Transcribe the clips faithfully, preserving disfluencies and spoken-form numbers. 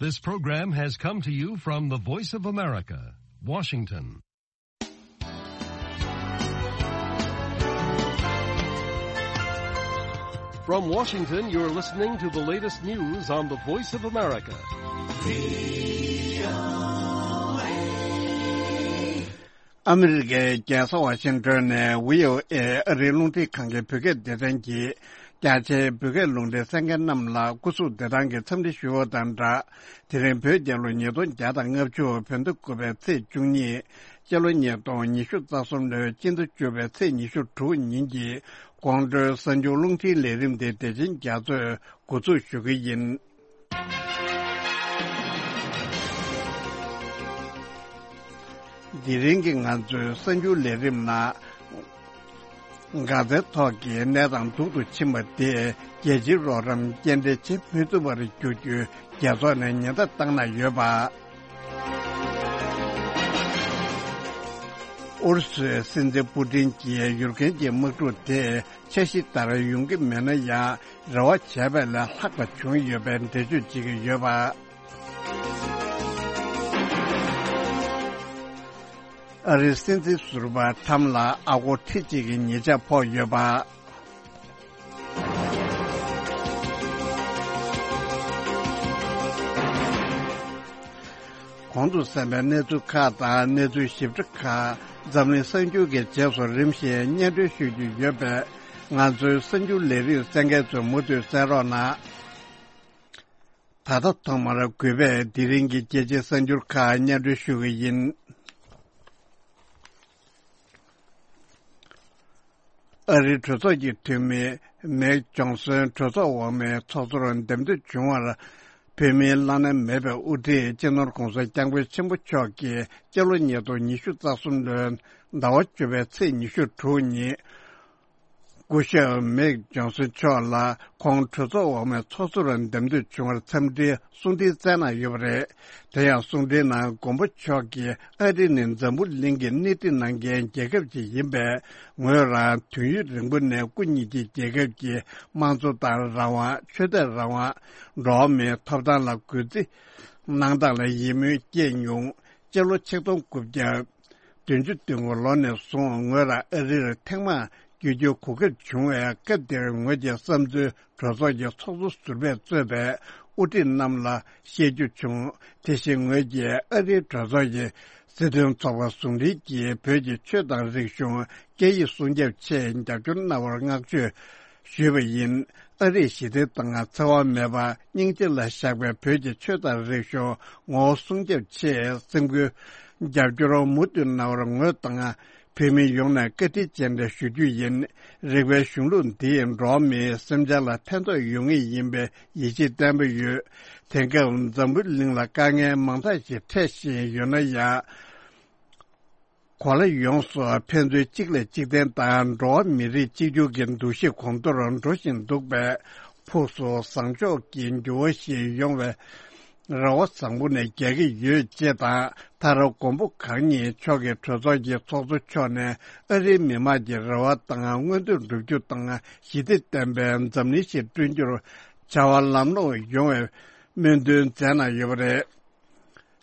This program has come to you from the Voice of America, Washington. From Washington, you're listening to the latest news on the Voice of America. ཨ་མི་རི་ཀའི་རྒྱལ་ས་ཝ་ཤིང་ཏོན་ནས་བྷི་ཨོ་ཨེ་ཨ་རིའི་རླུང་འཕྲིན་ཁང་གི་བོད་སྐད་སྡེ་ཚན་གྱིས། རྒྱ་ཆེའི་བོད་སྐད་ལུང་འདྲེན་གསན་མཁན་རྣམས་ལ་སྐུ་གཟུགས་བདེ་ཐང་གི་འཚམས་འདྲི་ཞུ་བ་དང་སྦྲགས། དེ་རིང་བོད་རྒྱལ་ལོ་ཉིས་སྟོང་བརྒྱ་དང་ལྔ་བཅུ་བོད་ཟླ་དགུ་པའི་ཚེས་བཅུ་གཉིས། སྤྱི་ལོ་ཉིས་སྟོང་ཉི་ཤུ་རྩ་གསུམ་ལོའི་སྤྱི་ཟླ་བཅུ་པའི་ཚེས་ཉི་ཤུ་དྲུག་ཉིན་གྱི་དགོང་དྲོའི་གསར་འགྱུར་རླུང་འཕྲིན་ལས་རིམ་དེ་དེ་བཞིན་རྒྱ་མཚོས་འགོ་འཛུགས་ཞུ་གི་ཡིན། དེ་རིང་གི་ང་ཚོའི་གསར་འགྱུར་ལས་རིམ་ནང་། འགག་རྩའི་ཐོག་གི་གནས་སྟངས་སྡུག་ཏུ་ཕྱིན་པ་དེས་རྒྱལ་སྤྱིའི་རོགས་རམ་སྐྱེལ་འདྲེན་བྱེད་མི་ཐུབ་པར་འགྱུར་རྒྱུའི་རྒྱལ་ཚོགས་ནས་ཉེན་བརྡ་བཏང་གནང་ཡོད་པ། ཨུ་རུ་སུའི་སྲིད་འཛིན་པུ་ཏིན་གྱིས་ཡུཀ་རེན་གྱི་དམག་འཁྲུག་དེ་འཆར་གཞི་ལྟར་ཡོང་གི་མེད་ན་ཡང་རེ་བ་བྱས་པ་ལས་ལྷག་པ་བྱུང་ཡོད་པའི་འགྲེལ་བརྗོད་བྱེད་ཀྱི་ཡོད་པ། ཨ་རིའི་སྲིད་འཛིན་ཟུར་པ་ཁྲམ་ལ་ཨ་སྒོར་ཁྲི་གཅིག་གི་ཉེས་ཆད་ཕོག་ཡོད་པ། གོང་དུ་གསན་པའི་གནས་ཚུལ་ཁག་དང་གནས་ཚུལ་ཞིབ་ཕྲ་ཁག་འཛམ་གླིང་གསར་འགྱུར་གྱི་རྗེས་སུ་རིམ་བཞིན་སྙན་སྒྲོན་ཞུ་རྒྱུ་ཡོད་པས། ང་ཚོའི་གསར་འགྱུར་ལས་རིམ་གསན་མཁན་ཚོས་མུ་མཐུད་གསན་རོགས་གནང་། ད་ལྟ་ཐོག་མར་གུས་པས་དེ་རིང་གི་རྒྱལ་སྤྱིའི་གསར་འགྱུར་ཁག་སྙན་སྒྲོན་ཞུ་གི་ཡིན། ཨ་རིའི་གྲོས་ཚོགས་ཀྱི་འཐུས་མི་མེག་ཇོན་སོན་གྲོས་ཚོགས་འོག་མའི་ཚོགས་གཙོར་འདེམས་ཐོན་བྱུང་བར། བོད་མིའི་བླ་ན་མེད་པའི་དབུ་ཁྲིད་སྤྱི་ནོར་༧གོང་ས་༧སྐྱབས་མགོན་ཆེན་པོ་མཆོག་གིས་སྤྱི་ལོ་ཉིས་སྟོང་ཉི་ཤུ་རྩ་གསུམ་ལོའི་ཟླ་བ་བཅུ་པའི་ཚེས་ཉི་ཤུ་དྲུག་ཉིན། སྐུ་ཞབས་མེག་ཇོན་སོན་མཆོག་ལ་ཁོང་གྲོས་ཚོགས་འོག་མའི་ཚོགས་གཙོར་འདེམས་ཐོན་བྱུང་བར་འཚམས་འདྲིའི་གསུང་འཕྲིན་བསྩལ་གནང་ཡོད་པ་རེད། དེ་ཡང་གསུང་འཕྲིན་ནང་མགོན་པོ་མཆོག་གིས་ཨ་རི་ནི་འཛམ་བུ་གླིང་གི་སྣེ་ཁྲིད་གནང་མཁན་རྒྱལ་ཁབ་ཅིག་ཡིན་པས། ངོས་རང་དུས་ཡུན་རིང་པོ་ནས་སྐུ་ཉིད་ཀྱི་རྒྱལ་ཁབ་ཀྱི་དམངས་གཙོ་ལྟར་རང་དབང་། ཆོས་དད་རང་དབང་། འགྲོ་བ་མིའི་ཐོབ་ཐང་ལ་གུས་བརྩི་གནང་སྟངས་ལ་ཡིད་སྨོན་སྐྱེས་མྱོང་། སྤྱི་ལོ་ཆིག་སྟོང་དགུ་བརྒྱ་བདུན་ཅུ་དོན་དགུ་ལོ་ནས་བཟུང་ངོས་རང་ཨ་རིར་ཐེངས་མང་བསྐྱོད་རྒྱུའི་གོ་སྐབས་བྱུང་བས། སྐབས་དེར་ངོས་ཀྱི་བསམ་ཚུལ་གྲོས་ཚོགས་ཀྱི་ཚོགས་གཙོ་ཟུར་པས་གཙོས་པའི་དབུ་ཁྲིད་རྣམས་ལ་བཤད་རྒྱུ་བྱུང་། དེ་བཞིན་ངོས་ཀྱིས་ཨ་རིའི་གྲོས་ཚོགས་ཀྱི་སྲིད་དོན་ཚོགས་པ་ཟུང་འབྲེལ་གྱིས་བོད་ཀྱི་ཆོས་དང་རིག་གཞུང་། སྐད་ཡིག་སྲུང་སྐྱོབ་ཆེད་རྒྱབ་སྐྱོར་གནང་བར་བསྔགས་བརྗོད་ཞུས་པ་ཡིན། ཨ་རིས་ཞི་བདེ་དང་འཚེ་བ་མེད་པ། སྙིང་རྗེ་ལ་བཞག་པའི་བོད་ཀྱི་ཆོས་དང་རིག་གཞུང་ངོ་བོ་སྲུང་སྐྱོབ་ཆེད་སེམས་ཁུར་རྒྱབ་སྐྱོར་མུ་མཐུད་གནང་བར་ངོས་དང་བོད་མི་ཡོངས་ནས་བཀའ་དྲིན་རྗེས་དྲན་ཞུ་རྒྱུ་ཡིན། རིག་པའི་གཞུང་ལུགས་འདིས་འགྲོ་བ་མིའི་སེམས་ཅན་ལ་ཕན་ཐོགས་ཡོང་ངེས་ཡིན་པའི་ཡིད་ཆེས་བརྟན་པོ་ཡོད། དེང་སྐབས་འཛམ་བུ་གླིང་ལ་དཀའ་ངལ་མང་དག་ཞིག་འཕྲད་བཞིན་ཡོད་ན་ཡང་། གོ་ལ་ཡོངས་སུ་ཕན་ཚུན་གཅིག་ལས་གཅིག་བརྟེན་དང་། འགྲོ་བ་མི་རིགས་གཅིག་གྱུར་གྱི་འདུ་ཤེས་གོང་མཐོར་འགྲོ་བཞིན་འདུག་པས། ཕུགས་སུ་བཟང་ཕྱོགས་ཀྱི་འགྱུར་བ་ཞིག་ཡོང་བའི་རེ་བ་བཟང་པོ་ནས་རྒྱག་གི་ཡོད་ཅེས་དང་། མཐར་མགོན་པོ་གང་ཉིད་མཆོག་གིས་གྲོས་ཚོགས་ཀྱི་ཚོགས་གཙོ་མཆོག་ནས་ཨ་རིའི་མི་དམངས་ཀྱི་རེ་བ་དང་མངོན་འདོད་བསྒྲུབ་རྒྱུ་དང་ཞི་བདེ་ལྡན་པའི་འཛམ་གླིང་ཞིག་བསྐྲུན་རྒྱུར་བྱ་བ་ལམ་ལྷོང་ཡོང་བའི་སྨོན་འདུན་མཛད་གནང་ཡོད་པ་རེད།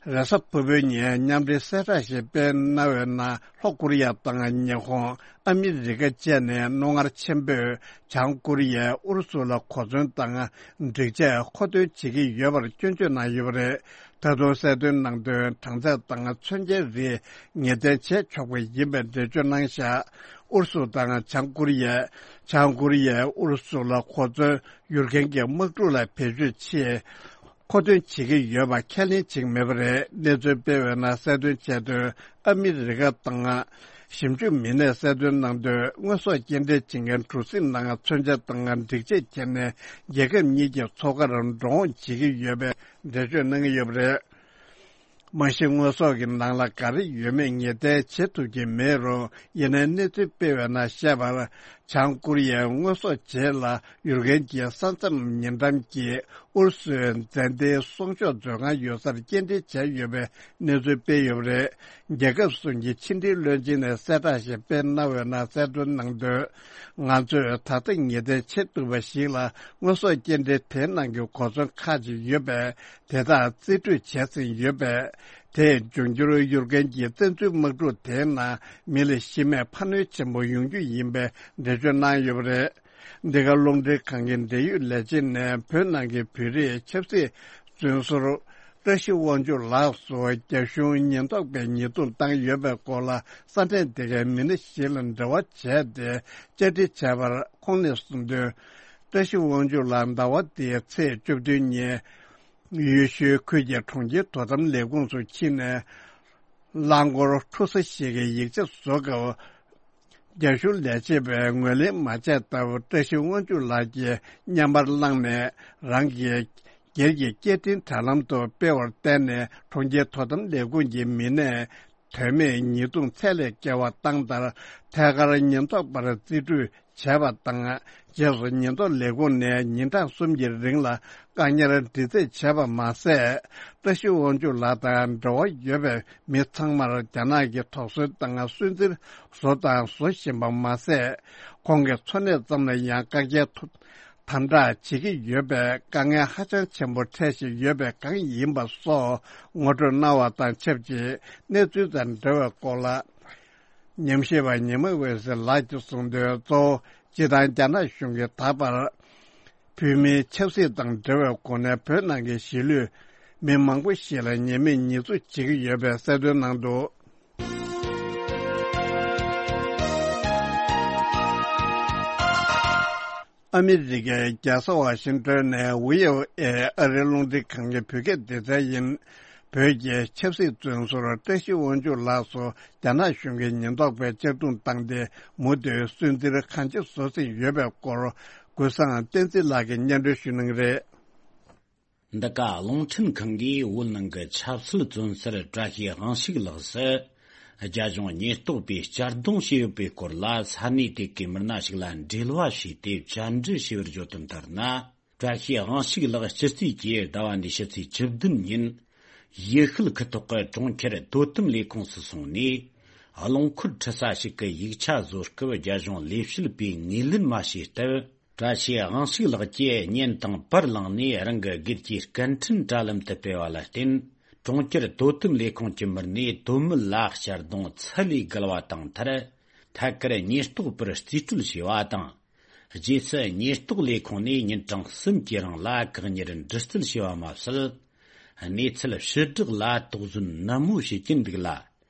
རེས་གཟའ་ཕུར་བུའི་ཉིན་མཉམ་འབྲེལ་གསལ་བསྒྲགས་ཤིག་སྤེལ་གནང་བའི་ནང་། ལྷོ་ཀོ་རི་ཡ་དང་ཉི་ཧོང་། ཨ་མི་རི་ཀ་བཅས་ནས་རྣོ་ངར་ཆེན་པོས་བྱང་ཀོ་རི་ཡས་ཨུ་རུ་སུ་ལ་གོ་མཚོན་དང་སྒྲིག་ཆས་མཁོ་འདོན་བྱེད་ཀྱི་ཡོད་པར་སྐྱོན་བརྗོད་གནང་ཡོད་པ་རེད། ད་དུང་གསལ་སྟོན་གནང་དོན། གྲངས་ཚད་དང་མཚོན་ཆའི་རིགས་ངེས་གཏན་བྱས་ཆོག་པ་ཡིན་པའི་འགྲེལ་བརྗོད་གནང་བཞག་ཨུ་རུ་སུ་དང་བྱང་ཀོ་རི་ཡས། བྱང་ཀོ་རི་ཡས་ཨུ་རུ་སུ་ལ་གོ་མཚོན་ཡུཀ་རེན་གྱི་དམག་འཁྲུག་ལ་བེད་སྤྱོད་ཆེད། མཁོ་འདོན་བྱེད་ཀྱི་ཡོད་པ་ཁས་ལེན་བྱེད་ཀྱི་མེད་པ་རེད། གནས་ཚུལ་སྤེལ་བའི་ནང་གསལ་སྟོན་བྱས་དོན། ཨ་མི་རི་ཀ་དང་ཞིབ་འཇུག་མི་སྣས་གསལ་སྟོན་གནང་དོན། དངོས་ཟོག་སྐྱེལ་འདྲེན་བྱེད་མཁན་གྲུ་གཟིངས་ནང་མཚོན་ཆ་དང་སྒྲིག་ཆས་ཁྱེར་ནས་རྒྱལ་ཁབ་གཉིས་ཀྱི་མཚོ་ཁར་འགྲོ་འོང་བྱེད་ཀྱི་ཡོད་པའི་འགྲེལ་བརྗོད་གནང་གི་ཡོད་པ་རེད། མ་གཞི་དངོས་ཟོག་གི་ནང་ལ་ག་རེ་ཡོད་མེད་ངེས་གཏན་བྱེད་ཐུབ་ཀྱི་མེད་རུང་། ཡིན་ནའི་གནས་ཚུལ་སྤེལ་བའི་ནང་བཤད་པར། བྱང་ཀོ་རི་ཡའི་དངོས་ཟོག་བརྗེས་ལ་ཡུལ་ཁན་གྱི་ས་མཚམས་ཉེ་འགྲམ་གྱི་ཨུ་རུ་སུའི་མཛའ་མཐུན་སྲུང་སྐྱོབ་མཛོད་ཁང་ཡོད་སར་སྐྱེལ་འདྲེན་བྱས་ཡོད་པའི་གནས་ཚུལ་སྤེལ་ཡོད་པ་རེད། རྒྱལ་ཁབ་གསུམ་གྱི་ཕྱི་འབྲེལ་བློན་ཆེན་ནས་གསལ་བསྒྲགས་ཤིག་སྤེལ་གནང་བའི་ནང་གསལ་སྟོན་གནང་དོན། ང་ཚོས་ད་ལྟ་ངེས་གཏན་བྱེད་ཐུབ་པ་ཞིག་ལ་དངོས་ཟོག་སྐྱེལ་འདྲེན་དེའི་ནང་གི་གོ་མཚོན་ཁག་ཅིག་ཡོད་པས། དེ་དག་རྩིས་སྤྲོད་བྱས་ཟིན་ཡོད་པས། དེས་འབྱུང་འགྱུར་ཡུལ་ཁན་གྱི་བཙན་འཛུལ་དམག་འཁྲུག་དེའི་ནང་མི་ལ་ཤི་རྨས་འཕར་སྣོན་ཆེན་པོ་ཡོང་རྒྱུ་ཡིན་པའི་འགྲེལ་བརྗོད་གནང་ཡོད་པ་རེད། འདི་ག་རླུང་འཕྲིན་ཁང་གི་འབྲེལ་ཡོད་ལས་བྱེད་ནས་བོད་ནང་གི་བོད་རིགས་ཆབ་སྲིད་བཙོན་ཟུར་བཀྲ་ཤིས་དབང་ཕྱུག་ལགས་སུ་རྒྱ་གཞུང་ཉེན་རྟོག་པས་ཉེས་རྡུང་བཏང་ཡོད་པའི་སྐོར་ལ་ས་གནས་དེ་གའི་མི་སྣ་ཞིག་ལ་འབྲེལ་བ་བྱས་ཏེ་བཅར་འདྲི་བྱས་པར། ཁོང་ནས་གསུངས་དོན། བཀྲ་ཤིས་དབང་ཕྱུག་ལགས་ཟླ་བ་འདིའི་ཚེས་བཅུ་བདུན་ཉིན། ཡུལ་ཤུལ་ཁུལ་གྱི་གྲོང་ཁྱེར་དོ་དམ་ལས་ཁུངས་སུ་ཕྱིན་ནས། རླངས་འཁོར་འཁྲུག་ས་ཞིག་གི་ཡིག་ཆ་བཟོ་སྐབས། རྒྱ་གཞུང་ལས་བྱེད་པས་ངོས་ལེན་མ་བྱས་སྟབས། བཀྲ་ཤིས་དབང་ཕྱུག་ལགས་ཀྱིས་བརྙན་པར་བླངས་ནས། རང་གི་སྒེར་གྱི་སྐད་འཕྲིན་དྲ་ལམ་དུ་སྤེལ་བར་བརྟེན་ནས། གྲོང་ཁྱེར་དོ་དམ་ལས་ཁུངས་ཀྱི་མི་སྣས། དོན་མེད་ཉེས་རྡུང་ཚད་ལས་བརྒལ་བ་བཏང་མཐར། ཐད་ཀར་ཉེན་རྟོག་པར་རྩིས་སྤྲོད་བྱས་པ་དང་། རྗེས་སུ་ཉེན་རྟོག་ལས་ཁུངས་ནས་ཉིན་གྲངས་གསུམ་གྱི་རིང་ལ་བཀག་ཉར་འདྲི་རྩད་བྱས་པ་མ་ཟད། བཀྲ་ཤིས་དབང་ཕྱུག་ལགས་དང་འབྲེལ་བ་ཡོད་པའི་མི་ཚང་མར་རྒྱ་ནག་གི་དོགས་ཟོན་དང་སུན་གཙེར་བཟོ་དང་བཟོ་བཞིན་པ་མ་ཟད། ཁོང་གི་འཚོ་གནས་ཙམ་ལ་ཡང་བཀག་རྒྱའི་ཐོག་དམ་དྲག་བྱེད་ཀྱི་ཡོད་པས། དཀའ་ངལ་ཧ་ཅང་ཆེན་པོ་འཕྲད་བཞིན་ཡོད་པའི་སྒང་ཡིན་པ་སོགས་ངོ་སྤྲོད་གནང་བ་དང་ཆབས་ཅིག་གནས་ཚུལ་དང་འབྲེལ་བའི་སྐོར་ལ། ཉམས་ཞིབ་པ་ཉི་མ་འོད་ཟེར་ལགས་ཀྱིས་གསུངས་དོན། གཙོ་བོ་སྤྱིར་བཏང་རྒྱ་ནག་གཞུང་གིས་ད་བར་བོད་མིའི་ཆབ་སྲིད་དང་འབྲེལ་བའི་སྒོ་ནས་བོད་ནང་གི་གཞིས་ལུས་མི་མང་པོ་ཞིག་ལ་ཉེས་མེད་ཉེས་འཛུགས་བྱེད་ཀྱི་ཡོད་པའི་གསལ་སྟོན་གནང་འདུག་ཨ་མི་རི་ཀའི་རྒྱལ་ས་ཝ་ཤིང་ཏོན་ནས་ཝི་ཨོ་ཨེ་ཨ་རིའི་རླུང་འཕྲིན་ཁང་གི་བོད་སྐད་སྡེ་ཚན་ཡིན། བོད་ཀྱི་ཆབ་སྲིད་བཙོན་ཟུར་བཀྲ་ཤིས་དབང་ཕྱུག་ལགས་སུ་རྒྱ་ནག་གཞུང་གིས་ཉེན་རྟོག་པས་གཅར་རྡུང་བཏང་སྟེ། མུ་མཐུད་སུན་གཙེར་གང་ཆེ་བཟོ་བཞིན་ཡོད་པའི་སྐོར། ཀུན་བཟང་བསྟན་འཛིན་ལགས་ཀྱིས་སྙན་སྒྲོན་ཞུ་གནང་གི་རེད། འདི་ག་རླུང་འཕྲིན་ཁང་གིས་བོད་ནང་གི་ཆབ་སྲིད་བཙོན་ཟུར་བཀྲ་ཤིས་དབང་ཕྱུག་ལགས་སུ། རྒྱ་གཞུང་ཉེན་རྟོག་པས་གཅར་རྡུང་བྱས་ཡོད་པའི་སྐོར་ལ། ས་གནས་དེ་གའི་མི་སྣ་ཞིག་ལ་འབྲེལ་བ་བྱས་ཏེ་བཅར་འདྲི་བྱས་པར་བརྗོད་དོན་ལྟར་ན། བཀྲ་ཤིས་དབང་ཕྱུག་ལགས་སྤྱི་ཚེས་བརྒྱད་ཟླ་བ་འདིའི་ཕྱི་ཚེས་བཅུ་བདུན་ཉིན། ཡུལ་ཤུལ་ཁུལ་ཐོག་གི་གྲོང་ཁྱེར་དོ་དམ་ལས་ཁུངས་སུ་སོང་ནས། རླངས་འཁོར་འཁྲུད་ས་ཞིག་གི་ཡིག་ཆ་བཟོ་སྐབས། རྒྱ་གཞུང་ལས་བྱེད་པས་ངོས་ལེན་མ་བྱས་སྟབས། བཀྲ་ཤིས་དབང་ཕྱུག་ལགས་ཀྱིས་བརྙན་དང་པར་བླངས་ནས། རང་གི་སྒེར་གྱི་སྐད་འཕྲིན་དྲ་ལམ་དུ་སྤེལ་བ་ལ་བརྟེན། གྲོང་ཁྱེར་དོ་དམ་ལས་ཁུངས་ཀྱི་མི་སྣས་དོན་མེད་ལ་གཅར་རྡུང་ཚད་ལས་བརྒལ་བ་བཏང་མཐར། ཐད་ཀར་ཉེན་རྟོག་པར་རྩིས་སྤྲོད་བྱས་པ་དང་། རྗེས་སུ་ཉེན་རྟོག་ལས་ཁུངས་ནས་ཉིན་གྲངས་གསུམ་གྱི་རིང་ལ་བཀག་ཉར་འདྲི་རྩད་བྱས་པ་མ་ཟད། གནས་ཚུལ་ཕྱིར་བསྒྲགས་ལ་དོགས་ཟོན་ནན་མོ་བྱེད་ཀྱིན་འདུག་ལ།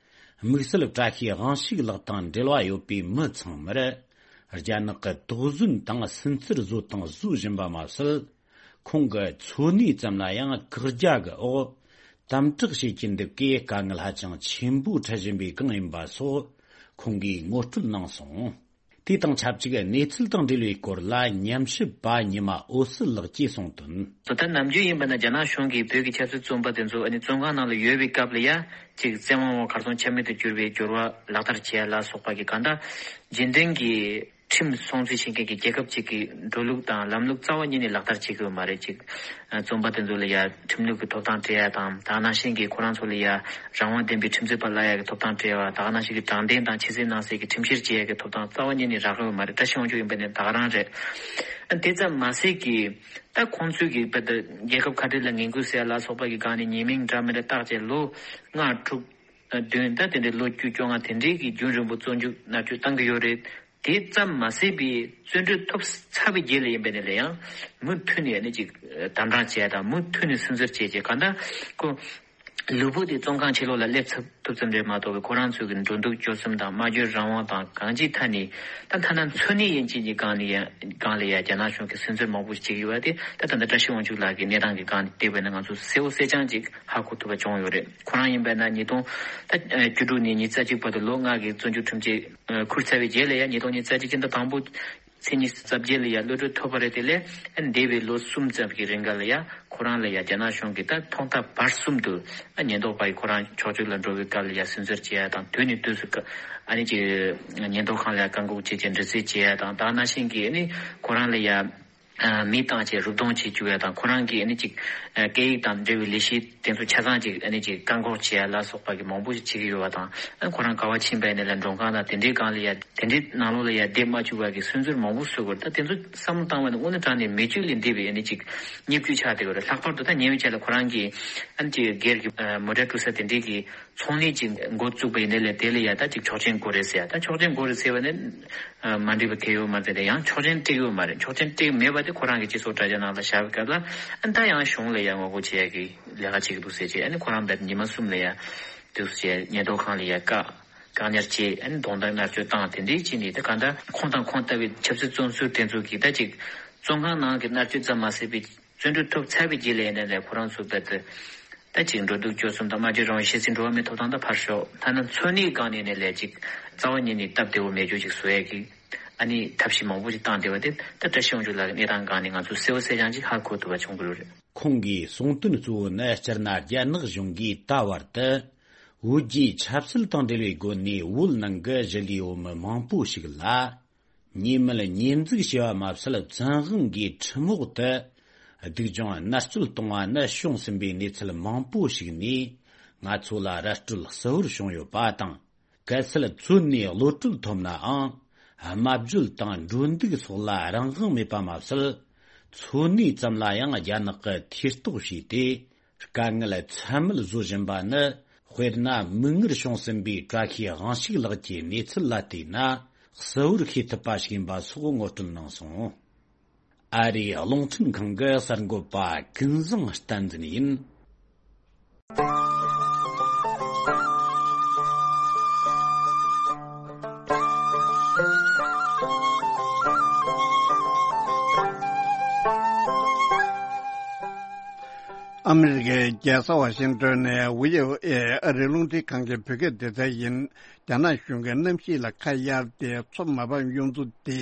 དམིགས་བསལ་བཀྲ་ཤིས་དབང་ཕྱུག་ལགས་དང་འབྲེལ་བ་ཡོད་པའི་མི་ཚང་མར། རྒྱ་ནག་གི་དོགས་ཟོན་དང་སུན་གཙེར་བཟོ་དང་བཟོ་བཞིན་པ་མ་ཟད། ཁོང་གི་འཚོ་གནས་ཙམ་ལ་ཡང་བཀག་རྒྱ་གི་འོག་དམ་དྲག་བྱེད་ཀྱིན་འདུག་གི། དཀའ་ངལ་ཧ་ཅང་ཆེན་པོ་འཕྲད་བཞིན་པའི་སྒང་ཡིན་པ་སོགས་ཁོང་གིས་ངོ་སྤྲོད་གནང་སོང་། དེ་དང་ཆབས་ཅིག་གནས་ཚུལ་དང་འབྲེལ་བའི་སྐོར་ལ་ཉམས་ཞིབ་པ་ཉི་མ་འོད་ཟེར་ལགས་ཀྱིས་གསུངས་དོན། ད་ནམ་རྒྱུན་ཡིན་པ་ན་རྒྱ་ནག་གཞུང་གིས་བོད་ཀྱི་ཆབ་སྲིད་བཙོན་པ་དེ་ཚོ་ཨ་ནི་བཙོན་ཁང་ནང་ལ་ཡོད་པའི་སྐབས་ལ་ཡ་ཅིག་བཙན་དབང་འོག་གར་སོང་ཆ་མེད་དུ་གྱུར་བའི་འགྱུར་བ་ལག་བསྟར་བྱས་ལ་སོགས་པ་གི་གང་ལྟར་རྗེས་དྲན་གྱི་ཁྲིམས་སྲུང་བརྩི་བྱེད་མཁན་གྱི་རྒྱལ་ཁབ་ཅིག་གི་འགྲོ་ལུགས་དང་ལམ་ལུགས་རྩ་བ་ཉིད་ནས་ལག་བསྟར་བྱེད་དགོས་མ་རེད། ཅིག་བཙོན་པ་དེ་ཚོ་ལ་ཡ་ཁྲིམས་ལུགས་ཀྱི་ཐོབ་ཐང་སྤྲད་ཡ་དང་། ད་ག་ནང་བཞིན་གྱི་ཁོ་རང་ཚོ་ལ་ཡ་རང་དབང་ལྡན་པའི་ཁྲིམས་རྩོད་པ་གླ་ཡ་གི་ཐོབ་ཐང་སྤྲད་ཡ། ད་ག་ནང་བཞིན་གྱི་དྲང་བདེན་དང་ཆེས་སྲིད་ནང་གསལ་གྱི་ཁྲིམས་བཤེར་བྱེད་ཡ་གི་ཐོབ་ཐང་རྩ་བ་ཉིད་ནས་རག་གི་ཡོད་མ་རེད། བཀྲ་ཤིས་དབང་ཕྱུག་ཡིན་པ་ནས་ད་ག་རང་རེད། ཨ་དེ་ཙམ་མ་ཟད་ཀྱི་ད་ཁོང་ཚོས་ཀྱི་རྦད་དེ་རྒྱལ་ཁབ་ཁ་བྲལ་ལ་ངན་སྐུལ་ཟེར་ཡ་ལ་སོགས་པ་གི་སྒང་ནས་ཉེས་མིང་འདྲ་མི་འདྲ་བཏགས་བྱས་ལོ་ལྔ་དྲུག་བདུན། ད་དེ་འདྲའི་ལོ་བཅུ་བཅོ་ལྔ་དེ་འདྲའི་གི་རྒྱུན་རིང་པོ་བཙོན་འཇུག་མནར་གཅོད་བཏང་གི་ཡོད་རེད། དེ་ཙམ་མ་ཟད་པའི་བཙོན་གྲོལ་ཐོབ་ཚར་བའི་རྗེས་ལ་ཡིན་པ་ནས་ལ་ཡང་མུ་མཐུད་ནས་ནི་ཅིག་དམ་དྲག་བྱས་དང་མུ་མཐུད་ནས་སུན་གཙེར་བྱས་བྱས་གང་ལྟར་ཁོ་ལུས་པོ་དེ་བཙོན་ཁང་ཕྱི་ལོགས་ལ་སླེབས་ཐུབ་ཐུབ་ཙམ་རེད་མ་གཏོགས་པའི་ཁོ་རང་ཚོའི་གི་འགྲོ་འདུག་སྤྱོད་གསུམ་དང་སྨྲ་བརྗོད་རང་དབང་དང་གང་ཅིའི་ཐད་ནས་ད་ཐ་ན་འཚོ་གནས་ཡན་ཆད་ཀྱི་སྒང་ལ་ཡ་སྒང་ལ་ཡ་རྒྱ་ནག་གཞུང་གིས་སུན་གཙེར་མང་པོ་ཞིག་བྱེད་ཀྱི་ཡོད་པ་དེ་ད་ད་ལྟ་བཀྲ་ཤིས་དབང་ཕྱུག་ལགས་ཀྱི་གནས་སྟངས་ཀྱི་སྒང་ནས་བལྟས་པ་ན་ང་ཚོ་གསལ་པོ་གསལ་རྐྱང་ཅིག་ཧ་གོ་ཐུབ་པ་བྱུང་ཡོད་རེད། ཁོ་རང་ཡིན་པ་ན་ཉིས་སྟོང་ད་བཅུ་དྲུག་ནས་ཉི་ཤུ་རྩ་གཅིག་བར་དུ་ལོ་ལྔ་གི་བཙོན་འཇུག་ཁྲིམས་ཆད་ཁུར་ཚར་བའི་རྗེས་ལ་ཡང་ཉིས་སྟོང་ཉི་ཤུ་རྩ་གཅིག་སྤྱི་ཟླ་དང་པོ་ མཚན་ཉིད་རྩ་བརྒྱད་ལ་ཡ་གློད་གྲོལ་ཐོབ་པ་རེད། དེ་ལས་འདས་པའི་ལོ་གསུམ་ཙམ་གྱི་རིང་ག་ལ་ཡ་ཁོ་རང་ལ་ཡ་རྒྱ་ནག་གཞུང་གིས་ད་ཐོག་མཐའ་བར་གསུམ་དུ་ཉེན་རྟོག་པ་ཡིས་ཁོ་རང་ཕྱོགས་གཅིག་ལ་འགྲོ་བའི་སྐབས་ལ་ཡ་སུན་གཙེར་བྱེད་ཡ་དང་། དུས་ནས་དུས་སུ་ཨ་ནི་ཅིག་ཉེན་རྟོག་ཁང་ལ་ཡ་བཀག་འགོག་བྱེད་ཅིང་འདྲི་རྩད་བྱེད་ཡ་དང་། དེ་ནང་བཞིན་གྱི་ཨ་ནི་ཁོ་རང་ལ་ཡ་མི་བཏང་བྱས་རུབ་རྡུང་བྱེད་བཅུག་ཡ་དང་། ཁོ་རང་གིས་ཨ་ནི་ཅིག་སྐད་ཡིག་དང་འབྲེལ་བའི་ལས་གཞི་དེ་ཚོ་ཆ་ཚང་ཅིག་ཨ་ནི་ཅིག་བཀག་འགོག་བྱེད་ཡ་ལ་སོགས་པ་གི་མང་པོ་ཞིག་བྱེད་ཀྱི་ཡོད་པ་དང་། ཨ་ཁོ་རང་ག་བ་ཕྱིན་པ་ཡིན་ནའི་ལ་མགྲོན་ཁང་དང་དེ་འདྲའི་སྒང་ལ་ཡ་དེ་འདྲའི་ནང་ལོགས་ལ་ཡ་བསྡད་མ་བཅུག་པ་གི་སུན་གཙེར་མང་པོ་བཟོ་དགོས་རེད། ད་དེ་ཚོ་བསམ་བློ་བཏང་བ་ནི་དངོས་གནས་དྲང་གནས་མེ་མཆོད་ལས་འདས་པའི་ཨ་ནི་ཅིག་བརྙས་བཅོས་ཆགས་བསྡད་ཡོད་རེད། ལྷག་པར་དུ་ད་ཉེ་བའི་ཆར་ལ་ཁོ་རང་གིས་ཨ་ནི་ཅིག་སྒེར་གྱི་མོ་ཊ་འཁྲུག་ས་དེ་འདྲའི་གི་ཚོང་ལས་ཅིག་འགོ་བཙུགས་པ་ཡིན་ནའི་ལས་དེ་ལ་ཡ་ད་ཅིག་ཆོག་མཆན་དགོས་རེད་ཟེར་ཡ། ད་ཆོག་མཆན་དགོས་རེད་ཟེར་བ་ནི་མ་འགྲིག་པ་གང་ཡང་ཡོད་མ་རེད། དེ་ཡང་ཆོག་མཆན་སྤྲད་ཡོད་མ་རེད། ཆོག་མཆན་སྤྲད་མེད་པ་དེ་ཁོ་རང་གི་སྤྱི་ཚོགས་དྲ་རྒྱ་ནང་ལ་བཞག་པའི་སྐབས་ལ་ཨ་ནི་ད་ཡང་གཞུང་ལ་ཡ་ངོ་རྒོལ་བྱེད་ཡ་གི་ལས་ཀ་བྱེད་ཀྱི་འདུག་ཟེར་བྱས། ཨ་ནི་ཁོ་རང་ད་ཉི་མ་གསུམ་ལ་ཡ་དུས་སུ་བྱས་ཉེན་རྟོག་ཁང་ལ་ཡ་བཀག་བཀག་ཉར་བྱས། ཨ་ནི་རྡུང་རྡེག་མནར་གཅོད་བཏང་། དེ་འདྲའི་བྱས་ནས་ད་གང་ལྟར་ཁོང་དང་ཁོང་ལྟ་བུའི་ཆབ་སྲིད་བཙོན་ཟུར་དེ་ཚོ་གིས་ད་ཅིག་བཙོན་ཁང་ནང་གི་མནར་གཅོད་ཙམ་མ་ཟད་པའི་བཙོན་གྲོལ་ཐོབ་ཚར་བའི་རྗེས་ལ་ཡིན་ནའི་ལས་ཁོ་རང་ཚོ་ད་ལྟ་ད་ཅིག་འགྲོ་འདུག་སྤྱོད་གསུམ་དང་སྨྲ་བརྗོད་རང་དབང་ཤེས་ཚད་འགྲོ་བ་མིའི་ཐོབ་ཐང་ད་ཕར་ཞོག་ཐ་ན་འཚོ་གནས་སྒང་ནས་ནས་ལས་ཅིག་རྩ་བ་ཉིད་ནས་སྟབས་བདེ་བོ་མེད་རྒྱུ་ཅིག་བཟོ་ཡས་ཀྱི་ཨ་ནི་ཐབས་ཤེས་མང་པོ་ཞིག་བཏང་བསྡད་པ་དེ་ད་བཀྲ་ཤིས་དབང་ཕྱུག་ལགས་ཀྱི་གནས་སྟངས་སྒང་ནས་ང་ཚོས་གསལ་བོ་གསལ་རྐྱང་ཅིག་ཧ་གོ་ཐུབ་པ་བྱུང་གི་ཡོད་རེད། ཁོང་གིས་གསུངས་དོན་གཙོ་བོ་ནི་སྤྱིར་ན་རྒྱ་ནག་གཞུང་གིས་ད་བར་དུ་བོད་རྒྱའི་ཆབ་སྲིད་དང་འབྲེལ་བའི་སྒོ་ནས་བོད་ནང་གི་གཞིས་ལུས་བོད་མི་མང་པོ་ཞིག་ལ། ཉེས་མེད་ཉེས་འཛུགས་བྱས་པ་མ་ཟད། བཙན་དབང་གིས་ཁྲིམས་འོག་ཏུ་སྡུག་སྦྱོང་མནར་གཅོད་གཏོང་བ་ནི་བྱུང་ཟིན་པའི་གནས་ཚུལ་མང་པོ་ཞིག་ནས་ང་ཚོ་ལ་ར་སྤྲོད་གསལ་བོར་བྱུང་ཡོད་པ་དང་། གལ་སྲིད་བཙོན་ནས་གློད་གྲོལ་ཐོབ་ནའང་། དམའ་འབྱོར་དང་འགྲོ་འདུག་སོགས་ལ་རང་དབང་མེད་པ་མ་ཟད། འཚོ་གནས་ཙམ་ལ་ཡང་རྒྱ་ནག་གིས་ཐེ་གཏོགས་བྱས་ཏེ། དཀའ་ངལ་ཚད་མེད་བཟོ་བཞིན་པ་ནི། དཔེར་ན། མིག་སྔར་བྱུང་ཟིན་པའི་བཀྲ་ཤིས་དབང་ཕྱུག་ལགས་ཀྱི་གནས་ཚུལ་ལ་བལྟས་ན། གསལ་བོར་ཤེས་ཐུབ་པ་ཞིག་ཡིན་པ་སོགས་ངོ་སྤྲོད་གནང་སོང་། ཨ་རིའི་རླུང་འཕྲིན་ཁང་གི་གསར་འགོད་པ་ཀུན་བཟང་བསྟན་འཛིན་ཡིན། ཨ་མི་རི་ཀའི་རྒྱལ་ས་ཝ་ཤིང་ཏོན་ནས་བྷི་ཨོ་ཨེ་ཨ་རིའི་རླུང་འཕྲིན་ཁང་གི་བོད་སྐད་སྡེ་ཚན་ཡིན། རྒྱ་ནག་གཞུང་གིས་གནམ་གཤིས་ལ་ཁ་གཡར་ཏེ་མཚོ་མ་ཕམ་གཡུ་མཚོ་དེ།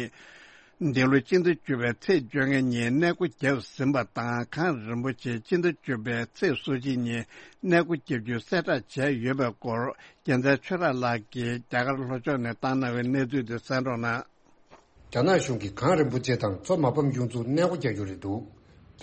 འདི་ལོ་ཕྱི་ཟླ་བཅུ་པའི་ཚེས་བཅོ་ལྔ་ཉིན་གནས་སྐོར་བརྒྱབ་ཟིན་པ་དང་། གངས་རིན་པོ་ཆེ་ཕྱི་ཟླ་བཅུ་པའི་ཚེས་སོ་གཅིག་ཉིན་གནས་སྐོར་བརྒྱབ་རྒྱུ་གསལ་བསྒྲགས་བྱས་ཡོད་པའི་སྐོར། རྒྱལ་མཚན་ཆོས་གྲགས་ལགས་ཀྱིས་རྒྱ་གར་ལྷོ་ཕྱོགས་ནས་བཏང་གནང་བའི་གནས་ཚུལ་དེ་གསན་རོགས་གནང་། རྒྱ་ནག་གཞུང་གིས་གངས་རིན་པོ་ཆེ་དང་མཚོ་མ་ཕམ་གཡུ་མཚོར་གནས་སྐོར་རྒྱག་རྒྱུ་རེད་འདུག་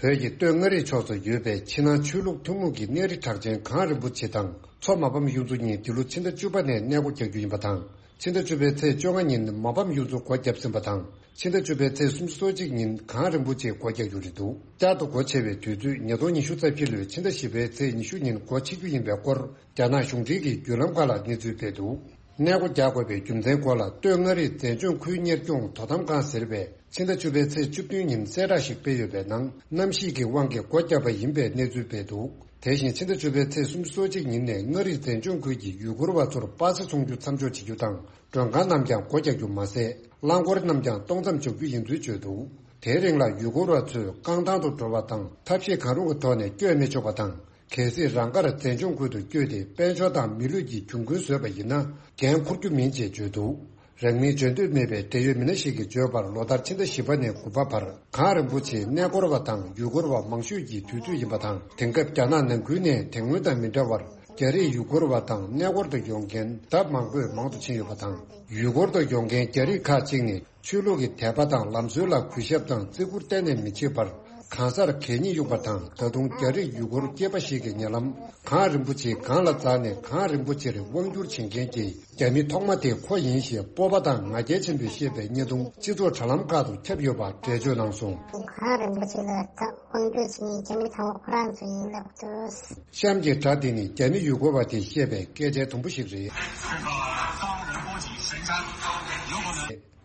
བོད་ཀྱི་སྟོད་མངའ་རིས་ཕྱོགས་སུ་ཡོད་པའི་ཕྱི་ནང་ཆོས་ལུགས་ཐུན་མོང་གི་གནས་རི་གྲགས་ཅན་གངས་རིན་པོ་ཆེ་དང་མཚོ་མ་ཕམ་གཡུ་མཚོ་གཉིས་འདི་ལོ་ཕྱི་ཟླ་བཅུ་པ་ནས་གནས་སྐོར་རྒྱག་རྒྱུ་ཡིན་པ་དང་། ཕྱི་ཟླ་བཅུ་པའི་ཚེས་བཅོ་ལྔ་ཉིན་མ་ཕམ་གཡུ་མཚོ་སྒོ་བརྒྱབ་ཟིན་པ་དང་། ཕྱི་ཟླ་བཅུ་པའི་ཚེས་སུམ་ཅུ་སོ་གཅིག་ཉིན་གངས་རིན་པོ་ཆེ་སྒོ་རྒྱག་རྒྱུ་རེད་འདུག་བསྐྱར་དུ་སྒོ་ཕྱེ་བའི་དུས་ཚོད་ཉིས་སྟོང་ཉི་ཤུ་རྩ་བཞི་ལོའི་ཕྱི་ཟླ་བཞི་པའི་ཚེས་ཉི་ཤུ་ཉིན་སྒོ་ཕྱེ་རྒྱུ་ཡིན་པའི་སྐོར། རྒྱ་ནག་གཞུང་འབྲེལ་གྱི་བརྒྱུད་ལམ་ཁག་ལ་གནས་ཚུལ་སྤེལ་འདུག་གནས་སྒོ་རྒྱག་དགོས་པའི་རྒྱུ་མཚན་སྐོར་ལ། སྟོད་མངའ་རིས་མཛེས་ལྗོངས་ཁུལ་གཉེར་སྐྱོང་དོ་དམ་ཁང་ཟེར་བས་ཕྱི་ཟླ་བཅུ་པའི་ཚེས་བཅུ་བདུན་ཉིན་གསལ་བསྒྲགས་ཤིག་སྤེལ་ཡོད་པའི་ནང་། གནམ་གཤིས་ཀྱི་དབང་གིས་སྒོ་བརྒྱབ་པ་ཡིན་པའི་གནས་ཚུལ་སྤེལ་འདུག་དེ་བཞིན་ཕྱི་ཟླ་བཅུ་པའི་ཚེས་སུམ་ཅུ་སོ་གཅིག་ཉིན་ནས་མངའ་རིས་མཛེས་ལྗོངས་ཁུལ་གྱི་ཡུལ་སྐོར་བ་ཚོར་པ་སེ་འཚོང་རྒྱུ་མཚམས་འཇོག་བྱེད་རྒྱུ་དང་། མགྲོན་ཁང་རྣམས་ཀྱང་སྒོ་རྒྱག་རྒྱུ་མ་ཟད། རླངས་འཁོར་རྣམས་ཀྱང་གཏོང་མཚམས་འཇོག་རྒྱུ་ཡིན་ཚུལ་བརྗོད་འདུག་དེའི་རིང་ལ་ཡུལ་སྐོར་བ་ཚོས་རྐང་ཐང་དུ་འགྲོ་བ་དང་། ཐབས་ཤེས་གང་རུང་གི་ཐོག་ནས་བསྐྱོད་མི་ཆོག་པ་དང་། གལ་སྲིད་རང་དགར་མཛེས་ལྗོངས་ཁུལ་དུ་བསྐྱོད་དེ། དཔལ་འབྱོར་དང་མི་ལུས་ཀྱི་གྱོང་གུན་བཟོས་པ་ཡིན་ན། འགན་འཁུར་རྒྱུ་མིན་ཅེས་བརྗོད་འདུག་རང་མིང་བརྗོད་འདོད་མེད་པའི་འབྲེལ་ཡོད་མི་སྣ་ཞིག་གིས་བརྗོད་པར། ལོ་ལྟར་ཕྱི་ཟླ་བཞི་པ་ནས་དགུ་པ་བར། གངས་རིན་པོ་ཆེའི་གནས་སྐོར་བ་དང་ཡུལ་སྐོར་བ་མང་ཤོས་ཀྱི་དུས་ཚོད་ཡིན་པ་དང་། དེང་སྐབས་རྒྱ་ནག་ནང་ཁུལ་ནས་དེ་སྔོན་དང་མི་འདྲ་བར། རྒྱ་རིགས་ཡུལ་སྐོར་བ་དང་གནས་སྐོར་དུ་ཡོང་མཁན་ལྡབ་མང་པོས་མང་དུ་ཕྱིན་ཡོད་པ་དང་། ཡུལ་སྐོར་དུ་ཡོང་མཁན་རྒྱ་རིགས་ཁག་ཅིག་ནི། ཆོས་ལུགས་ཀྱི་དད་པ་དང་ལམ་སྲོལ་ལ་གུས་ཞབས་དང་བརྩི་བཀུར་གཏན་ནས་མི་བྱེད་པར། གང་སར་གད་སྙིགས་གཡུགས་པ་དང་། ད་དུང་རྒྱ་རིགས་ཡུལ་སྐོར་སྐྱེས་པ་ཞིག་གིས་ཉེ་ལམ་གངས་རིན་པོ་ཆེའི་སྒང་ལ་འཛེགས་ནས། གངས་རིན་པོ་ཆེར་དབང་བསྒྱུར་བྱེད་མཁན་གྱི་རྒྱ་མི་ཐོག་མ་དེ་ཁོ་ཡིན་ཞེས་སྤོབས་པ་དང་ང་རྒྱལ་ཆེན་པོས་བཤད་པའི་བརྙན་ཐུང་སྤྱི་ཚོགས་དྲ་ལམ་ཁག་ཏུ་ཁྱབ་ཡོད་པ་འགྲེལ་བརྗོད་གནང་སོང་། གངས་རིན་པོ་ཆེ་ལ་དབང་བསྒྱུར་བྱེད་མཁན་རྒྱ་མི་ཚང་མ་ཁོ་རང་ཚོ་ཡིན་ལབ་འདུག་གཤམ་གྱི་སྒྲ་དེ་ནི་རྒྱ་མི་ཡུལ་སྐོར་བ་དེས་བཤད་པའི་སྐད་ཆའི་དུམ་བུ་ཞིག་རེད།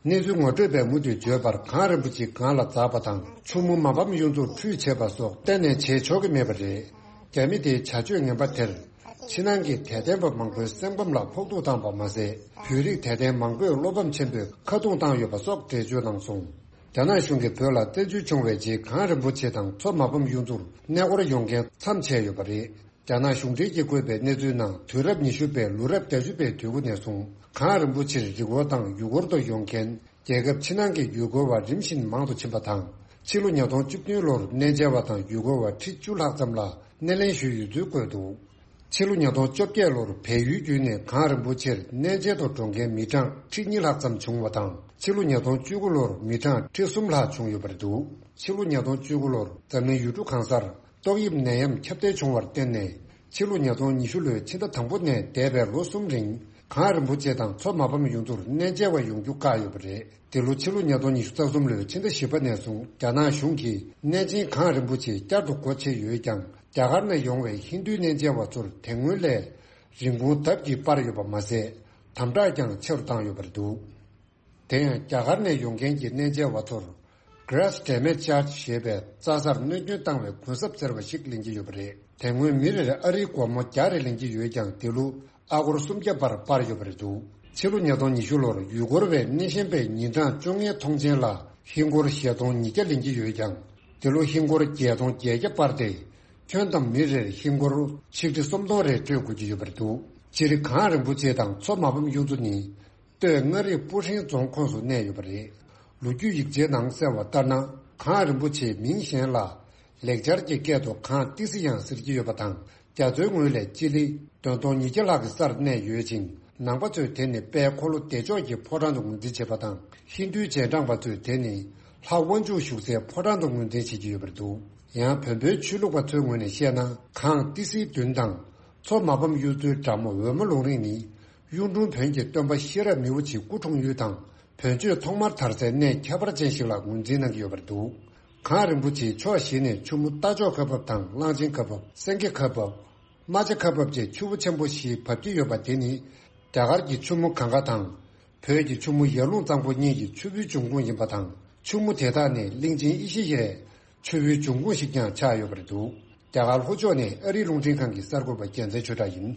གནས་ཚུལ་ངོ་སྤྲོད་པས་མུ་མཐུད་བརྗོད་པར། གངས་རིན་པོ་ཆེ་སྒང་ལ་འཛེགས་པ་དང་། ཆུ་མོ་མ་ཕམ་གཡུ་མཚོར་ཁྲུས་བྱེད་པ་སོགས་གཏན་ནས་བྱེད་ཆོག་གི་མེད་པ་རེད། རྒྱ་མི་དེའི་བྱ་སྤྱོད་ངན་པ་དེར། ཕྱི་ནང་གི་དད་ལྡན་པ་མང་པོའི་སེམས་ཁམས་ལ་ཕོག་ཐུག་བཏང་པ་མ་ཟད། བོད་རིགས་དད་ལྡན་མང་པོས་བློ་ཕམ་ཆེན་པོས་ཁ་རྡུང་བཏང་ཡོད་པ་སོགས་འགྲེལ་བརྗོད་གནང་སོང་། རྒྱ་ནག་གཞུང་གིས་བོད་ལ་བཙན་འཛུལ་བྱུང་བའི་རྗེས། གངས་རིན་པོ་ཆེ་དང་མཚོ་མ་ཕམ་གཡུ་མཚོར་གནས་སྐོར་ཡོང་མཁན་མཚམས་ཆད་ཡོད་པ་རེད། རྒྱ་ནག་གཞུང་འབྲེལ་གྱིས་བཀོད་པའི་གནས་ཚུལ་ནང་། དུས་རབས་ཉི་ཤུ་པའི་ལོ་རབས་བརྒྱད་ཅུ་པའི་དུས་འགོ་ནས་བཟུང་། གངས་རིན་པོ་ཆེར་རི་སྐོར་དང་ཡུལ་སྐོར་དུ་ཡོང་མཁན་ རྒྱལ་ཁབ་ཕྱི་ནང་གི་ཡུལ་སྐོར་བ་རིམ་བཞིན་མང་དུ་ཕྱིན་པ་དང་། ཕྱི་ལོ་ཉིས་སྟོང་བཅུ་བདུན་ལོར་གནས་མཇལ་བ་དང་ཡུལ་སྐོར་བ་ཁྲི་བཅུ་ལྷག་ཙམ་ལ་སྣེ་ལེན་ཞུས་ཡོད་ཚུལ་བཀོད་འདུག་ཕྱི་ལོ་ཉིས་སྟོང་བཅོ་བརྒྱད་ལོར་བལ་ཡུལ་བརྒྱུད་ནས་གངས་རིན་པོ་ཆེར་གནས་མཇལ་དུ་འགྲོ་མཁན་མི་གྲངས་ཁྲི་གཉིས་ལྷག་ཙམ་བྱུང་བ་དང་། ཕྱི་ལོ་ཉིས་སྟོང་བཅུ་དགུ་ལོར་མི་གྲངས་ཁྲི་གསུམ་ལྷག་བྱུང་ཡོད་པ་རེད་འདུག་ཕྱི་ལོ་ཉིས་སྟོང་བཅུ་དགུ་ལོར་འཛམ་གླིང་ཡུལ་གྲུ་གང་སར་ཏོག་དབྱིབས་ནད་ཡམས་ཁྱབ་གདལ་བྱུང་བར་བརྟེན་ནས། ཕྱི་ལོ་ཉིས་སྟོང་ཉི་ཤུ་ལོའི་ཕྱི་ཟླ་དང་པོ་ནས་འདས་པའི་ལོ་གསུམ་རིང་། གངས་རིན་པོ་ཆེ་དང་མཚོ་མ་ཕམ་ཡུལ་ཚོར་གནས་མཇལ་བ་ཡོང་རྒྱུ་བཀག་ཡོད་པ་རེད། དེ་ལོ་ཕྱི་ལོ་ཉིས་སྟོང་ཉི་ཤུ་རྩ་གསུམ་ལོའི་ཕྱི་ཟླ་བཞི་པ་ནས་བཟུང་རྒྱ་ནག་གཞུང་གིས་གནས་ཆེན་གངས་རིན་པོ་ཆེ་བསྐྱར་དུ་སྒོ་ཕྱེ་ཡོད་ཀྱང་། རྒྱ་གར་ནས་ཡོང་བའི་ཧིན་རྡུའི་གནས་མཇལ་བ་ཚོར་དེ་སྔོན་ལས་རིན་གོང་ལྡབ་ཀྱིས་སྤར་ཡོད་པ་མ་ཟད། དམ་དྲག་ཀྱང་ཆེ་རུ་བཏང་ཡོད་པ་རེད་འདུག་དེ་ཡང་རྒྱ་གར་ནས་ཡོང་མཁན་གྱི་གནས་མཇལ་བ་ཚོར། Grass Damage Charge ཞེས་པའི་རྩྭ་སར་གནོད་སྐྱོན་བཏང་བའི་གུན་གསབ་ཟེར་བ་ཞིག་ལེན་གྱི་ཡོད་པ་རེད། དེ་སྔོན་མི་རེར་ཨ་རིའི་སྒོར་མོ་བརྒྱ་རེ་ལེན་གྱི་ཡོད་ཀྱང་། དེ་ལོ་ཨ་སྒོར་སུམ་བརྒྱ་བར་སྤར་ཡོད་པ་རེད་འདུག་ཕྱི་ལོ་ཉིས་སྟོང་ཉི་ཤུ་ལོར་ཡུལ་སྐོར་བས་གནས་གཤིན་པོའི་ཉིན་གྲངས་བཅོ་ལྔའི་ཐོངས་མཆན་ལ་ཧིན་སྒོར་བཞི་སྟོང་ཉིས་བརྒྱ་ལེན་གྱི་ཡོད་ཀྱང་། དེ་ལོ་ཧིན་སྒོར་བརྒྱད་སྟོང་བརྒྱད་བརྒྱ་སྤར་ཏེ། ཁྱོན་བསྡོམས་མི་རེར་ཧིན་སྒོར་ཆིག་ཁྲི་སུམ་སྟོང་རེ་སྤྲོད་དགོས་ཀྱི་ཡོད་པ་རེད་འདུག་སྤྱིར་གངས་རིན་པོ་ཆེ་དང་མཚོ་མ་ཕམ་གཡུ་མཚོ་ནི། སྟོད་མངའ་རིས་སྤུ་ཧྲེང་རྫོང་ཁོངས་སུ་གནས་ཡོད་པ་རེད། ལོ་རྒྱུས་ཡིག་ཆའི་ནང་གསལ་བ་ལྟར་ན། གངས་རིན་པོ་ཆེའི་མིང་གཞན་ལ་ལེགས་སྦྱར་གྱི་སྐད་དུ་གངས་ཏི་སེ་ཡང་ཟེར་གྱི་ཡོད་པ་དང་། རྒྱ་མཚོའི་ངོས་ལས་སྤྱི་ལེ་བདུན་སྟོང་ཉིས་བརྒྱ་ལྷག་གི་སར་གནས་ཡོད་ཅིང་། ནང་པ་ཚོས་དེ་ནི་དཔལ་འཁོར་ལོ་བདེ་མཆོག་གི་ཕོ་བྲང་དུ་ངོས་འཛིན་བྱེད་པ་དང་། ཧིན་རྡུའི་རྗེས་འབྲང་པ་ཚོས་དེ་ནི་ལྷ་དབང་ཕྱུག་བཞུགས་སའི་ཕོ་བྲང་དུ་ངོས་འཛིན་བྱེད་ཀྱི་ཡོད་པ་རེད་འདུག་ཡང་བོན་པོའི་ཆོས་ལུགས་པ་ཚོའི་ངོས་ནས་བཤད་ན། གངས་ཏི་སེའི་མདུན་དང་། མཚོ་མ་ཕམ་གཡུ་མཚོའི་འགྲམ་འོལ་མོ་ལུང་རིང་ནི། གཡུང་དྲུང་བོན་གྱི་སྟོན་པ་ཤེས་རབ་མི་བོ་ཆེའི་སྐུ་འཁྲུངས་ཡུལ་དང་། བོན་ཆོས་ཐོག་མར་དར་སའི་གནས་ཁྱད་པར་ཅན་ཞིག་ལ་ངོས་འཛིན་གནང་གི་ཡོད་པ་རེད་འདུག་གངས་རིན་པོ་ཆེའི་ཕྱོགས་བཞི་ནས་ཆུ་མོ་རྟ་མཆོག་ཁ་འབབ་དང་། གླང་ཆེན་ཁ་འབབ། སེང་གེ་ཁ་འབབ། རྨ་བྱ་ཁ་འབབ་བཅས་ཆུ་བོ་ཆེན་པོ་བཞི་འབབ་ཀྱི་ཡོད་པ་དེ་ནི། རྒྱ་གར་གྱི་ཆུ་མོ་གངྒཱ་དང་། བོད་ཀྱི་ཆུ་མོ་ཡར་ཀླུང་གཙང་པོ་གཉིས་ཀྱི་ཆུ་བོའི་འབྱུང་ཁུངས་ཡིན་པ་དང་། ཆུ་མོ་དེ་དག་ནི་གླིང་ཆེན་ཨེ་ཤེ་ཡའི་ཆུ་བོའི་འབྱུང་ཁུངས་ཤིག་ཀྱང་ཆགས་ཡོད་པ་རེད་འདུག་རྒྱ་གར་ལྷོ་ཕྱོགས་ནས་ཨ་རིའི་རླུང་འཕྲིན་ཁང་གི་གསར་འགོད་པ་རྒྱལ་མཚན་ཆོས་གྲགས་ཡིན།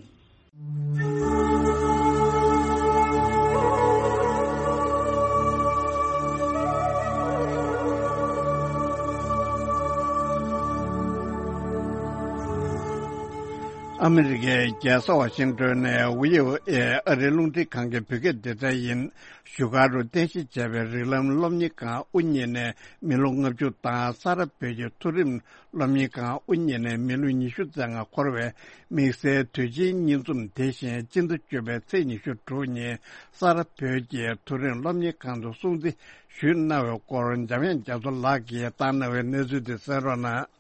ཨ་མི་རི་ཀའི་རྒྱལ་ས་ཝ་ཤིང་ཏོན་ནས་བྷི་ཨོ་ཨེ་ཨ་རིའི་རླུང་འཕྲིན་ཁང་གི་བོད་སྐད་སྡེ་ཚན་ཡིན། བཞུགས་སྒར་དུ་རྟེན་གཞི་བྱས་པའི་རིགས་ལམ་སློབ་གཉེར་ཁང་དབུ་བརྙེས་ནས་མི་ལོ་ལྔ་བཅུ་དང་། ས་རཱ་བོད་ཀྱི་མཐོ་རིམ་སློབ་གཉེར་ཁང་དབུ་བརྙེས་ནས་མི་ལོ་ཉི་ཤུ་རྩ་ལྔ་འཁོར་བའི་དམིགས་བསལ་དུས་ཆེན་བརྙན་འཛོམས། དེ་བཞིན་སྤྱི་ཟླ་བཅུ་པའི་ཚེས་ཉི་ཤུ་དྲུག་ཉིན་ས་རཱ་བོད་ཀྱི་མཐོ་རིམ་སློབ་གཉེར་ཁང་དུ་སྲུང་བརྩི་ཞུས་གནང་བའི་སྐོར་འཇམ་དབྱངས་རྒྱ་མཚོ་ལགས་ཀྱིས་བཏང་གནང་བའི་གནས་ཚུལ་དེ་གསན་རོགས་གནང་།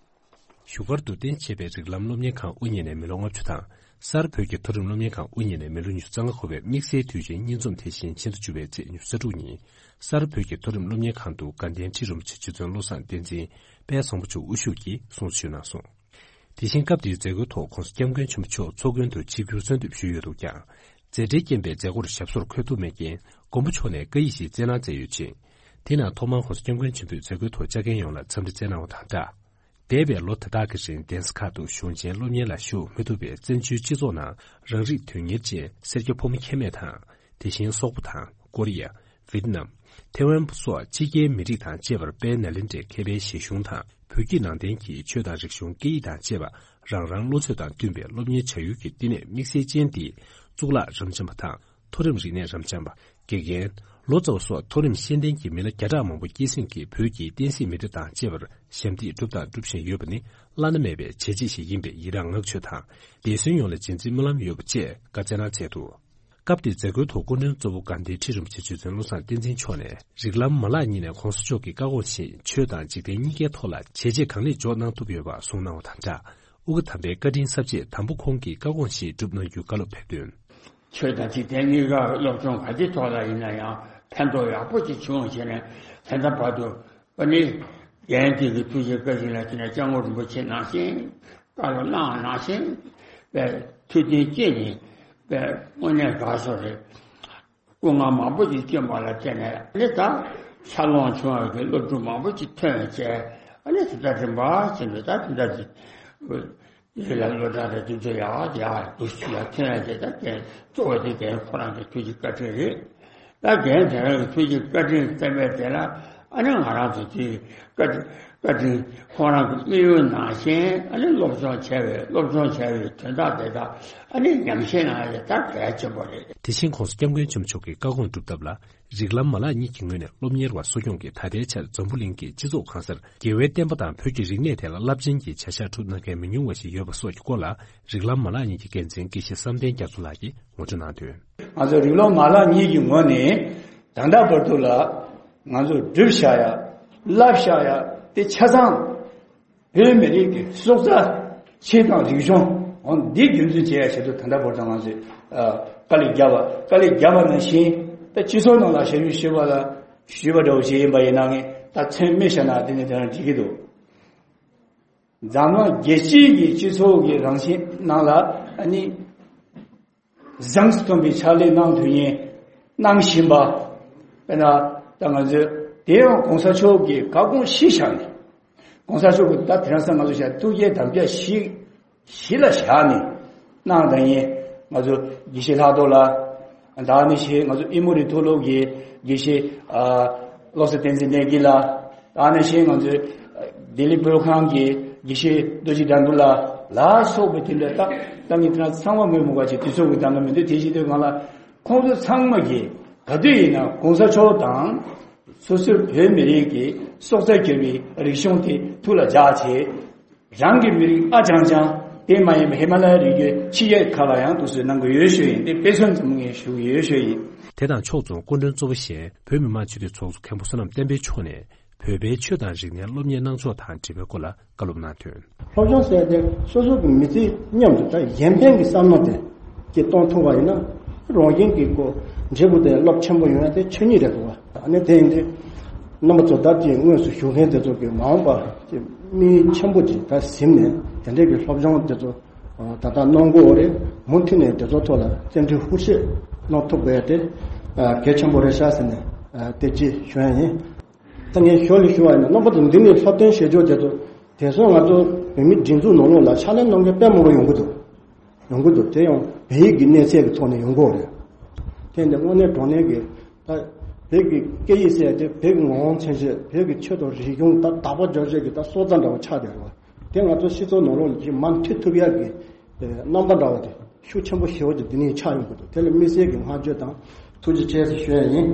བཞུགས་སྒར་དུ་རྟེན་བྱས་པའི་རིགས་ལམ་སློབ་གཉེར་ཁང་དབུ་བརྙེས་ནས་མི་ལོ་ལྔ་བཅུ་དང་། ས་རཱ་བོད་ཀྱི་མཐོ་རིམ་སློབ་གཉེར་ཁང་དབུ་བརྙེས་ནས་མི་ལོ་ཉི་ཤུ་རྩ་ལྔ་འཁོར་བའི་དམིགས་བསལ་དུས་ཆེན་བརྙན་འཛོམས། དེ་བཞིན་ཕྱི་ཟླ་བཅུ་པའི་ཚེས་ཉི་ཤུ་རྩ་དྲུག་ཉིན་ས་རཱ་བོད་ཀྱི་མཐོ་རིམ་སློབ་གཉེར་ཁང་དུ་དགའ་ལྡན་ཁྲི་རིན་པོ་ཆེ་རྗེ་བཙུན་བློ་བཟང་བསྟན་འཛིན་དཔལ་བཟང་པོ་མཆོག་དབུ་བཞུགས་ཀྱིས་སྲུང་བརྩི་ཞུས་གནང་སོང་། དེ་བཞིན་སྐབས་དེའི་མཛད་སྒོའི་ཐོག་༸གོང་ས་༸སྐྱབས་མགོན་ཆེན་པོ་མཆོག་ཚོགས་མགོན་དུ་ཆིབས་བསྒྱུར་གསོལ་འདེབས་ཞུས་ཡོད་འདུག་ཀྱང་། མཛད་བྲེལ་རྐྱེན་པས་མཛད་སྒོར་ཞབས་སོར་འཁོད་ཐུབ་མེད་རྐྱེན། མགོན་པོ་མཆོག་ནས་བཀའ་ཡིག་ཞིག་སྩལ་གནང་མཛད་ཡོད་ཅིང་། དེ་ནང་ཐོག་མར་༸གོང་ས་༸སྐྱབས་མགོན་ཆེན་པོས་མཛད་སྒོའི་ཐོག་ལྕགས་རྒན་ཡོངས་ལ་འཚམས་འདྲི་སྩལ་གནང་བ་དང་སྦྲགས། འདས་པའི་ལོ་དེ་དག་གི་རིང་གདན་ས་ཁག་ཏུ་གཞུང་ཆེན་སློབ་གཉེར་ལ་ཞུགས་མི་ཐུབ་པའི་བཙན་བྱོལ་སྤྱི་ཚོགས་ནང་རང་རིགས་དོན་གཉེར་ཅན་སེར་སྐྱ་ཕོ་མོ་ཁྱད་མེད་དང་། དེ་བཞིན་སོག་པོ་དང་ཀོ་རི་ཡ། ཝེ་ཏི་ནམ། ཐེ་ཝན་སོགས་ཕྱི་རྒྱལ་མི་རིགས་དང་བཅས་པར་དཔལ་ནཱ་ལེནྡྲའི་མཁས་པའི་བཞེད་གཞུང་དང་བོད་བརྒྱུད་ནང་བསྟན་གྱི་ཆོས་དང་རིག་གཞུང་སྐད་ཡིག་དང་བཅས་པ་རང་རང་བློ་ཚོད་དང་བསྟུན་པའི་སློབ་གཉེར་བྱ་ཡུལ་གྱི་བསྟི་གནས་དམིགས་བསལ་ཅན་འདི་གཙུག་ལག་རབ་འབྱམས་པ་དང་མཐོ་རིམ་རིག་གནས་རབ་འབྱམས་པ། དགེ་རྒན། ལོ་ཙཱ་བ་སོགས་མཐོ་རིམ་ཤེས་ལྡན་གྱི་མི་སྣ་བརྒྱ་ཕྲག་མང་པོ་སྐྱེད་སྲིང་གིས་བོད་ཀྱི་བསྟན་སྲིད་མི་སྡེ་དང་བཅས་པར་ཞབས་འདེགས་བསྒྲུབས་དང་སྒྲུབ་བཞིན་ཡོད་པ་ནི་བླ་ན་མེད་པའི་བྱས་རྗེས་ཤིག་ཡིན་པས་ཡི་རངས་བསྔགས་བརྗོད་དང་འདས་གསོན་ཡོངས་ལ་རྗེས་འཛིན་སྨོན་ལམ་ཡོད་པ་བཅས་བཀའ་སྩལ་གནང་མཛད་འདུག་སྐབས་དེའི་མཛད་སྒོའི་ཐོག་སྐུ་མགྲོན་གཙོ་བོ་དགའ་ལྡན་ཁྲི་རིན་པོ་ཆེ་རྗེ་བཙུན་བློ་བཟང་བསྟན་འཛིན་མཆོག་ནས་རིགས་ལམ་མ་ལག་གཉིས་ནས་༸གོང་ས་མཆོག་གི་བཀའ་དགོངས་བཞིན་ཆོས་དང་འཇིག་རྟེན་གཉིས་ཀའི་ཐོག་ལ་བྱས་རྗེས་གང་ལེགས་འཇོག་གནང་ཐུབ་ཡོད་པ་གསུངས་གནང་བ་དང་སྦྲགས། ཨོ་རྒྱན་དམ་པའི་བཀའ་དྲིན་གསབ་ཆེད་དམ་པ་ཁོང་གི་བཀའ་དགོངས་བཞིན་བསྒྲུབས་གནང་རྒྱུའི་བཀའ་སློབ་ཕེབས་དོན། ཆོས་དང་འཇིག་རྟེན་གཉིས་ཀ་སློབ་སྦྱོང་ག་ཅིའི་ཐོག་ལ་ཡིན་ན་ཡང་ཕན་ཐོགས་ཡག་པོ་ཅིག་བྱུང་བྱས་ནས་ད་ལྟ་བར་དུ་ཨ་ནི་རྒན་དེ་གི་ཐུགས་རྗེ་བཀའ་དྲིན་ལ་བརྟེན་ནས་སྐྱབས་མགོན་རིན་པོ་ཆེ་ནང་བཞིན་བཀའ་སློབ་གནང་བ་ནང་བཞིན་པའི་ཐུགས་མཐུན་སྐྱེས་ནས་པའི་དངོས་གནས་དགའ་ཚོར་རེད། སྐུ་ངལ་མང་པོ་ཅིག་བསྐྱོན་པ་ལ་བརྟེན་ནས་ཨ་ནི་ད་འཚར་ལོངས་བྱུང་བ་གི་སློབ་ཕྲུག་མང་པོ་ཅིག་ཐོན་བྱས་ཨ་ནི་དེ་ལྟར་རིམ་པ་བཞིན་དུ་ད་དེ་འདྲ་ཅིག་ཡིད་ལ་བློ་གྲགས་རེ་དུས་ཚོད་ཡག་ཡག་འདུག་ཞུ་ཡ་ཐོན་ཡ་དེ་ད་རྒན་གཙོ་བོ་དེ་རྒན་ཁོ་རང་གི་ཐུགས་ཀྱི་བཀའ་དྲིན་རེད། ད་རྒན་དེ་རང་གི་ཐུགས་ཀྱི་བཀའ་དྲིན་བསྟན་པའི་དེ་ལ་ཨ་ནི་ང་རང་ཚོ་དེ་བཀའ་དྲིན་ བཀའ་དྲིན་ཁོང་རང་གི་དམིགས་ཡུལ་ནང་བཞིན་ཨ་ནི་སློབ་སྦྱོང་བྱས་པའི་སློབ་སྦྱོང་བྱས་པའི་དོན་དག་དེ་དག་ཨ་ནི་ཉམས་བཞེས་གནང་ཡ་དེ་ད་གལ་ཆེན་པོ་རེད། དེ་བཞིན་༸གོང་ས་༸སྐྱབས་མགོན་ཆེན་པོ་མཆོག་གི་བཀའ་དགོངས་སྒྲུབ་ཐབས་ལ། རིགས་ལམ་མ་ལག་གཉིས་ཀྱི་ངོས་ནས་སློབ་གཉེར་བ་གསོ་སྐྱོང་གིས་ད་ལྟའི་ཆར་འཛམ་བུ་གླིང་གི་སྤྱི་ཚོགས་གང་སར་རྒྱལ་བའི་བསྟན་པ་དང་བོད་ཀྱི་རིག་གནས་ཐད་ལ་རླབས་ཆེན་གྱི་བྱ་གཞག་སྒྲུབ་གནང་མཁན་མི་ཉུང་བ་ཞིག་ཡོད་པ་སོགས་ཀྱི་སྐོར་ལ། རིགས་ལམ་མ་ལག་གཉིས་ཀྱི་འགན་འཛིན་དགེ་བཤེས་བསམ་གཏན་རྒྱ་མཚོ་ལགས་ཀྱིས་ངོ་སྤྲོད་གནང་དོན། ང་ཚོ་རིགས་ལམ་མ་ལག་གཉིས་ཀྱི་ངོས་ནས་ད་ལྟ་བར་དུ་ལ་ང་ཚོ་བསྒྲུབས་བཞག་ཡ། བསླབས་བཞག་ཡ་དེ་ཆ་ཚང་བོད་མི་རིགས་ཀྱི་སྲོག་རྩ་ཆེ་དང་རིག་གཞུང་འོ་འདི་རྒྱུན་འཛིན་བྱེད་ཡ་ཆེད་དུ་ད་ལྟ་བར་དུ་ང་ཚོས་ཨ་དཀའ་ལས་བརྒྱབ་པ། དཀའ་ལས་བརྒྱབ་པ་ནང་བཞིན་ད་སྤྱི་ཚོགས་ནང་ལ་ཞབས་ཞུ་ཞུས་པ་ལ་ཞུས་པ་འདྲ་བོ་ཞིག་ཡིན་པ་ཡིན་ན་ངས་ད་མཚན་སྨོས་བཞག་ན་དེ་ནས་དེ་རང་འགྲིག་གི་འདུག་འཛམ་གླིང་རྒྱལ་སྤྱིའི་གི་སྤྱི་ཚོགས་ཀྱི་རང་བཞིན་ནང་ལ་ཨ་ནི་བཟང་སུ་ཐོན་པའི་ཕྱག་ལས་གནང་དུས་ཉིན་གནང་བཞིན་པ། དཔེར་ན་ད་ང་ཚོས་དེ་ཡང་གོང་ས་མཆོག་གི་བཀའ་དགོངས་གཞི་བཞག་ནས། གོང་ས་མཆོག་གི་ད་དེང་སང་ང་ཚོ་བྱ་ཐུགས་བསྐྱེད་དམ་བཅའ་གཞི་གཞི་ལ་བཞག་ནས་གནང་དང་ཡིན། ང་ཚོ་དགེ་བཤེས་ལྷག་རྡོར་ལགས། ད་ནི་ཞེས་ང་ཚོ་ཨི་མོ་རི་མཐོ་སློབ་ཀྱི་དགེ་བཤེས་ཨ་བློ་བཟང་བསྟན་འཛིན་གནས་འགྱེད་ལགས། ད་ནི་ཞེས་ང་ཚོའི་ལྡི་ལི་བོད་ཁང་གི་དགེ་བཤེས་རྡོ་རྗེ་དགྲ་འདུལ་ལགས་ལ་སོགས་པའི་དེ་འདྲ་ད་ད་ངས་དེ་ཚང་མ་མོས་མོ་ག་ཅིག་དུས་ཚོད་ཀྱི་གདམ་ག་མི་འདུག་དེ་བཞིན་དུ་ང་ལ་ཁོང་ཚོ་ཚང་མ་གིས་ག་དུས་ཡིན་ན་གོང་ས་མཆོག་དང་སོ་སོའི་བོད་མི་རིགས་ཀྱི་སྲོག་རྩ་གྱུར་པའི་རིག་གཞུང་དེ་ཐུགས་ལ་འཇགས་བྱས། རང་གི་མི་རིགས་ཨ་ཅང་ཅང་དེ་མ་ཡིན་པ་ཧི་མ་ལ་ཡའི་རི་རྒྱུད་ཕྱི་རྒྱལ་ཁག་ལ་ཡང་དུ་སུས་གནང་གི་ཡོད་ཞུ་ཡིན། དེ་དཔེ་མཚོན་ཙམ་ངས་ཞུ་གི་ཡོད་ཞུ་ཡིན། དེ་དང་ཕྱོགས་མཚུངས་སྐུ་མགྲོན་གཙོ་བོ་གཞན་བོད་མི་མང་སྤྱི་འཐུས་ཚོགས་གཙོ་མཁན་པོ་བསོད་ནམས་བསྟན་འཕེལ་མཆོག་ནས་བོད་པའི་ཆོས་དང་རིག་གནས་སློབ་གཉེར་གནང་ཕྱོགས་དང་འབྲེལ་བའི་སྐོར་ལ་བཀའ་སློབ་གནང་དོན། སློབ་སྦྱོང་ཟེར་ཏེ་སོ་སོ་གི་མི་ཚེ་མཉམ་དུ་ད་གཞན་ཕན་གྱི་བསམ་བློ་དེ་ཀྱི་གཏོང་ཐུབ་པ་ཡིན་ན་རང་བཞིན་གྱི་སྒོ་འབྲས་བུ་དེ་རླབས་ཆེན་པོ་ཡོང་ཡ་དེ་ཆོས་ཉིད་རེད་འདུག་བ། ཨ་ནི་དེ་ཡིན་དུས་རྣམ་པ་ཚོ་ད་ཅིག་དངོས་སུ་ཞུགས་མཁན་དེ་ཚོ་གི་མ་འོངས་པ་ཅིག་དམིགས་ཡུལ་ཆེན་པོ་ཅིག་ད་ཟིན་ནས་དེ་འདྲའི་གི་སློབ་སྦྱོང་དེ་ཚོ་ད་ལྟ་གནང་དགོས་རེད། མུ་མཐུད་ནས་དེ་ཚོ་ཐོག་ལ་བརྩོན་འགྲུས་ཤུགས་ཆེ་གནང་ཐུབ་དགོས་ཡ་དེ་གལ་ཆེན་པོ་རེད་ཤག་ཟེར་ནས་དེ་ཅིག་ཞུ་ཡ་ཡིན། ད་ངས་ཞོར་ལ་ཞུ་བ་ཡིན་ན་རྣམ་པ་ཚོ་འདི་ནས་སློབ་སྟོན་བྱེད་ཕྱོགས་དེ་ཚོ་དེང་སང་ང་ཚོ་བོད་མི་སྒྲིག་འཛུགས་ནང་ལོགས་ལ་ཕྱག་ལས་གནང་མཁན་དཔེ་མང་པོ་ཡོང་གི་འདུག་ཡོང་གི་འདུག་དེ་ཡང་བོད་ཡིག་གི་གནས་ཚད་ཀྱི་ཐོག་ནས་ཡོང་གི་ཡོད་རེད། དེ་འདི་དངོས་གནས་དྲང་གནས་ཀྱི་ད་བོད་ཀྱི་སྐད་ཡིག་ཟེར་ཡ་དེ་བོད་ཀྱི་ངོ་བོ་མཚོན་བྱེད་བོད་ཀྱི་ཆོས་དང་རིག་གཞུང་ད་དག་པ་སྦྱོར་བྱེད་ཀྱི་ད་སྲོག་རྩ་འདྲ་བ་ཆགས་བསྡད་རེད་བ། དེ་ང་ཚོ་སྤྱི་ཚོགས་ནང་ལོགས་ལ་ཅིག་མར་འཁྲིད་ཐུབ་ཡག་གི་རྣམ་པ་འདྲ་བ་དེ་ཤུགས་ཆེན་པོ་ཞེ་པོ་ཅིག་འདི་ནས་ཆགས་ཡོང་གི་འདུག་དེ་ལ་དམིགས་བསལ་གྱི་བསྔགས་བརྗོད་དང་ཐུགས་རྗེ་ཆེ་ཞུ་ཡ་ཡིན།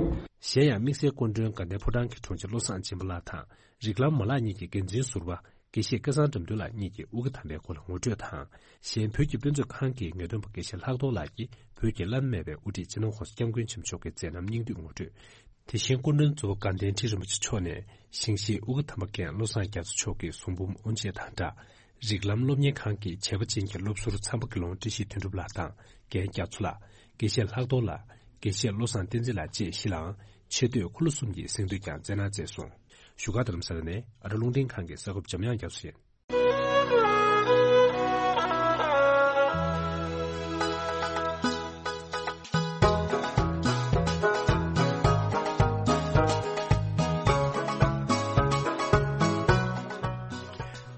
གཞན་ཡང་དམིགས་བསལ་སྐུ་མགྲོན་དགའ་ལྡན་ཕོ་བྲང་གི་དྲུང་ཆེ་བློ་བཟང་སྦྱིན་པ་ལགས་དང་། རིགས་ལམ་མ་ལག་གཉིས་ཀྱི་འགན་འཛིན་ཟུར་པ་དགེ་བཤེས་སྐལ་བཟང་དགྲ་འདུལ་ལགས་གཉིས་ཀྱིས་དབུ་དགའ་དམ་པའི་སྐོར་ལ་ངོ་སྤྲོད་དང་། གཞན་བོད་ཀྱི་དཔེ་མཛོད་ཁང་གི་ངེས་སྟོན་པ་དགེ་བཤེས་ལྷག་རྡོར་ལགས་ཀྱིས་བོད་ཀྱི་བླ་ན་མེད་པའི་དབུ་ཁྲིད་སྤྱི་ནོར་༸གོང་ས་༸སྐྱབས་མགོན་ཆེན་པོ་མཆོག་གི་མཛད་རྣམ་སྙིང་བསྡུས་ངོ་སྤྲོད། དེ་བཞིན་སྐུ་མགྲོན་གཙོ་བོ་དགའ་ལྡན་ཁྲི་རིན་པོ་ཆེ་མཆོག་ནས་ཞིང་གཤེགས་དབུ་དགའ་དམ་པ་མཁན་བློ་བཟང་རྒྱ་མཚོ་མཆོག་གི་གསུང་འབུམ་དབུ་འབྱེད་དང་སྦྲགས། རིགས་ལམ་སློབ་གཉེར་ཁང་གི་བྱས་པ་ཅན་གྱི་སློབ་ཟུར་ཚངས་པ་དགེ་སློང་བཀྲ་ཤིས་དོན་གྲུབ་ལགས་དང་རྒན་རྒྱ་མཚོ་ལགས། དགེ་བཤེས་ལྷག་རྡོར་ལགས། དགེ་བཤེས་བློ་བཟང་བསྟན་འཛིན་ལགས་བཅས་བཞི་ལའང་ཆེ་བསྟོད་འཁོར་ལོ་གསུམ་གྱི་གཟེངས་བསྟོད་ཀྱང་སྩལ་གནང་མཛད་སོང་། བཞུགས་སྒར་རྡ་རམ་ས་ལ་ནས་ཨ་རི་རླུང་འཕྲིན་ཁང་གི་གསར་འགོད་པ་འཇམ་དབྱངས་རྒྱ་མཚོ་ཡིན།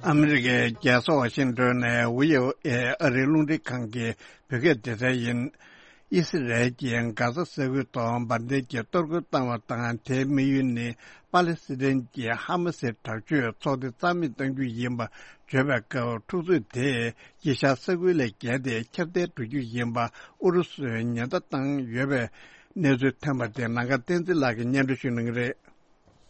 ཨ་མི་རི་ཀའི་རྒྱལ་ས་ཝ་ཤིང་ཏོན་ནས་ཝི་ཨོ་ཨེ་ཨ་རིའི་རླུང་འཕྲིན་ཁང་གི་བོད་སྐད་སྡེ་ཚན་ཡིན། ཨི་སི་རལ་གྱིས་གྷ་ཟ་ས་ཁུལ་ཐོག་འབར་མདེལ་གྱི་གཏོར་རྒོལ་བཏང་བ་དང་། དེའི་དམིགས་ཡུལ་ནི་པ་ལེ་སི་ཐན་གྱི་ཧ་མ་སིའི་དྲག་སྤྱོད་ཚོགས་སྡེ་རྩ་མེད་གཏང་རྒྱུ་ཡིན་པ་བརྗོད་པའི་སྐབས། འཁྲུག་རྩོད་དེས་དཀྱིལ་ཤར་ས་ཁུལ་ལས་བརྒལ་ཏེ་ཁྱབ་གདལ་འགྲོ་རྒྱུ་ཡིན་པ་ཨུ་རུ་སུས་ཉེན་བརྡ་བཏང་ཡོད་པའི་གནས་ཚུལ་ཐོན་པ་དེ་ནམ་མཁའ་བསྟན་འཛིན་ལགས་ཀྱིས་སྙན་སྒྲོན་ཞུ་གནང་གི་རེད།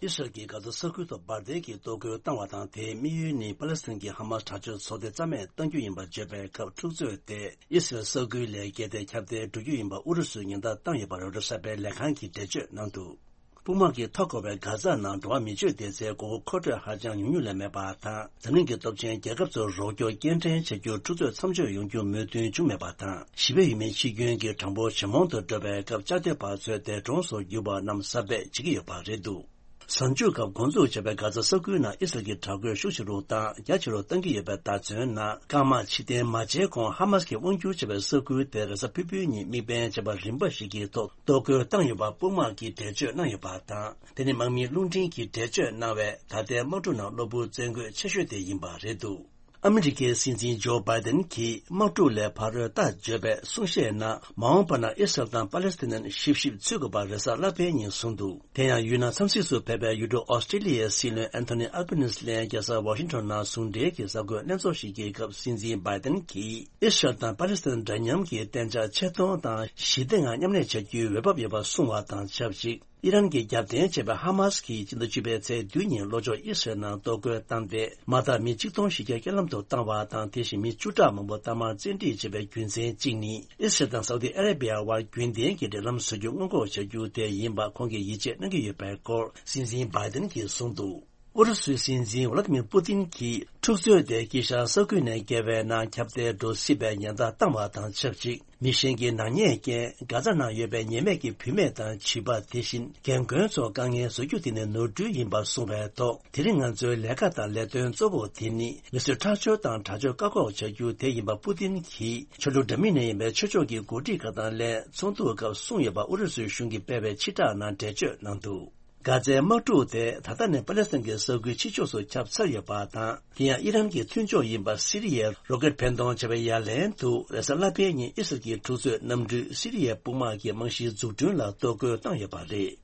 ཨི་སི་རལ་གྱིས་གྷ་ཟ་ས་ཁུལ་དུ་འབར་མདེལ་གྱི་གཏོར་རྒོལ་བཏང་བ་དང་། དེའི་དམིགས་ཡུལ་ནི་པ་ལེ་སི་ཐན་གྱི་ཧ་མ་སི་དྲག་སྤྱོད་ཚོགས་སྡེ་རྩ་མེད་གཏང་རྒྱུ་ཡིན་པ་བརྗོད་པའི་སྐབས། འཁྲུག་རྩོད་དེ་ཨི་སི་རལ་ས་ཁུལ་ལས་བརྒལ་ཏེ་ཁྱབ་གདལ་འགྲོ་རྒྱུ་ཡིན་པ་ཨུ་རུ་སུས་ཉེན་བརྡ་བཏང་ཡོད་པ་རོའི་ཊར་གསར་པའི་ལས་ཁང་གིས་འགྲེལ་བརྗོད་གནང་འདུག་དཔུང་དམག་གིས་མཐའ་བསྐོར་བའི་གྷ་ཛ་ནང་འགྲོ་བ་མི་སྤྱོད་སྡེ་ཚན་དགོས་མཁོ་མཁོ་སྤྲོད་ཧ་ཅང་ཉུང་ཉུང་ལས་མེད་པ་དང་། འཛམ་གླིང་གི་སྟོབས་ཆེན་རྒྱལ་ཁབ་ཚོར་རོགས་སྐྱོར་སྐྱེལ་འདྲེན་བྱ་རྒྱུར་འཁྲུག་རྩོད་མཚམས་འཇོག་ཡོང་རྒྱུ་མོས་མཐུན་བྱུང་མེད་པ་དང་། ཞི་བའི་ཡུལ་མིའི་འཆི་སྐྱོན་གྱི་གྲངས་འབོར་ཇེ་མང་དུ་འགྲོ་བའི་སྐབས། བཅའ་སྡོད་པ་ཚོས་འདས་གྲོངས་སུ་གྱུར་པ་རྣམས་གསར་སྤེལ་བྱེད་ཀྱི་ཡོད་པ་རེད་འདུག་གཟའ་མཇུག་སྐབས་འགོ་འཛུགས་བྱས་པའི་གྷ་ཛ་ས་ཁུལ་ནང་ཨི་སི་རལ་གྱིས་དྲག་རྒོལ་ཤུགས་ཆེ་རུ་བཏང་། རྒྱ་ཆེ་རུ་གཏང་གི་ཡོད་པའི་བརྡ་མཚོན་ནང་། སྐར་མ་ཕྱེད་དང་མ་ཟླ་གོང་ཧ་མ་སི་གིས་དབང་བསྒྱུར་བྱས་པའི་ས་ཁུལ་དེར་རེས་གཟའ་ཕུར་བུའི་ཉིན་དམིགས་འབེན་བྱས་པ་རིམ་པ་ཞིག་གི་ཐོག་གཏོར་རྒོལ་བཏང་ཡོད་པ་དཔུང་དམག་གིས་འགྲེལ་བརྗོད་གནང་ཡོད་པ་དང་། དེ་ནི་དམག་མིའི་རླུང་འཕྲིན་གྱིས་འགྲེལ་བརྗོད་གནང་བའི་ད་ལྟའི་དམག་འཁྲུག་ནང་གློ་བུར་བཙན་རྒོལ་ཆེ་ཤོས་དེ་ཡིན་པ་རེད་འདུག་ཨ་མི་རི་ཀའི་སྲིད་འཛིན་ཇོ་བྷའི་ཏན་གྱིས་དམག་འཁྲུག་ལས་ཕར་རོལ་ཐག་གཅོད་པའི་གསུང་བཤད་ནང་མ་འོངས་པ་ན་ཨི་སི་རལ་དང་པ་ལེ་སི་ཐན་ཞིབ་ཞིབ་འཚོལ་དགོས་པ་རེས་གཟའ་ལྷག་པའི་ཉིན་གསུངས་འདུག་དེ་ཡང་ཡུལ་ནང་འཚམས་གཟིགས་སུ་ཕེབས་པའི་ཡུལ་གྲུ་ཨོ་སི་ཀྲི་ལི་ཡའི་སྲིད་བློན་ཨན་ཐོ་ནི་ཨལ་བྷ་ནིས་ལན་རྒྱལ་ས་ཝ་ཤིང་ཊོན་ནང་ཟུང་འབྲེལ་གྱི་གསར་འགོད་ལྷན་ཚོགས་ཤིག་གི་སྐབས་སྲིད་འཛིན་བྷའི་ཏན་གྱིས་ཨི་སི་རལ་དང་པ་ལེ་སི་ཐན་འདྲ་མཉམ་གྱི་གཏན་འཇགས་ཆེ་མཐོང་དང་ཞི་བདེ་ངང་མཉམ་གནས་བྱ་རྒྱུའི་འོས་བབ་ཡོད་པ་གསུངས་བ་དང་ཆབས་ཅིག་ཨི་རན་གྱིས་རྒྱབ་རྟེན་བྱས་པའི་ཧ་མ་སི་གིས་སྤྱི་ཟླ་བཅུ་པའི་ཚེས་བདུན་ཉིན་ལྷོ་ཕྱོགས་ཨི་སི་རལ་ནང་གཏོར་རྒོལ་བཏང་སྟེ། མ་མཐའ་མི་ཆིག་སྟོང་ཞིག་བསྐྱར་ལྷན་དུ་བཏང་བ་དང་། དེ་བཞིན་མི་བཅུ་ཕྲག་མང་པོ་གཏའ་མར་བཙན་ཁྲིད་བྱས་པའི་རྒྱུ་མཚན་གཅིག་ནི། ཨི་སི་རལ་དང་སའུ་ཏི་ཨ་རེ་བྷི་ཡ་དབར་རྒྱུན་ལྡན་གྱི་འབྲེལ་ལམ་བཟོ་རྒྱུ་སྔོན་འགོག་བྱ་རྒྱུ་དེ་ཡིན་པ་ཁོང་གིས་ཡིད་ཆེས་གནང་གི་ཡོད་པའི་སྐོར་སྲིད་འཛིན་བྷའི་ཏན་གྱིས་གསུངས་འདུག་ཨུ་རུ་སུའི་སྲིད་འཛིན་ཝ་ལ་ཏི་མིར་པུ་ཏིན་གྱིས་འཁྲུག་རྩོད་དེ་དཀྱིལ་ཤར་ས་ཁུལ་ནས་བརྒལ་བའི་ནང་ཁྱབ་གདལ་འགྲོ་སྲིད་པའི་ཉེན་བརྡ་བཏང་བ་དང་ཆབས་ཅིག་མི་གཞན་གྱི་ནག་ཉེས་རྐྱེན། གྷ་ཛ་ནང་ཡོད་པའི་ཉེས་མེད་ཀྱི་བུད་མེད་དང་བྱིས་པ། དེ་བཞིན་རྒན་རྒོན་ཚོར་དཀའ་ངལ་བཟོ་རྒྱུ་དེ་ནི་ནོར་འཁྲུལ་ཡིན་པར་གསུངས་པའི་ཐོག་དེ་རིང་ང་ཚོའི་ལས་ཀ་དང་ལས་དོན་གཙོ་བོ་དེ་ནི་མི་གསོད་ཁྲག་སྦྱོར་དང་དྲག་སྤྱོད་བཀག་འགོག་བྱ་རྒྱུ་དེ་ཡིན་པ་པུ་ཏིན་གྱིས་ཆོས་ལུགས་འདྲ་མིན་ནས་ཡིན་པའི་ཆོས་ཕྱོགས་ཀྱི་འགོ་ཁྲིད་ཁག་དང་ལས་ཚོགས་འདུའི་སྐབས་གསུངས་ཡོད་པ་ཨུ་རུ་སུའི་གཞུང་གིས་སྤེལ་བའི་ཕྱིར་བསྒྲགས་ནང་འགྲེལ་བརྗོད་གནང་འདུག་གྷ་ཛའི་དམག་འཁྲུག་དེ་ད་ལྟ་ནས་པ་ལེ་སི་ཐན་གྱི་ས་ཁུལ་ཕྱི་ཕྱོགས་སུ་ཁྱབ་ཚར་ཡོད་པ་དང་། དེ་ཡང་ཨི་རན་གྱི་མཐུན་ཕྱོགས་ཡིན་པ་སི་རི་ཡའི་རོ་ཀེད་འཕེན་གཏོང་བྱ་བའི་ཡ་ལན་དུ་རེས་གཟའ་ལྷག་པའི་ཉིན་ཨི་སི་རལ་གྱི་འཁྲུག་རྩོད་གནམ་གྲུས་སི་རི་ཡའི་དཔུང་དམག་གི་རྨང་གཞིའི་འཛུགས་སྐྲུན་ལ་གཏོར་རྒོལ་བཏང་ཡོད་པ་རེད།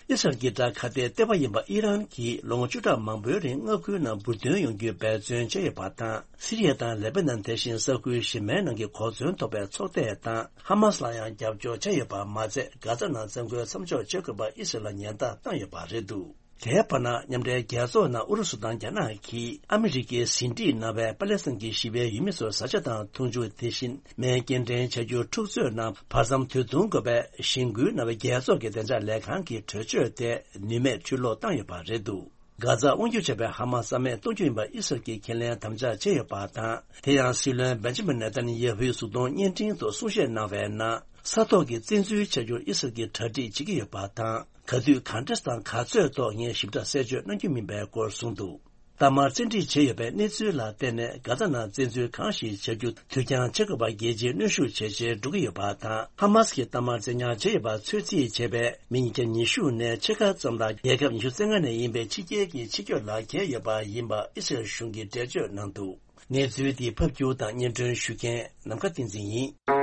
ཨི་སི་རལ་གྱི་དགྲ་ཁ་གཏད་ལྟེ་བ་ཡིན་པ་ཨི་རན་གྱིས་ལོ་ངོ་བཅུ་ཕྲག་མང་པོའི་རིང་མངའ་ཁུལ་ནང་འབུར་ཐོན་ཡོང་རྒྱུའི་འབད་བརྩོན་བྱས་ཡོད་པ་དང་། སི་རི་ཡ་དང་ལེ་པ་ནན་དེ་བཞིན་ས་ཁུལ་གཞན་མའི་ནང་གི་གོ་མཚོན་ཐོབ་པའི་ཚོགས་སྡེ་དང་ཧ་མ་སི་ལ་ཡང་རྒྱབ་སྐྱོར་བྱས་ཡོད་པ་མ་ཚད། གྷ་ཛ་ནང་བཙན་རྒོལ་མཚམས་འཇོག་བྱེད་དགོས་པ་ཨི་སི་རལ་ལ་ཉེན་བརྡ་བཏང་ཡོད་པ་རེད་འདུག་དེའི་བར་ན། མཉམ་འབྲེལ་རྒྱལ་ཚོགས་ནང་ཨུ་རུ་སུ་དང་རྒྱ་ནག་གིས་ཨ་མི་རི་ཀས་ཟིན་བྲིས་གནང་བའི་པ་ལེ་སི་ཐན་གྱི་ཞི་བའི་ཡུལ་མི་ཚོར་བཟའ་བཅའ་དང་འཐུང་ཆུ། དེ་བཞིན་སྨན་སྐྱེལ་འདྲེན་བྱ་རྒྱུར་འཁྲུག་རྩོད་ནང་བར་མཚམས་དུས་ཐུང་དགོས་པའི་གཞེན་སྐུལ་གནང་བའི་རྒྱལ་ཚོགས་ཀྱི་བདེ་འཇགས་ལས་ཁང་གི་གྲོས་ཆོད་དེ་ནུས་མེད་ཕྱིར་སློག་བཏང་ཡོད་པ་རེད་འདུག་གྷ་ཛ་དབང་སྒྱུར་བྱས་པའི་ཧ་མ་སི་རྩ་མེད་གཏོང་རྒྱུ་ཡིན་པ་ཨི་སི་རལ་གྱིས་ཁས་ལེན་དམ་བཅའ་བྱས་ཡོད་པ་དང་། དེ་ཡང་སྲིད་བློན་བེན་ཇི་མིན་ནེ་ཐན་ཡ་ཧུའི་གཟུགས་མཐོང་བརྙན་འཕྲིན་ཐོག་གསུང་བཤད་གནང་བའི་ནང་། ས་ཐོག་གི་བཙན་འཛུལ་བྱ་རྒྱུར་ཨི་སི་རལ་གྱིས་གྲ་སྒྲིག་བྱེད་ཀྱི་ཡོད་པ་དང་། ག་དུས་ག་འདྲ་དང་ག་ཚོད་ཐོག་ངས་ཞིབ་ཕྲ་གསལ་བརྗོད་གནང་རྒྱུ་མིན་པའི་སྐོར་གསུངས་འདུག་གཏའ་མར་བཙན་ཁྲིད་བྱས་ཡོད་པའི་གནས་ཚུལ་ལ་བརྟེན་ནས། གྷ་ཛ་ནང་བཙན་འཛུལ་གང་ཞིག་བྱ་རྒྱུ་དུས་འགྱངས་བྱེད་དགོས་པ་རྒྱལ་སྤྱིའི་གནོན་ཤུགས་ཇེ་ཆེར་འགྲོ་གི་ཡོད་པ་དང་། ཧ་མ་སི་གིས་གཏའ་མར་བཙན་ཉར་བྱས་ཡོད་པ་ཚོད་རྩིས་བྱས་པའི་མི་ཉིས་བརྒྱ་ཉི་ཤུ་ནས་ཕྱེད་ཀ་ཙམ་ལ་རྒྱལ་ཁབ་ཉི་ཤུ་རྩ་ལྔ་ནས་ཡིན་པའི་ཕྱི་རྒྱལ་གྱི་ཕྱི་སྐྱོད་ལག་འཁྱེར་ཡོད་པ་ཡིན་པ་ཨི་སི་རལ་གཞུང་གིས་འགྲེལ་བརྗོད་གནང་འདུག་གནས་ཚུལ་འདི་ཕབ་སྒྱུར་དང་སྙན་སྒྲོན་ཞུ་མཁན་ནམ་མཁའ་བསྟན་འཛིན་ཡིན།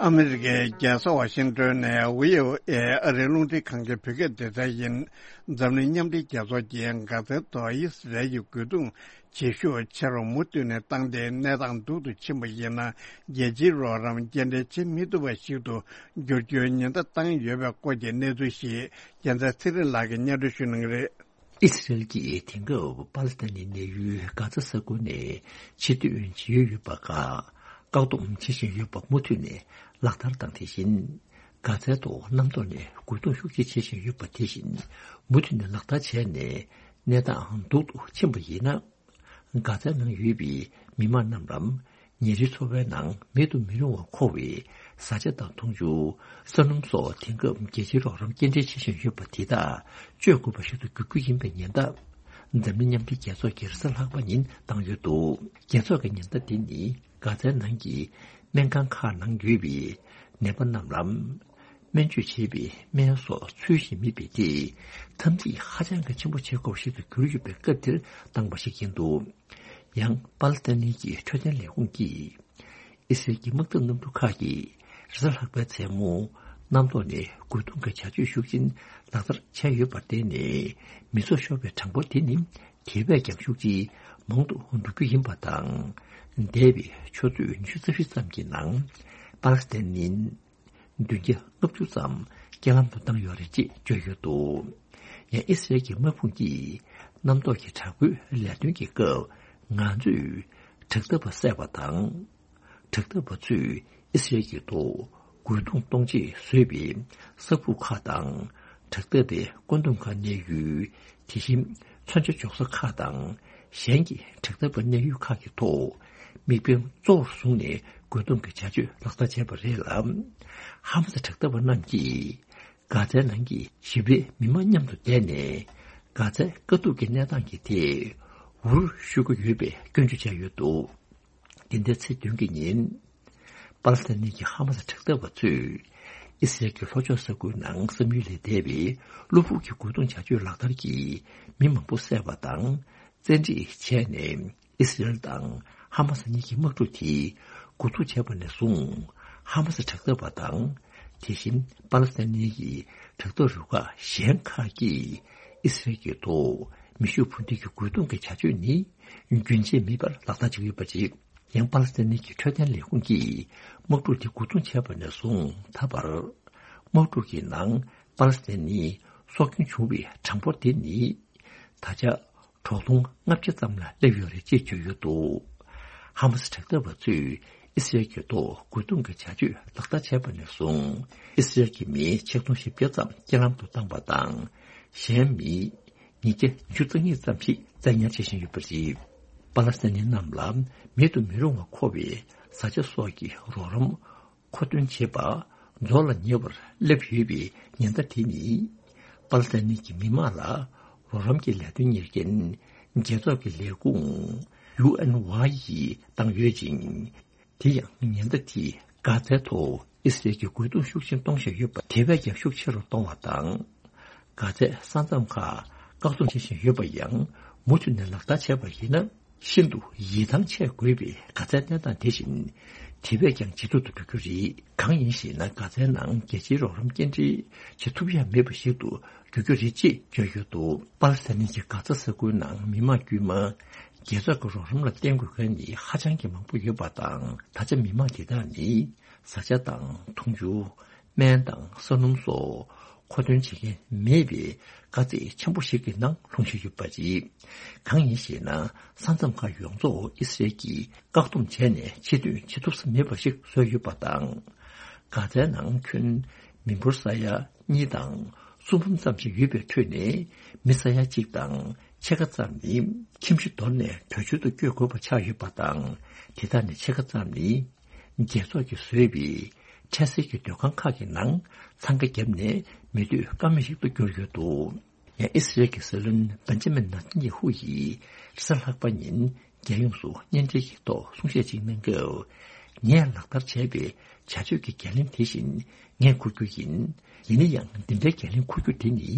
ཨ་མི་རི་ཀའི་རྒྱལ་ས་ཝ་ཤིང་ཏོན་ནས་ཝི་ཨོ་ཨེ་ཨ་རིའི་རླུང་འཕྲིན་ཁང་གི་བོད་སྐད་སྡེ་ཚན་ཡིན། འཛམ་གླིང་མཉམ་འབྲེལ་རྒྱལ་ཚོགས་ཀྱིས་གྷ་ཛའི་ཐོག་ཨི་སི་རལ་གྱི་རྒོལ་རྡུང་ཇེ་ཤུགས་ཆེ་རུ་མུ་མཐུད་ནས་བཏང་སྟེ། གནས་སྟངས་སྡུག་ཏུ་ཕྱིན་པ་ཡིན་ན། རྒྱལ་སྤྱིའི་རོགས་རམ་སྐྱེལ་འདྲེན་བྱེད་མི་ཐུབ་པ་ཞིག་ཏུ་འགྱུར་རྒྱུའི་ཉེན་བརྡ་བཏང་ཡོད་པའི་སྐོར་གྱི་གནས་ཚུལ་ཞིག་རྒྱལ་མཚན་ཚེ་རིང་ལགས་ཀྱིས་སྙན་སྒྲོན་ཞུ་གནང་གི་རེད། ཨི་སི་རལ་གྱིས་དེང་སྐབས་པ་ལི་སི་ཐན་ནི་གནས་ཡུལ་གྷ་ཛ་ས་ཁུལ་ནས་ཕྱིར་ཐོན་བྱེད་ཡུལ་ཡོད་པ་ཁག་བཀག་སྡོམ་བྱེད་བཞིན་ཡོད་པ་མུ་མཐུད་ནས་ལག་བསྟར་དང་། དེ་བཞིན་གྷ་ཛའི་ཐོག་གནམ་ཐོག་ནས་རྒོལ་རྡུང་ཤུགས་ཆེ་བྱེད་བཞིན་ཡོད་པ་དེ་བཞིན་མུ་མཐུད་ནས་ལག་བསྟར་བྱས་ནས། གནས་སྟངས་སྡུག་ཏུ་ཕྱིན་པ་ཡིན་ན། གྷ་ཛའི་ནང་ཡོད་པའི་མི་མང་རྣམས་ལ་ཉིན་རེའི་འཚོ་བའི་ནང་མེད་དུ་མི་རུང་བར་མཁོ་བའི་བཟའ་བཅའ་དང་འཐུང་ཆུ། ས་སྣུམ་སོགས་དེང་སྐབས་རྒྱལ་སྤྱིའི་རོགས་རམ་སྐྱེལ་འདྲེན་བྱེད་བཞིན་ཡོད་པ་དེ་དག་སྤྱོད་དགོས་པ་ཞིག་ཏུ་འགྱུར་རྒྱུ་ཡིན་པའི་ཉེན་བརྡ། འཛམ་གླིང་མཉམ་འབྲེལ་རྒྱལ་ཚོགས་ཀྱིས་རེས་གཟའ་ལྷག་པ་ཉིན་བཏང་ཡོད་འདུག་རྒྱལ་ཚོགས་ཀྱི་ཉེན་བརྡ་འདི་ནི་གྷ་ཛའི་ནང་གི་སྨན་ཁང་ཁག་ནང་ཡོད་པའི་ནད་པ་རྣམས་ལ། སྨན་བཅོས་བྱེད་པའི་སྨན་སོགས་ཚུལ་བཞིན་མེད་པའི་ཐད། འཐབ་འཛིང་ཧ་ཅང་གི་ཆེན་པོ་བྱེད་དགོས་པ་ཞིག་ཏུ་གྱུར་ཡོད་པའི་སྐབས་དེར་བཏང་བ་ཞིག་ཡིན་འདུག་ཡང་པ་ལི་སི་ཐན་གྱི་འཕྲོད་བསྟེན་ལས་ཁུངས་ཀྱིས། ཨི་སི་རལ་གྱི་དམག་འཐབ་གནམ་གྲུ་ཁག་གིས་རེས་གཟའ་ལྷག་པའི་མཚན་མོ་གནམ་ཐོག་ནས་རྒོལ་རྡུང་གི་བྱ་སྤྱོད་ཤུགས་ཆེན་ལག་བསྟར་བྱས་ཡོད་པར་བརྟེན་ནས། མི་ཚོགས་ཤོར་བའི་གྲངས་འབོར་དེ་ནི་དེ་བས་ཀྱང་ཤུགས་ཆེ་མང་དུ་འགྲོ་རྒྱུ་ཡིན་པ་དང་། འདས་པའི་ཆུ་ཚོད་ཉི་ཤུ་རྩ་བཞི་ཙམ་གྱི་ནང་པ་ལི་སི་ཐན་ནི། བདུན་བརྒྱ་ལྔ་བཅུ་ཙམ་རྐྱེན་ལམ་དུ་བཏང་ཡོད་རེད་ཅེས་བརྗོད་ཡོད་འདུག་ཡང་ཨི་སི་རལ་གྱི་དམག་དཔུང་གིས་གནམ་ཐོག་གི་དྲག་པོའི་ལས་དོན་གྱི་སྐབས། ང་ཚོས་དྲག་འཐབ་པ་བསད་པ་དང་། དྲག་འཐབ་པ་ཚོས་ཨི་སི་རལ་གྱི་ཐོག་རྒོལ་རྡུང་གཏོང་ཆེད་བཟོས་པའི་ས་ཁུག་ཁག་དང་། དྲག་འཐབ་པའི་བཀོད་འདོམས་ཁང་གནས་ཡུལ། དེ་བཞིན་མཚོན་ཆ་འཇོག་ས་ཁག་དང་། གཞན་གྱི་དྲག་འཐབ་པ་གནས་ཡུལ་ཁག་གི་ཐོག་དམིགས་འབེན་གཙོ་བོར་བཟུང་ནས་རྒོལ་རྡུང་གི་བྱ་སྤྱོད་ལག་བསྟར་བྱས་པ་རེད་ལ། ཧ་མ་སི་དྲག་འཐབ་པ་རྣམས་ཀྱིས་གྷ་ཛའི་ནང་གི་ཞི་བའི་མི་མང་མཉམ་དུ་བསྡད་ནས། གྷ་ཛའི་དཀའ་སྡུག་གི་གནས་སྟངས་ཀྱི་ཐད་འུར་ཤུ་གི་ཡོད་པའི་སྐྱོན་བརྗོད་བྱས་ཡོད་འདུག་འདི་ཟླའི་ཚེས་བདུན་གྱི་ཉིན། པ་ པ་ལི་སི་ཐན་གྱི་ཧ་མ་སི་དྲག་འཐབ་པ་ཚོས་ཨི་སི་རལ་གྱི་ལྷོ་ཕྱོགས་ས་ཁུལ་ནང་བསམ་ཡུལ་ལས་འདས་པའི་གློ་བུར་གྱི་རྒོལ་རྡུང་བྱ་སྤྱོད་ལག་བསྟར་གྱིས་མི་མང་པོ་བསད་པ་དང་། བཙན་ཁྲིད་བྱས་ནས་ཨི་སི་རལ་དང་ཧ་མ་སི་གཉིས་ཀྱི་དམག་འཁྲུག་དེ་འགོ་འཛུགས་བྱས་པ་ནས་བཟུང་། ཧ་མ་སི་དྲག་འཐབ་པ་དང་། དེ་བཞིན་པ་ལི་སི་ཐན་གྱི་དྲག་འཐབ་རུ་ཁག་གཞན་ཁག་གིས་ཨི་སི་རལ་གྱི་ཐོག་མེ་ཤུགས་འཕུར་མདེལ་གྱི་རྒོལ་རྡུང་གི་བྱ་སྤྱོད་ནི་རྒྱུན་ཆད་མེད་པར་ལག་བསྟར་བྱེད་ཀྱི་ཡོད་པ་རེད། ཡང་པ་ལི་སི་ཐན་གྱི་འཕྲོད་བསྟེན་ལས་ཁུངས་ཀྱིས་དམག་འཁྲུག་དེ་འགོ་འཛུགས་བྱས་པ་ནས་བཟུང་ད་བར། དམག་འཁྲུག་གི་ནང་པ་ལི་སི་ཐན་ནི་སྲོག་སྐྱོན་བྱུང་བའི་གྲངས་འབོར་དེ་ནི། ད་ཆ་གྲོག་སྟོང་ལྔ་བརྒྱ་ཙམ་ལ་སླེབས་ཡོད་རེད་ཅེས་བརྗོད་ཡོད་འདུག་ཧ་མ་སི་དྲག་འཐབ་པ་ཚོས་ཨི་སི་རལ་གྱི་ཐོག་རྒོལ་རྡུང་གི་བྱ་སྤྱོད་ལག་བསྟར་བྱས་པ་ནས་བཟུང་། ཨི་སི་རལ་གྱི་མི་ཆིག་སྟོང་བཞི་བརྒྱ་ཙམ་རྐྱེན་ལམ་དུ་བཏང་བ་དང་། གཞན་མི་ཉིས་བརྒྱ་ཉི་ཤུ་རྩ་གཉིས་ཙམ་ཞིག་བཙན་ཉར་བྱེད་བཞིན་ཡོད་པ་རེད། པ་ལ་སི་ཐན་ནི་རྣམས་ལ་མེད་དུ་མི་རུང་བ་མཁོ་བའི་བཟའ་བཅའ་སོགས་ཀྱི་རོགས་རམ་མཁོ་འདོན་བྱེད་པ་རྫོགས་ལ་ཉེ་བར་སླེབས་ཡོད་པའི་ཉེན་བརྡ་དེ་ནི། པ་ལ་སི་ཐན་གྱི་མི་མང་ལ་རོགས་རམ་གྱི་ལས་དོན་གཉེར་མཁན་རྒྱལ་ཚོགས་ཀྱི་ལས་ཁུངས་ཡུ་ཨེན་ཝའི་ཡིས་བཏང་ཡོད་ཅིང་། དེ་ཡང་ཉེན་བརྡ་དེས་གྷ་ཛའི་ཐོག་ཨི་སི་རལ་གྱི་རྒོལ་རྡུང་ཤུགས་ཆེན་གཏོང་བཞིན་ཡོད་པ་དེ་བས་ཀྱང་ཤུགས་ཆེ་རུ་གཏོང་བ་དང་། གྷ་ཛའི་ས་མཚམས་ཁག་བཀག་སྡོམ་བྱེད་བཞིན་ཡོད་པ་ཡང་མུ་མཐུད་ནས་ལག་བསྟར་བྱས་པ་ཡིན་ན། ཤིན་ཏུ་ཡིད་ཐང་ཆད་དགོས་པའི་གྷ་ཛའི་གནས་སྟངས་དེ་བཞིན་དེ་བས་ཀྱང་ཇེ་སྡུག་ཏུ་འགྲོ་རྒྱུ་རེད། གང་ཡིན་ཞེ་ན། གྷ་ཛའི་ནང་རྒྱལ་སྤྱིའི་རོགས་རམ་སྐྱེལ་འདྲེན་བྱེད་ཐུབ་ཡ་མེད་པ་ཞིག་ཏུ་འགྱུར་རྒྱུ་རེད་ཅེས་བརྗོད་ཡོད་འདུག་པ་ལི་སི་ཐན་གྱི་གྷ་ཛ་ས་ཁུལ་ནང་མི་མང་དཀྱུས་མ་རྒྱལ་ཚོགས་ཀྱི་རོགས་རམ་ལ་བརྟེན་དགོས་མཁན་ནི་ཧ་ཅང་གི་མང་པོ་ཡོད་པ་དང་། ད་ཆ་མི་མང་དེ་དག་ནི་བཟའ་བཅའ་དང་འཐུང་ཆུ། སྨན་དང་ས་སྣུམ་སོགས་མཁོ་འདོན་བྱེད་མཁན་མེད་པའི་དཀའ་ཚེགས་ཆེན་པོ་ཞིག་གི་ནང་ལྷུང་བཞིན་ཡོད་པ་རེད། གང་ཡིན་ཞེ་ན། ས་མཚམས་ཁག་ཡོངས་རྫོགས་ཨི་སི་རལ་གྱིས་བཀག་སྡོམ་བྱས་ནས་ཕྱིར་ཐོན་བྱེད་ཐུབ་ས་མེད་པ་ཞིག་བཟོས་ཡོད་པ་དང་། གྷ་ཛའི་ནང་ཁྱོན་མི་འབོར་ས་ཡ་གཉིས་དང་སུམ་འབུམ་ཙམ་ཞིག་ཡོད་པའི་ཁྲོད་ནས་མི་ས་ཡ་གཅིག་དང་ཕྱེད་ཀ་ཙམ་ནི་ཁྱིམ་གཞིས་དོར་ནས་བྲོས་བྱོལ་དུ་བསྐྱོད་དགོས་པ་ཆགས་ཡོད་པ་དང་། དེ་དག་ནས་ཕྱེད་ཀ་ཙམ་ནི། རྒྱལ་ཚོགས་ཀྱིས་བཟོས་པའི་འཕྲལ་སེལ་གྱི་སྡོད་ཁང་ཁག་གི་ནང་འཚང་ཁ་བརྒྱབ་ནས་མི་སྡོད་ཀ་མེད་ཞིག་ཏུ་གྱུར་ཡོད་འདུག་ཡང་ཨི་སི་རལ་གྱི་སྲིད་བློན་བན་ཇ་མིན་ནེ་ཐན་ཡ་ཧུ་ཡིས་རེས་གཟའ་ལྷག་པ་ཉིན་རྒྱལ་ཡོངས་སུ་བརྙན་འཕྲིན་གྱི་ཐོག་གསུང་བཤད་ཅིག་གནང་སྐབས། ངས་ལག་བསྟར་བྱས་པའི་བྱ་སྤྱོད་ཀྱི་འགན་ལེན་དེ་བཞིན་ངས་འཁུར་རྒྱུ་ཡིན། ཡིན་ན་ཡང་འདི་འདྲའི་འགན་ལེན་འཁུར་རྒྱུ་དེ་ནི་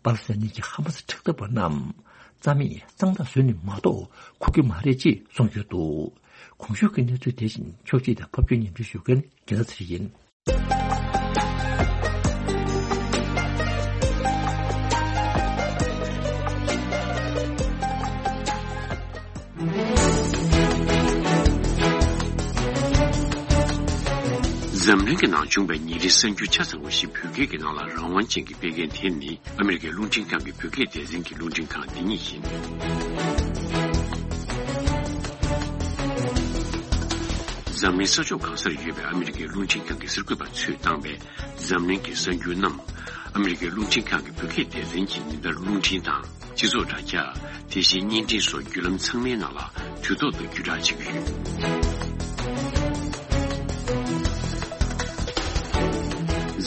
པ་ལ་སི་ཐན་གྱི་ཧ་མ་སི་དྲག་འཐབ་པ་རྣམས་རྩ་མེད་གཙང་དག་བཟོས་ནས་མ་གཏོགས་འཁུར་རྒྱུ་མ་རེད་ཅེས་གསུངས་ཡོད་འདུག་གོང་ཞུས་ཀྱི་གནས་ཚུལ་དེ་བཞིན་ཕྱོགས་སྒྲིག་དང་ཕབ་སྒྱུར་སྙན་སྒྲོན་ཞུ་མཁན་དགེ་ལགས་ཚེ་རིང་ཡིན། འཛམ་གླིང་གི་ནང་བྱུང་བའི་ཉིན་རེའི་གསར་འགྱུར་ཆ་ཚང་བ་ཞིག་བོད་སྐད་ཀྱི་ནང་ལ་རང་དབང་ཅན་གྱིས་སྤེལ་མཁན་དེ་ནི། ཨ་མི་རི་ཀའི་རླུང་འཕྲིན་ཁང་གི་བོད་སྐད་སྡེ་ཚན་གྱི་རླུང་འཕྲིན་ཁང་འདི་ཉིད་ཡིན། འཛམ་གླིང་ས་ཕྱོགས་གང་སར་ཡོད་པའི་ཨ་མི་རི་ཀའི་རླུང་འཕྲིན་ཁང་གི་གསར་འགོད་པ་ཚོས་བཏང་བའི་འཛམ་གླིང་གི་གསར་འགྱུར་རྣམས། ཨ་མི་རི་ཀའི་རླུང་འཕྲིན་ཁང་གི་བོད་སྐད་སྡེ་ཚན་གྱིས་ཉིན་ལྟར་རླུང་འཕྲིན་དང་། སྤྱི་ཚོགས་དྲ་རྒྱ། དེ་བཞིན་བརྙན་འཕྲིན་སོགས་བརྒྱུད་ལམ་ཚང་མའི་ནང་ལ་དུས་ཐོག་ཏུ་བརྒྱུད་བསྒྲགས་བྱེད་ཀྱི་ཡོད།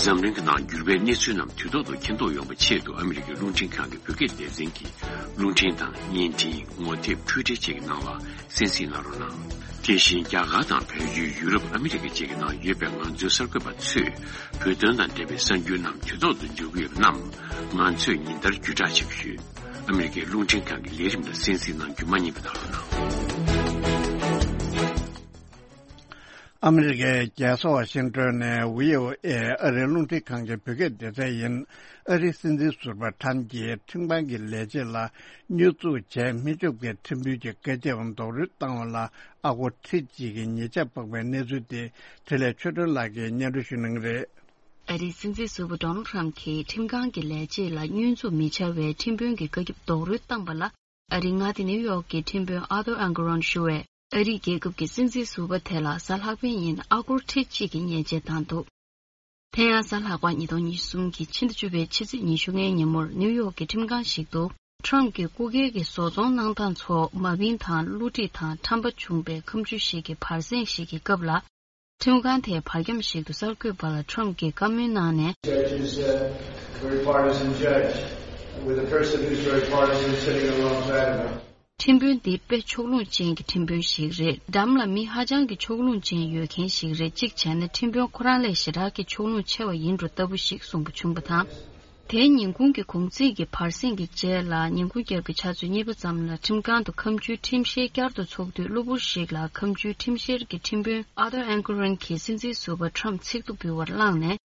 འཛམ་གླིང་གི་ནང་འགྱུར་བའི་གནས་ཚུལ་རྣམས་དུས་ཐོག་ཏུ་མཁྱེན་རྟོགས་ཡོང་བའི་ཆེད་དུ། ཨ་མི་རི་ཀའི་རླུང་འཕྲིན་ཁང་གི་བོད་སྐད་སྡེ་ཚན་གྱིས་རླུང་འཕྲིན་དང་བརྙན་འཕྲིན། ངོ་དེབ། འཕྲུལ་འཕྲིན་བཅས་ཀྱི་ནང་ལ་གསན་གཟིགས་གནང་རོགས་གནང་། དེ་བཞིན་རྒྱ་གར་དང་བལ་ཡུལ། ཡུ་རོབ། ཨ་མི་རི་ཀ་བཅས་ཀྱི་ནང་ཡོད་པའི་ང་ཚོའི་གསར་འགོད་པ་ཚོས་བོད་དོན་དང་འབྲེལ་བའི་གསར་འགྱུར་རྣམས་དུས་ཐོག་ཏུ་འབྱོར་གྱི་ཡོད་པ་རྣམས་ང་ཚོས་ཉིན་ལྟར་བརྒྱུད་བསྒྲགས་བྱེད་ཀྱི་ཡོད། ཨ་མི་རི་ཀའི་རླུང་འཕྲིན་ཁང་གི་ལས་རིམ་ལ་གསན་གཟིགས་གནང་རྒྱུ་མ་བསྙེལ་བ་གནང་རོགས་གནང་། ཨ་མི་རི་ཀའི་རྒྱལ་ས་ཝ་ཤིང་ཏོན་ནས་བྷི་ཨོ་ཨེ་ཨ་རིའི་རླུང་འཕྲིན་ཁང་གི་བོད་སྐད་སྡེ་ཚན་ཡིན། ཨ་རིའི་སྲིད་འཛིན་ཟུར་པ་ཁྲམ་གྱིས་ཁྲིམས་ཁང་གི་ལས་བྱེད་ལ་བསྙོན་འཛུགས་བྱས། སྨན་བཅོས་ཀྱི་ཁྲིམས་དཔོན་གྱི་བཀའ་ཁྱབ་རྡོག་རོལ་བཏང་བ་ལ་ཨ་སྒོར་ཁྲི་གཅིག་གི་ཉེས་ཆད་འཕགས་པའི་གནས་ཚུལ་དེ་འཕྲིན་ལས་ཆོས་སྒྲོན་ལགས་ཀྱིས་སྙན་སྒྲོན་ཞུ་གནང་གི་རེད། ཨ་རིའི་སྲིད་འཛིན་ཟུར་པ་ཌོ་ནལ་ཁྲམ་གྱིས་ཁྲིམས་ཁང་གི་ལས་བྱེད་ལ་བསྙོན་འཛུགས་མི་བྱ་བའི་ཁྲིམས་དཔོན་གྱི་བཀའ་ཁྱབ་རྡོག་རོལ་བཏང་བ་ལ། ཨ་རིའི་མངའ་སྡེ་ནིའུ་ཡོག་གི་ཁྲིམས་དཔོན་ཨར་ཐུར་ཨན་གྷོ་རོན་ཞུ་བས། ཨ་རིའི་རྒྱལ་ཁབ་ཀྱི་སྲིད་འཛིན་ཟུར་པ་དེ་ལ་གཟའ་ལྷག་པའི་ཉིན་ཨ་སྒོར་ཁྲི་གཅིག་གི་ཉེས་ཆད་བཏང་འདུག་དེ་ཡང་གཟའ་ལྷག་པ་ཉིས་སྟོང་ཉི་ཤུ་གསུམ་གྱི་ཕྱི་ཟླ་བཅུ་པའི་ཕྱི་ཚེས་ཉི་ཤུ་ལྔའི་ཉིན་མོར་ནིའུ་ཡོག་གི་ཁྲིམས་ཁང་ཞིག་ཏུ་ཁྲམ་གྱི་སྐུ་སྒེར་གྱི་བཟོ་ཚོང་གནང་སྟངས་ཚོ་མ་བིན་དང་བསླུ་བྲིད་དང་ཁྲམ་པ་བྱུང་བའི་ཁ་མཆུ་ཞིག་གི་བར་གསེང་ཞིག་གི་སྐབས་ལ། ཁྲིམས་ཁང་དེའི་བར་འཁྱམས་ཤིག་ཏུ་གསར་འགོད་པ་ལ་ཁྲམ་གྱིས་བཀའ་མོལ་གནང་ནས། Judge is a very partisan judge with a person who's very partisan sitting alongside of him. ཁྲིམས་དཔོན་འདི་དཔེ་ཕྱོགས་ལྷུང་ཅན་གྱི་ཁྲིམས་དཔོན་ཞིག་རེད། འགྲམ་ལ་མི་ཧ་ཅང་གི་ཕྱོགས་ལྷུང་ཅན་ཡོད་མཁན་ཞིག་རེད། གཅིག་བྱས་ན་ཁྲིམས་དཔོན་ཁོ་རང་ལས་ཞེ་དྲག་གི་ཕྱོགས་ལྷུང་ཆེ་བ་ཡིན་འགྲོ་ལྟ་བུ་ཞིག་གསུངས་པ་བྱུང་བ་དང་། དེའི་ཉིན་གུང་གི་གུང་ཚིགས་ཀྱི་བར་གསེང་གི་རྗེས་ལ། ཉིན་གུང་རྒྱབ་ཀྱི་ཆུ་ཚོད་གཉིས་པ་ཙམ་ལ་ཁྲིམས་ཁང་དུ་ཁ་མཆུའི་ཁྲིམས་བཤེར་བསྐྱར་དུ་ཚོགས་དུས། གློ་བུར་ཞིག་ལ་ཁ་མཆུའི་ཁྲིམས་བཤེར་གྱི་ཁྲིམས་དཔོན་ཨར་ཐར་ཨན་ཀེ་རན་གྱིས་སྲིད་འཛིན་ཟུར་པ་ཁྲམ་ཚིག་ཐོ་འབུལ་བར་བླངས་ནས།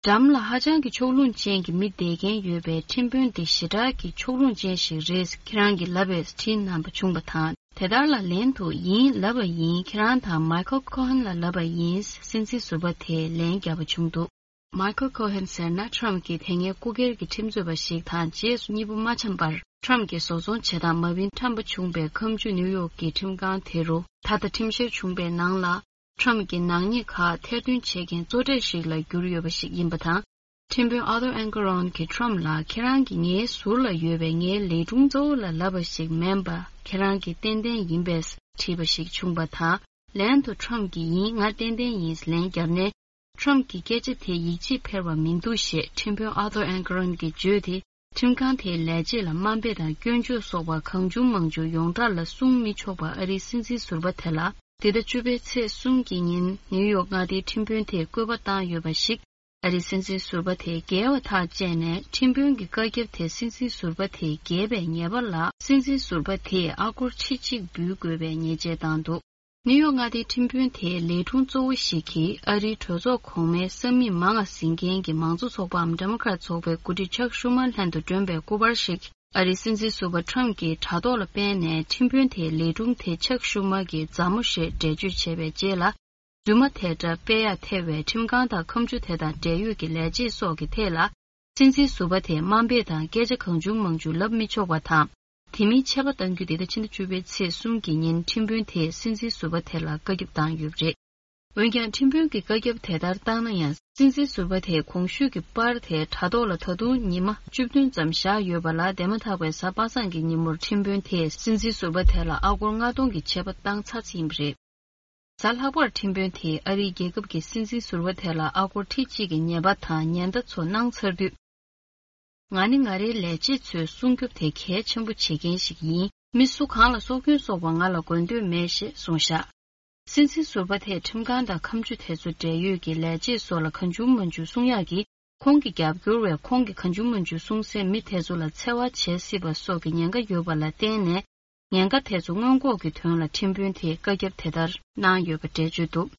འགྲམ་ལ་ཧ་ཅང་གི་ཕྱོགས་ལྷུང་ཅན་གྱི་མི་བསྡད་མཁན་ཡོད་པས། ཁྲིམས་དཔོན་འདི་ཞེ་དྲག་གི་ཕྱོགས་ལྷུང་ཅན་ཞིག་རེད། ཁྱེད་རང་གིས་ལབ་པས་དྲིས་གནང་བ་བྱུང་བ་དང་། དེ་ལྟར་ལ་ལན་དུ། ཡིན། ལབ་པ་ཡིན། ཁྱེད་རང་དང་མའི་ཁལ་ཁོ་ཧན་ལ་ལབ་པ་ཡིན། སྲིད་འཛིན་ཟུར་པ་དེས་ལན་བརྒྱབ་པ་བྱུང་འདུག་མའི་ཁལ་ཁོ་ཧན་ཟེར་ན། ཁྲམ་གྱིས་དེ་སྔའི་སྐུ་སྒེར་གྱི་ཁྲིམས་རྩོད་པ་ཞིག་དང་། རྗེས་སུ་གཉིས་པོ་མ་འཆམ་པར། ཁྲམ་གྱིས་བཟོ་ཚོང་བྱེད་སྟངས་མ་བིན་ཁྲམ་པ་བྱུང་བའི་ཁ་མཆུ་ནིའུ་ཡོག་གི་ཁྲིམས་ཁང་དེ་རུ་ད་ལྟ་ཁྲིམས་བཤེར་བྱུང་བའི་ནང་ལ། ཁྲམ་གྱི་ནག་ཉེས་ཁག་ཐེར་འདོན་བྱེད་མཁན་གཙོ་གྲས་ཤིག་ལ་གྱུར་ཡོད་པ་ཞིག་ཡིན་པ་དང་། ཁྲིམས་དཔོན་ཨར་ཐར་ཨན་ཀེ་རན་གྱིས་ཁྲམ་ལ། ཁྱེད་རང་གིས་ངའི་ཟུར་ལ་ཡོད་པའི་ངའི་ལས་དྲུང་གཙོ་བོ་ལ་ལབ་པ་ཞིག་མིན་པ། ཁྱེད་རང་གིས་ཏན་ཏན་ཡིན་པས་དྲིས་པ་ཞིག་བྱུང་བ་དང་། ལན་དུ་ཁྲམ་གྱིས། ཡིན། ང་ཏན་ཏན་ཡིན། ལན་བརྒྱབ་ནས། ཁྲམ་གྱིས་སྐད་ཆ་དེ་ཡིད་ཆེས་འཕེར་བ་མི་འདུག་ཞེས་ཁྲིམས་དཔོན་ཨར་ཐར་ཨན་ཀེ་རན་གྱིས་བརྗོད་དེ། ཁྲིམས་ཁང་དེའི་ལས་བྱེད་ལ་དམའ་འབེབས་དང་སྐྱོན་བརྗོད་སོགས་པ་གང་བྱུང་མང་བྱུང་ཡོངས་གྲགས་ལ་གསུང་མི་ཆོག་པ། ཨ་རིའི་སྲིད་འཛིན་ཟུར་པ་དེ་ལ། འདི་ཟླ་བཅུ་པའི་ཚེས་གསུམ་གྱི་ཉིན་ནིའུ་ཡོག་མངའ་སྡེའི་ཁྲིམས་དཔོན་དེས་བཀོད་པ་བཏང་ཡོད་པ་ཞིག་ཨ་རིའི་སྲིད་འཛིན་ཟུར་པ་དེས་འགལ་བ་ཐག་བཅད་ནས། ཁྲིམས་དཔོན་གྱི་བཀའ་ཁྱབ་དེ་སྲིད་འཛིན་ཟུར་པ་དེས་འགལ་བའི་ཉེས་པ་ལ། སྲིད་འཛིན་ཟུར་པ་དེས་ཨ་སྒོར་ཁྲི་གཅིག་འབུལ་དགོས་པའི་ཉེས་ཆད་བཏང་འདུག་ནིའུ་ཡོག་མངའ་སྡེའི་ཁྲིམས་དཔོན་དེའི་ལས་དྲུང་གཙོ་བོ་ཞིག་གིས། ཨ་རིའི་གྲོས་ཚོགས་གོང་མའི་ས་མིག་མང་ང་ཟིན་མཁན་གྱི་མང་གཙོ་ཚོགས་པའམ་ཌེ་མོ་ཀ་རེཊ་ཚོགས་པའི་འགོ་ཁྲིད་ཅག་ཤུ་མར་ལྷན་དུ་བསྒྲོན་པའི་སྐུ་པར་ཞིག་ཨ་རིའི་སྲིད་འཛིན་ཟུར་པ་ཁྲམ་གྱིས་དྲ་ཐོག་ལ་སྤེལ་ནས། ཁྲིམས་དཔོན་དེའི་ལས་དྲུང་དེ་ཅག་ཤུ་མར་གྱི་མཛའ་མོ་ཞེས་འགྲེལ་བརྗོད་བྱས་པའི་རྗེས་ལ། རྫུན་མ་དེ་འདྲ་སྤེལ་ཡ་ཐེ་བའི་ཁྲིམས་ཁང་དང་ཁ་མཆུ་དེ་དང་འབྲེལ་ཡོད་ཀྱི་ལས་བྱེད་སོགས་ཀྱི་ཐད་ལ། སྲིད་འཛིན་ཟུར་པ་དེས་དམའ་འབེབས་དང་སྐད་ཆ་གང་བྱུང་མང་བྱུང་ལབ་མི་ཆོག་པ་དང་། དེ་མིན་ཆད་པ་གཏང་རྒྱུ་འདི་ཟླ་ཕྱི་ཟླ་བཅུ་པའི་ཚེས་གསུམ་གྱི་ཉིན་ཁྲིམས་དཔོན་དེས་སྲིད་འཛིན་ཟུར་པ་དེ་ལ་བཀའ་ཁྱབ་བཏང་ཡོད་པ་རེད། འོན་ཀྱང་ཁྲིམས་དཔོན་གྱིས་བཀའ་ཁྱབ་དེ་ལྟར་བཏང་ན་ཡང་། སྲིད་འཛིན་ཟུར་པ་དེས་གོང་ཞུས་ཀྱི་པར་དེ་དྲ་ཐོག་ལ་ད་དུང་ཉི་མ་བཅུ་བདུན་ཙམ་བཞག་ཡོད་པ་ལ། འདས་མ་ཐག་པའི་གཟའ་པ་སངས་ཀྱི་ཉིན་མོར་ཁྲིམས་དཔོན་དེས་སྲིད་འཛིན་ཟུར་པ་དེ་ལ་ཨ་སྒོར་ལྔ་སྟོང་གི་ཆད་པ་བཏང་ཚར་ཡིན་པ་རེད། གཟའ་ལྷག་པར་ཁྲིམས་དཔོན་དེས་ཨ་རིའི་རྒྱལ་ཁབ་ཀྱི་སྲིད་འཛིན་ཟུར་པ་དེ་ལ་ཨ་སྒོར་ཁྲི་གཅིག་གི་ཉེས་པ་དང་ཉེན་བརྡ་ཚོ་གནང་ཚར་དུས། ང་ནི་ང་རའི་ལས་བྱེད་ཚོའི་སྲུང་སྐྱོབ་དེ་གལ་ཆེན་པོ་བྱེད་མཁན་ཞིག་ཡིན། མི་སུ་གང་ལ་སྲོག་སྐྱོན་སོགས་པ་ང་ལ་དགོས་འདོད་མེད་ཞེས་གསུངས་བཞག་སྲིད་འཛིན་ཟུར་པ་དེས་ཁྲིམས་ཁང་དང་ཁ་མཆུ་དེ་ཚོ་འབྲེལ་ཡོད་ཀྱི་ལས་བྱེད་སོགས་ལ་གང་བྱུང་མང་བྱུང་གསུང་ཡག་གིས། ཁོང་གི་རྒྱབ་སྐྱོར་བས་ཁོང་གིས་གང་བྱུང་མང་བྱུང་གསུང་སའི་མི་དེ་ཚོ་ལ་འཚེ་བ་བྱེད་སྲིད་པ་སོགས་ཀྱི་ཉེན་ཁ་ཡོད་པ་ལ་བརྟེན་ནས། ཉེན་ཁ་དེ་ཚོ་སྔོན་འགོག་གི་དོན་ལ་ཁྲིམས་དཔོན་དེས་བཀའ་ཁྱབ་དེ་ལྟར་གནང་ཡོད་པ་འགྲེལ་བརྗོད་འདུག་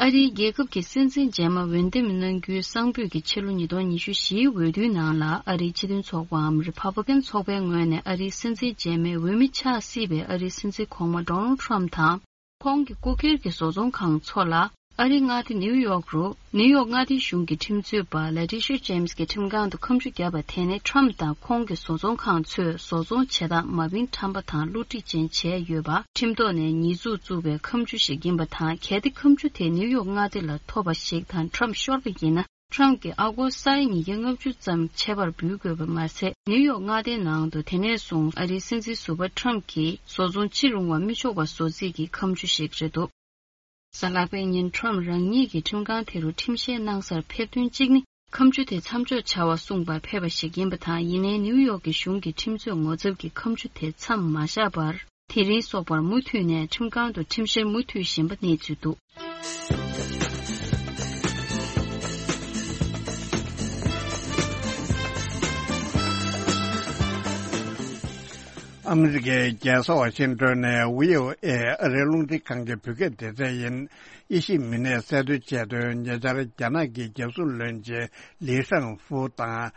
ཨ་རིའི་རྒྱལ་ཁབ་ཀྱི་སྲིད་འཛིན་རྗེས་མ་འོས་འདེམས་གནང་རྒྱུའི་གསང་ཕུད་ཀྱི་ཕྱི་ལོ་ཉིས་སྟོང་ཉི་ཤུ་བཞིའི་འོས་བསྡུའི་ནང་ལ། ཨ་རིའི་སྤྱི་མཐུན་ཚོགས་པའམ་རི་ཕབ་ལི་ཀན་ཚོགས་པའི་ངོས་ནས་ཨ་རིའི་སྲིད་འཛིན་རྗེས་མའི་འོས་མི་ཆགས་སྲིད་པའི་ཨ་རིའི་སྲིད་འཛིན་གོང་མ་ཌོ་ནལ་ཊམ་དང་། ཁོང་གི་སྐུ་སྒེར་གྱི་བཟོ་ཚོང་ཁང་ཚོ་ལ། ཨ་རིའི་མངའ་སྡེ་ནིའུ་ཡོག་རུ། ནིའུ་ཡོག་མངའ་སྡེའི་གཞུང་གི་ཁྲིམས་རྩོད་པ་ལ་ཏི་ཤ་ཇེམ་སི་གྱིས་ཁྲིམས་ཁང་དུ་ཁ་མཆུ་བརྒྱབ་པ་དེ་ནི། ཊམ་དང་ཁོང་གི་བཟོ་ཚོང་ཁང་ཚོས་བཟོ་ཚོང་བྱེད་སྟངས་མ་བིན་ཁྲམ་པ་དང་བསླུ་བྲིད་ཅན་བྱས་ཡོད་པ། ཁྲིམས་ཐོག་ནས་ཉེས་འཛུགས་བཙུགས་པའི་ཁ་མཆུ་ཞིག་ཡིན་པ་དང་། གལ་ཏེ་ཁ་མཆུ་དེ་ནིའུ་ཡོག་མངའ་སྡེ་ལ་ཐོབ་པ་ཞིག་དང་། ཁྲམ་ཤོར་བ་ཡིན་ན། ཁྲམ་གྱིས་ཨ་སྒོར་ས་ཡ་ཉིས་བརྒྱ་ལྔ་བཅུ་ཙམ་ཆད་པར་འབུལ་དགོས་པ་མ་ཟད། ནིའུ་ཡོག་མངའ་སྡེའི་ནང་དུ་དེ་ནས་བཟུང་ཨ་རིའི་སྲིད་འཛིན་ཟུར་པ་ཁྲམ་གྱིས་བཟོ་ཚོང་ཅི་རུང་བ་མི་ཆོག་པ་བཟོ་རྩིས་ཀྱི་ཁ་མཆུ་ཞིག་རེད་འདུག་གཟའ་ལྷག་པའི་ཉིན་ཁྲམ་རང་ཉིད་ཀྱིས་ཁྲིམས་ཁང་དེ་རུ་ཁྲིམས་བཤེར་གནང་སར་ཕེབས་དོན་གཅིག་ནི། ཁ་མཆུ་དེ་མཚམས་འཇོག་བྱ་བར་གསུངས་པར་ཕེབས་པ་ཞིག་ཡིན་པ་དང་། ཡིན་ནའི་ནིའུ་ཡོག་གི་གཞུང་གི་ཁྲིམས་རྩོད་ངོ་ཚབ་ཀྱི་ཁ་མཆུ་དེ་མཚམས་མ་བཞག་པར། དེ་རིང་སོག་པར་མུ་མཐུད་ནས་ཁྲིམས་ཁང་དུ་ཁྲིམས་བཤེར་མུ་མཐུད་བཞིན་པ་གནས་ཚུལ་འདུག་ཨ་མི་རི་ཀའི་རྒྱལ་ས་ཝ་ཤིང་ཏོན་ནས་བྷི་ཨོ་ཨེ་ཨ་རིའི་རླུང་འཕྲིན་ཁང་གི་བོད་སྐད་སྡེ་ཚན་ཡིན། དབྱེ་ཞིབ་མི་སྣས་གསལ་འདོན་བྱས་དོན། ཉེ་ཆར་རྒྱ་ནག་གི་རྒྱལ་སྲུང་བློན་ཆེན་ལི་ཧྲང་ཧྥུ་དང་།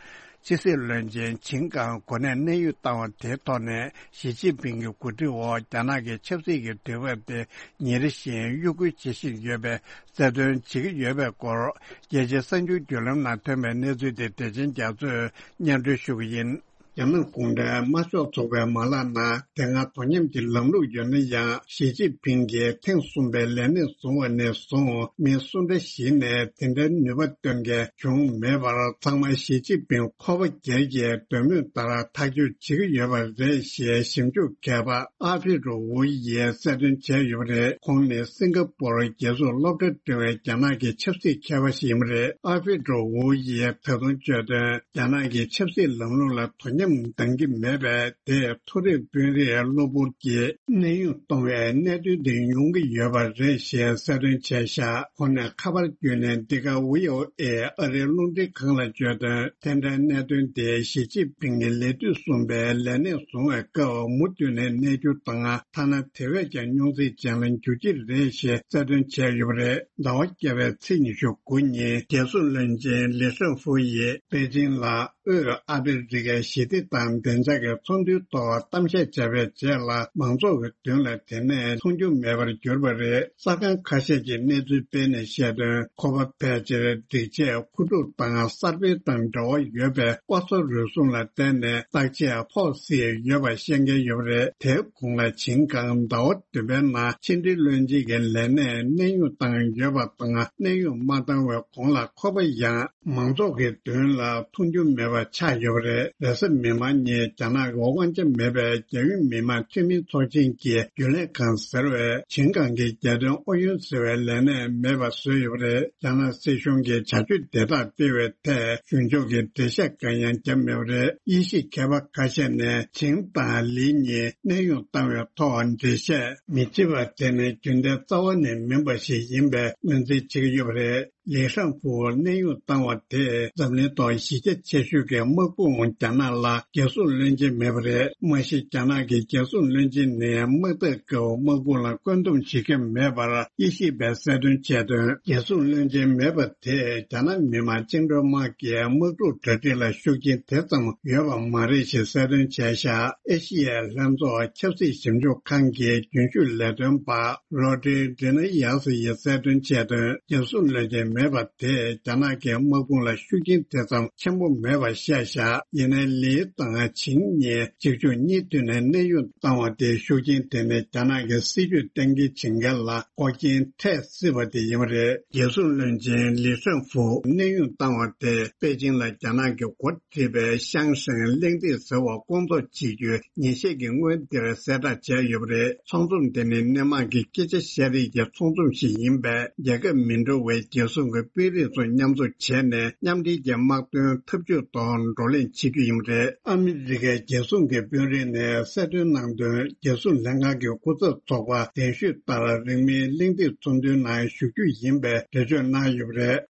ཕྱི་སྲིད་བློན་ཆེན་ཆིང་ཀང་གོ་གནས་གནས་དབྱུང་བཏང་བ་དེའི་ཐོག་ནས། ཞི་ཅིན་ཕིང་གི་གོ་སྒྲིག་འོག་རྒྱ་ནག་གི་ཆབ་སྲིད་ཀྱི་དུས་བབ་དེ་ཉིན་རེ་བཞིན་གཡོ་འགུལ་བྱེད་བཞིན་ཡོད་པའི་གསལ་སྟོན་བྱེད་ཀྱི་ཡོད་པའི་སྐོར། རྒྱལ་སྤྱིའི་གསར་འགྱུར་བརྒྱུད་ལམ་ནང་ཐོན་པའི་གནས་ཚུལ་དེ་བདེ་ཆེན་རྒྱ་མཚོས་སྙན་སྒྲོན་ཞུ་གི་ཡིན། རྒྱ་ནག་གུང་ཁྲན་དམར་ཤོག་ཚོགས་པའི་མ་ལག་ནང་དེ་སྔ་དོ་མཉམ་གྱི་ལམ་ལུགས་ཡོད་ན་ཡང་། ཞི་ཅིན་ཕིང་གིས་ཐེངས་གསུམ་པའི་ལས་གནས་བཟུང་བ་ནས་བཟུང་། མི་སུ་འདྲ་ཞིག་ནས་དེ་འདྲའི་ནུས་པ་སྟོན་མཁན་བྱུང་མེད་པར། ཚང་མ་ཞི་ཅིན་ཕིང་ཁོ་པ་སྒེར་གྱི་འདོད་མོས་ལྟར་ཐག་གཅོད་བྱེད་ཀྱི་ཡོད་པ་རེད་ཞེས་ཞིབ་འཇུག་མཁས་པ་ཨ་ཕི་རུ་ཝུ་ཡིས་གསལ་སྟོན་བྱས་ཡོད་པ་རེད། ཁོང་ནི་སིང་ག་པུར་རྒྱལ་སྲུང་སློབ་གྲྭར་འགྲིམས་པའི་རྒྱ་ནག་གི་ཆབ་སྲིད་མཁས་པ་ཞིག་ཡིན་པ་རེད། ཨ་ཕི་རུ་ཝུ་ཡིས་ད་དུང་བརྗོད་དོན། རྒྱ་ནག་གི་ཆབ་སྲིད་ལམ་ལུགས་ལ་དོ་ ཁྲིམས་འདང་གི་མེད་པས། དེས་མཐོ་རིམ་དཔོན་རིགས་གློ་བུར་གྱིས་གནས་དབྱུང་གཏོང་བའི་གནད་དོན་དེ་ཡོང་གི་ཡོད་པ་རེད་ཞེས་གསལ་སྟོན་བྱས་བཞག་ཁོང་ནས་ཁ་པར་བརྒྱུད་ནས་འདི་ག་ཝི་ཨོ་ཨེ་ཨ་རིའི་རླུང་འཕྲིན་ཁང་ལ་བརྗོད་དོན། དེ་འདྲའི་གནད་དོན་དེ་ཞི་ཅིན་ཕིང་གིས་ལས་དུས་གསུམ་པའི་ལས་གནས་བཟུང་བའི་སྐབས་མུ་མཐུད་ནས་གནས་རྒྱུ་དང་། ཐ་ན་དེ་བས་ཀྱང་རྙོག་འཛིང་ཅན་ལ་འགྱུར་གྱི་རེད་ཞེས་གསལ་སྟོན་བྱས་ཡོད་པ་རེད། ཟླ་བ་བརྒྱད་པའི་ཚེས་ཉི་ཤུ་དགུ་ཉིན་རྒྱལ་སྲུང་བློན་ཆེན་ལི་ཧྲན་ཧྥུ་ཡིས་པེ་ཅིང་ལ། དབུས་ཨ་ཕི་རི་ཀའི་ཞི་བདེ་དང་བདེ་འཇགས་ཀྱི་ཚོགས་འདུའི་ཐོག་གཏམ་བཤད་བྱས་པའི་རྗེས་ལ། མང་ཚོགས་ཀྱི་མདུན་ལ་དེ་ནས་མཐོང་རྒྱུ་མེད་པར་གྱུར་པ་རེད། གསར་ཁང་ཁ་ཤས་ཀྱིས་གནས་ཚུལ་སྤེལ་ནས་བཤད་དོན། ཁོ་པ་ཕལ་ཆེར་སྒྲིག་ཆས་མཁོ་སྒྲུབ་དང་གསར་སྤེལ་དང་འབྲེལ་བ་ཡོད་པའི་ལྐོག་ཟ་རུལ་སུངས་ལ་བརྟེན་ནས་བརྟག་དཔྱད་ཕོག་སྲིད་ཡོད་པ་བཤད་མཁན་ཡོད་པ་རེད། དེའི་གོང་ལ་ཆིང་ཀང་ཟླ་བ་བདུན་པའི་ནང་ཕྱི་འབྲེལ་བློན་ཆེན་གྱི་ལས་གནས་གནས་དབྱུང་བཏང་ཡོད་པ་དང་། གནས་དབྱུང་མ་བཏང་བའི་གོང་ལ་ཁོ་པ་ཡང་མང་ཚོགས་ཀྱི་མདུན་ལ་མཐོང་རྒྱུ་མེད་པ་ཆགས་ཡོད་པ་རེད། རེས་གཟའ་མིག་དམར་ཉིན་རྒྱ་ནག་གི་དབང་ཆ་མེད་པའི་རྒྱལ་ཡོངས་མི་དམངས་འཐུས་མི་ཚོགས་ཆེན་གྱི་རྒྱུན་ལས་ཁང་ཟེར་བས་ཆིང་ཀང་གི་རྒྱལ་དོན་ཨུ་ཡོན་ཟེར་བའི་ལས་གནས་མེད་པ་བཟོས་ཡོད་པ་རེད། རྒྱ་ནག་སྲིད་གཞུང་གིས་བྱ་སྤྱོད་དེ་དག་སྤེལ་བའི་ཐད་གཞུང་ཕྱོགས་ཀྱི་འགྲེལ་བཤད་གང་ཡང་བརྒྱབ་མེད་པ་རེད། དབྱེ་ཞིབ་མཁས་པ་ཁ་ཤས་ནས་ཆིང་དང་ལི་གཉིས་གནས་དབྱུང་བཏང་བའི་ཐོག་འགྲེལ་བཤད་མི་བྱེད་པ་དེ་ནི་རྒྱུན་ལྡན་རྩ་བ་ནས་མིན་པ་ཞིག་ཡིན་པའི་ངོས་འཛིན་བྱེད་ཀྱི་ཡོད་པ་རེད། ལི་ཧྲན་ཧྥུ་གནས་དབྱུང་བཏང་བ་དེས་འཛམ་གླིང་ཐོག་གཞི་རྒྱ་ཆེ་ཤོས་ཀྱི་དམག་དཔུང་རྒྱ་ནག་ལ་རྒྱལ་སྲུང་བློན་ཆེན་མེད་པ་རེད། མ་གཞི་རྒྱ་ནག་གི་རྒྱལ་སྲུང་བློན་ཆེན་ནི་དམག་འཐབ་སྐབས་དམག་དཔུང་ལ་བཀོད་འདོམས་བྱེད་མཁན་མེད་པར་དབྱེ་ཞིབ་པས་གསལ་སྟོན་བྱས་དོན། རྒྱལ་སྲུང་བློན་ཆེན་མེད་པ་དེས་རྒྱ་ནག་མི་དམངས་བཅིངས་འགྲོལ་དམག་གི་དམག་འཁྲུག་གྲ་སྒྲིག་ལ་ཤུགས་རྐྱེན་དེ་ཙམ་ཡོད་པ་མ་རེད་ཞེས་གསལ་སྟོན་བྱས་བཞག་ཨེ་ཤི་ཡའི་ལྷན་ཚོགས་ཆབ་སྲིད་ཞིབ་འཇུག་ཁང་གི་རྒྱུན་ཞུགས་ལས་དོན་པ། རོ་ཏྲི་ཌི་ན་ཡ་སི་ཡིས་གསལ་སྟོན་བྱས་དོན། རྒྱལ་སྲུང་བློན་ཆེན་མེད་པ་དེས་རྒྱ་ནག་གི་དམག་དཔུང་ལ་ཤུགས་རྐྱེན་དེ་ཙམ་ཆེན་པོ་མེད་པ་བཤད་བཞག་ཡིན་ནའི་ལི་དང་ཆིང་གཉིས་གཅིག་མཇུག་གཉིས་མཐུད་ནས་གནས་དབྱུང་བཏང་བ་དེའི་ཤུགས་རྐྱེན་དེ་ནི་རྒྱ་ནག་གི་སྲིད་ཇུས་གཏན་འཁེལ་བྱེད་མཁན་ལ་འགོག་རྐྱེན་འཕྲད་སྲིད་པ་དེ་ཡིན་པ་རེད། རྒྱལ་སྲུང་བློན་ཆེན་ལི་ཧྲན་ཧྥུ་གནས་དབྱུང་བཏང་བ་དེས་པེ་ཅིང་ལ་རྒྱ་ནག་གི་འགོ་ཁྲིད་པའི་ཤང་ཧྲེང་གླེང་སྟེགས་ཟེར་བ་སྐོང་ཚོགས་བྱེད་རྒྱུའི་ཉིན་ཤས་ཀྱི་སྔོན་འདིར་གསལ་བསྒྲགས་བྱས་ཡོད་པ་རེད། ཚོགས་འཛོམས་དེ་ནི་སྣེ་མང་གི་སྐད་ཆ་བཤད་རེས་ཀྱི་ཚོགས་འཛོམས་ཤིག་ཡིན་པས། རྒྱལ་ཁབ་མི་འདྲ་བའི་རྒྱལ་སྲུང་གི་དཔོན་རིགས་ཚོ་མཉམ་འཛོམས་བྱས་ནས་མཉམ་འབྲེལ་གྱི་དམག་དོན་འཐབ་ཇུས་ཐོག་བགྲོ་གླེང་བྱེད་རྒྱུ་ཡིན་པ་རེད། ཨ་མི་རི་ཀའི་རྒྱལ་སྲུང་གི་དཔོན་རིགས་ནས་གསལ་སྟོན་གནང་དོན། རྒྱལ་སྲུང་ལྷན་ཁང་གི་སྐུ་ཚབ་ཚོགས་པ་གདན་ཞུས་ལྟར་རིང་མིན་གླེང་སྟེགས་ཚོགས་འདུའི་ནང་ཞུགས་རྒྱུ་ཡིན་པའི་འགྲེལ་བརྗོད་གནང་ཡོད་པ་རེད།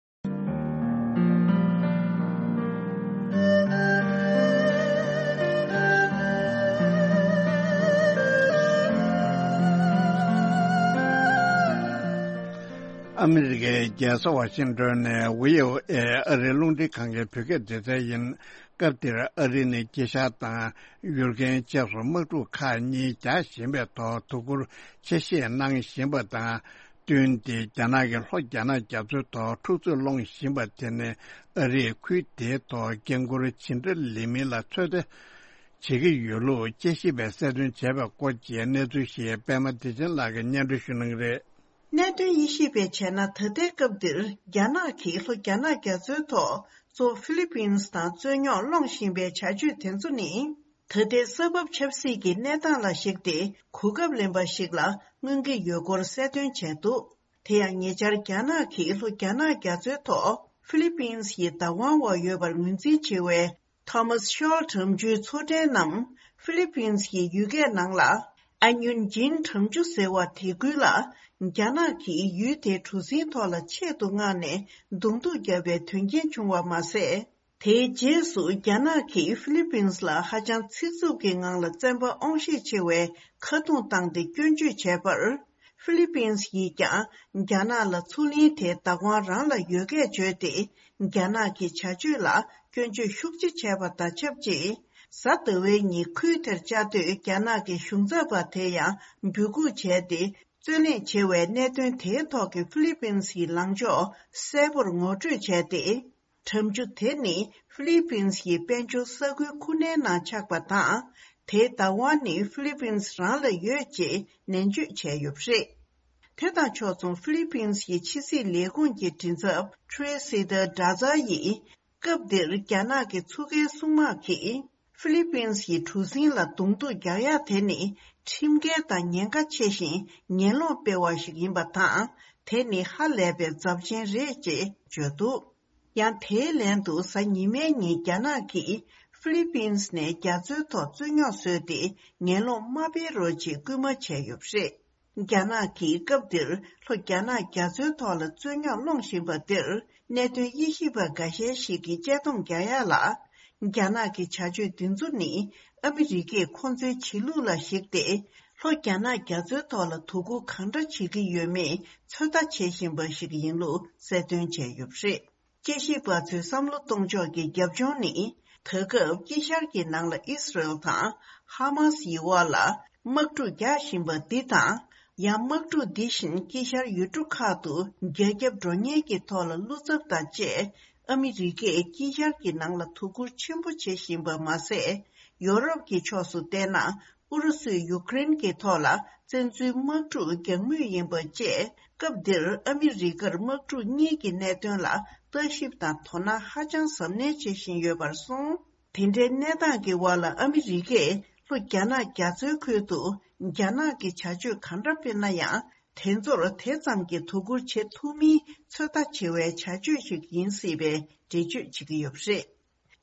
ཨ་མི་རི་ཀའི་རྒྱལ་ས་ཝ་ཤིང་ཏོན་ནས་ཝི་ཨོ་ཨེ་ཨ་རིའི་རླུང་འཕྲིན་ཁང་གི་བོད་སྐད་སྡེ་ཚན་ཡིན། སྐབས་དེར་ཨ་རི་ནི་དཀྱིལ་ཤར་དང་ཡུལ་རྒན་བཅས་སུ་དམག་འཁྲུག་ཁག་གཉིས་རྒྱག་བཞིན་པའི་ཐོག་དོ་ཁུར་ཆེ་བཞེས་གནང་བཞིན་པ་དང་། བསྟུན་ཏེ་རྒྱ་ནག་གི་ལྷོ་རྒྱ་ནག་རྒྱ་མཚོའི་ཐོག་འཁྲུག་རྩོད་སློང་བཞིན་པ་དེ་ནི་ཨ་རིས་ཁུལ་དེའི་ཐོག་འགན་འཁུར་ཇི་འདྲ་ལེན་མིན་ལ་ཚོད་ལྟ་བྱེད་ཀྱི་ཡོད་ལུགས་དཔྱད་ཞིབ་པས་གསལ་སྟོན་བྱས་པའི་སྐོར་གྱི་གནས་ཚུལ་ཞིག་པད་མ་བདེ་ཆེན་ལགས་ཀྱིས་སྙན་སྒྲོན་ཞུ་གནང་གི་རེད། གནད་དོན་དབྱེ་ཞིབ་པས་བྱས་ན། ད་ལྟའི་སྐབས་འདིར་རྒྱ་ནག་གིས་ལྷོ་རྒྱ་ནག་རྒྱ་མཚོའི་ཐོག་གཙོ་བོ་ཧྥི་ལི་པིན་དང་རྩོད་རྙོག་སློང་བཞིན་པའི་བྱ་སྤྱོད་དེ་ཚོ་ནི། ད་ལྟའི་ས་བབ་ཆབ་སྲིད་ཀྱི་གནས་སྟངས་ལ་གཞིགས་ཏེ་གོ་སྐབས་ལེན་པ་ཞིག་ལ་མངོན་གྱི་ཡོད་སྐོར་གསལ་སྟོན་བྱས་འདུག་དེ་ཡང་ཉེ་ཆར་རྒྱ་ནག་གིས་ལྷོ་རྒྱ་ནག་རྒྱ་མཚོའི་ཐོག་ཧྥི་ལི་པིན་ཡི་བདག་དབང་འོག་ཡོད་པར་ངོས་འཛིན་བྱེད་པའི་ཐོ་མཱས་ཤོལ་གྲམ་ཆུའི་མཚོ་ཁྲལ་རྣམས་ཧྥི་ལི་པིན་གྱི་ཡུལ་སྐད་ནང་ལ་ཨ་ཉུན་ཇིན་གྲམ་ཆུ་ཟེར་བ་དེ་ཁུལ་ལ་རྒྱ་ནག་གིས་ཡུལ་དེའི་གྲུ་གཟིངས་ཐོག་ལ་ཆེད་དུ་མངགས་ནས་གདོང་ཐུག་བརྒྱབ་པའི་དོན་རྐྱེན་བྱུང་བ་མ་ཟད། དེའི་རྗེས་སུ་རྒྱ་ནག་གིས་ཧྥི་ལི་པིན་ལ་ཧ་ཅང་ཚིག་རྩུབ་ཀྱི་ངང་ལ་བཙན་པ་དབང་ཤེད་ཆེ་བའི་ཁ་རྡུང་བཏང་སྟེ་སྐྱོན་བརྗོད་བྱས་པར། ཧྥི་ལི་པིན་ཡིས་ཀྱང་རྒྱ་ནག་ལ་མཚོ་གླིང་དེ་བདག་དབང་རང་ལ་ཡོད་སྐད་བརྗོད་དེ། རྒྱ་ནག་གི་བྱ་སྤྱོད་ལ་སྐྱོན་བརྗོད་ཤུགས་ཆེ་བྱས་པ་དང་ཆབས་ཅིག་གཟའ་ཟླ་བའི་ཉིན་ཁུལ་དེར་བཅའ་སྡོད་རྒྱ་ནག་གི་གཞུང་ཚབ་པ་དེ་ཡང་འབོད་འགུག་བྱས་ཏེ། རྩོད་གླེང་བྱེད་པའི་གནད་དོན་དེའི་ཐོག་གི་ཧྥི་ལི་པིན་ཡི་ལངས་ཕྱོགས་གསལ་པོར་ངོ་སྤྲོད་བྱས་ཏེ། གྲམ་ཆུ་དེ་ནི་ཧྥི་ལི་པིན་ཡི་དཔལ་འབྱོར་ས་ཁུལ་ཁུ་ནའི་ནང་ཆགས་པ་དང་། དེའི་བདག་དབང་ནི་ཧྥི་ལི་པིན་རང་ལ་ཡོད་ཅེས་ནན་བརྗོད་བྱས་ཡོད་པ་རེད། དེ་དང་ཕྱོགས་མཚུངས་ཧྥི་ལི་པིན་ཡི་ཕྱི་སྲིད་ལས་ཁུངས་ཀྱི་མགྲིན་ཚབ་ཁྲུའེ་སི་ཏར་ཌ་ཛ་ཡིས། སྐབས་འདིར་རྒྱ་ནག་གི་མཚོ་ཁའི་སྲུང་དམག་གིས་ཧྥི་ལི་པིན་ཡི་གྲུ་གཟིངས་ལ་གདོང་ཐུག་རྒྱག་ཡ་དེ་ནི་ཁྲིམས་འགལ་དང་ཉེན་ཁ་ཆེ་ཞིང་ངན་སློང་སྤེལ་བ་ཞིག་ཡིན་པ་དང་། དེ་ནི་ཧ་ལས་པའི་ཚབས་ཆེན་རེད་ཅེས་བརྗོད་འདུག་ཡང་དེའི་ལན་དུ་གཟའ་ཉི་མའི་ཉིན་རྒྱ་ནག་གིས་ ཧྥི་ལི་པིན་ནས་རྒྱ་མཚོའི་ཐོག་རྩོད་རྙོག་བཟོས་ཏེ་ངན་སློང་མ་སྤེལ་རོགས་ཅེས་སྐུལ་མ་བྱས་ཡོད་པ་རེད། རྒྱ་ནག་གིས་སྐབས་འདིར་ལྷོ་རྒྱ་ནག་རྒྱ་མཚོའི་ཐོག་ལ་རྩོད་རྙོག་སློང་བཞིན་པ་འདིར་གནད་དོན་དབྱེ་ཞིབ་པ་འགའ་ཤས་ཤིག་གིས་དཔྱད་རྩོམ་རྒྱག་ཡ་ལ། རྒྱ་ནག་གི་བྱ་སྤྱོད་འདི་ཚོ་ནི་ཨ་མི་རི་ཀས་ཁོང་ཚོའི་བྱེད་ལུགས་ལ་གཞིགས་ཏེ། ལྷོ་རྒྱ་ནག་རྒྱ་མཚོའི་ཐོག་ལ་དོ་ཁུར་གང་འདྲ་བྱེད་ཀྱི་ཡོད་མེད་ཚོད་ལྟ་བྱེད་བཞིན་པ་ཞིག་ཡིན་ལུགས་གསལ་སྟོན་བྱས་ཡོད་པ་རེད། དཔྱད་ཞིབ་པ་ཚོས་བསམ་བློ་གཏོང་ཕྱོགས་ཀྱི་རྒྱབ་ལྗོངས་ནི། ད་སྐབས་དཀྱིལ་ཤར་གྱི་ནང་ལ་ཨི་སི་རེལ་དང་ཧ་མ་སི་ཡི་དབར་ལ་དམག་འཁྲུག་རྒྱག་བཞིན་པ་འདི་དང་། ཡང་དམག་འཁྲུག་འདི་བཞིན་དཀྱིལ་ཤར་ཡུལ་གྲུ་ཁག་ཏུ་རྒྱ་ཁྱབ་འགྲོ་ཉེན་གྱི་ཐོག་ལ་བློ་འཚབ་དང་བཅས། ཨ་མི་རི་ཀས་དཀྱིལ་ཤར་གྱི་ནང་ལ་དོ་ཁུར་ཆེན་པོ་བྱེད་བཞིན་པ་མ་ཟད། ཡོ་རོབ་ཀྱི་ཕྱོགས་སུ་བལྟས་ན། ཨུ་རུ་སུས་ཡུ་ཀེ་རེན་གྱི་ཐོག་ལ་བཙན་འཛུལ་དམག་འཁྲུག་རྒྱག་མུས་ཡིན་པ་བཅས། སྐབས་འདིར་ཨ་མི་རི་ཀར་དམག་འཁྲུག་གཉིས་ཀྱི་གནད་དོན་ལ་ལྟ་ཞིབ་དང་དོ་སྣང་ཧ་ཅང་གཟབ་ནན་བྱེད་བཞིན་ཡོད་པར་སོང་། དེ་འདྲའི་གནས་སྟངས་ཀྱི་འོག་ལ་ཨ་མི་རི་ཀས་ལྷོ་རྒྱ་ནག་རྒྱ་མཚོའི་ཁུལ་དུ་རྒྱ་ནག་གི་བྱ་སྤྱོད་ག་འདྲ་སྤེལ་ན་ཡང་། དེ་ཚོར་དེ་ཙམ་གྱིས་དོ་ཁུར་བྱེད་ཐུབ་མིན་ཚོད་ལྟ་བྱེད་པའི་བྱ་སྤྱོད་ཞིག་ཡིན་སྲིད་པའི་འགྲེལ་བརྗོད་བྱེད་ཀྱི་ཡོད་པ་རེད།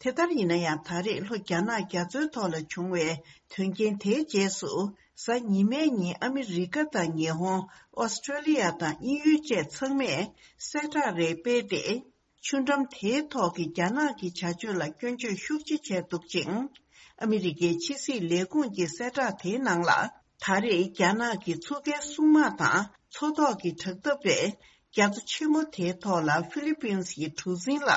དེ་ལྟར་ཡིན་ན་ཡང་། ད་རེས་ལྷོ་རྒྱ་ནག་རྒྱ་མཚོའི་ཐོག་ལ་བྱུང་བའི་དོན་རྐྱེན་དེའི་རྗེས་སུ། གཟའ་ཉི་མའི་ཉིན་ཨ་མི་རི་ཀ་དང་ཉི་ཧོང་། ཨོ་སི་ཀྲོ་ལི་ཡ་དང་དབྱིན་ཡུལ་བཅས་ཚང་མས་གསལ་བསྒྲགས་རེ་སྤེལ་ཏེ། ཆུ་འགྲམ་དེའི་ཐོག་གི་རྒྱ་ནག་གི་བྱ་སྤྱོད་ལ་སྐྱོན་བརྗོད་ཤུགས་ཆེ་བྱས་འདུག་ཅིང་། ཨ་མི་རི་ཀའི་ཕྱི་སྲིད་ལས་ཁུངས་ཀྱི་གསལ་བསྒྲགས་དེའི་ནང་ལ། ད་རེས་རྒྱ་ནག་གི་མཚོ་ཁའི་སྲུང་དམག་དང་མཚོ་ཐོག་གི་དྲག་འཐབ་པས། རྒྱ་མཚོ་ཆེན་མོ་དེའི་ཐོག་ལ་ཧྥི་ལི་པིན་ཡི་གྲུ་གཟིངས་ལ་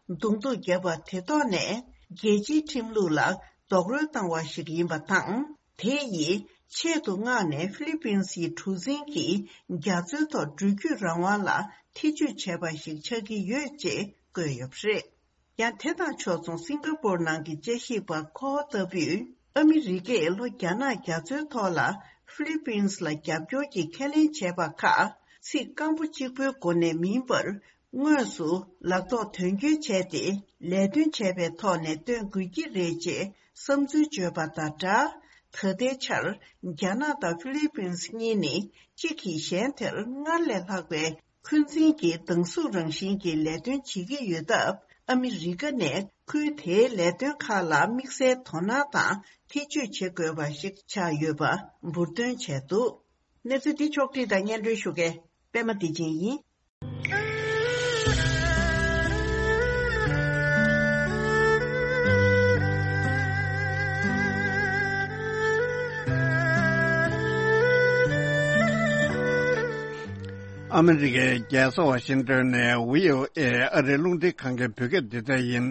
གདོང་ཐུག་བརྒྱབ་པ་དེ་ཐོག་ནས། རྒྱལ་སྤྱིའི་ཁྲིམས་ལུགས་ལ་རྡོག་རོལ་བཏང་བ་ཞིག་ཡིན་པ་དང་། དེ་ཡིས་ཆེད་དུ་མངགས་ནས་ཧྥི་ལི་པིན་ཡི་གྲུ་གཟིངས་ཀྱིས་རྒྱ་མཚོའི་ཐོག་འགྲུལ་སྐྱོད་རང་དབང་ལ་ཐེ་ཇུས་བྱས་པ་ཞིག་ཆགས་ཀྱི་ཡོད་ཅེས་བཀོད་ཡོད་པ་རེད། ཡང་དེ་དང་ཕྱོགས་མཚུངས། སིང་ག་པོར་ནང་གི་དཔྱད་ཞིབ་པ་ཁོ་ལྟ་བུས། ཨ་མི་རི་ཀས་ལྷོ་རྒྱ་ནག་རྒྱ་མཚོའི་ཐོག་ལ་ཧྥི་ལི་པིན་ལ་རྒྱབ་སྐྱོར་གྱི་ཁས་ལེན་བྱས་པ་ཁག་ཚིག་སྐམ་པོ་གཅིག་པོའི་སྒོ་ནས་མིན་པར། དངོས་སུ་ལག་ཐོག་དོན་འཁྱོལ་བྱས་ཏེ། ལས་དོན་བྱས་པའི་ཐོག་ནས་སྟོན་དགོས་ཀྱི་རེད་ཅེས་བསམ་ཚུལ་བརྗོད་པ་དང་སྦྲགས། ད་ལྟའི་ཆར་རྒྱ་ནག་དང་ཧྥི་ལི་པིན་གཉིས་ནི་གཅིག་གིས་གཞན་དེར་སྔར་ལས་ལྷག་པའི། འཁོན་འཛིན་གྱི་སྡང་ཟུག་རང་བཞིན་གྱི་ལས་དོན་བྱེད་ཀྱི་ཡོད་སྟབས། ཨ་མི་རི་ཀ་ནས་ཁུལ་དེའི་ལས་དོན་ཁག་ལ་དམིགས་བསལ་དོ་སྣང་དང་ཐེ་ཇུས་བྱེད་དགོས་པ་ཞིག་ཆགས་ཡོད་པ་འབུར་འདོན་བྱས་འདུག་གནས་ཚུལ་འདི་ཕྱོགས་བསྒྲིགས་དང་སྙན་སྒྲོན་ཞུ་མཁན་པད་མ་བདེ་ཆེན་ཡིན། ཨ་མི་རི་ཀའི་རྒྱལ་ས་ཝ་ཤིང་ཏོན་ནས་བྷི་ཨོ་ཨེ་ཨ་རིའི་རླུང་འཕྲིན་ཁང་གི་བོད་སྐད་སྡེ་ཚན་ཡིན།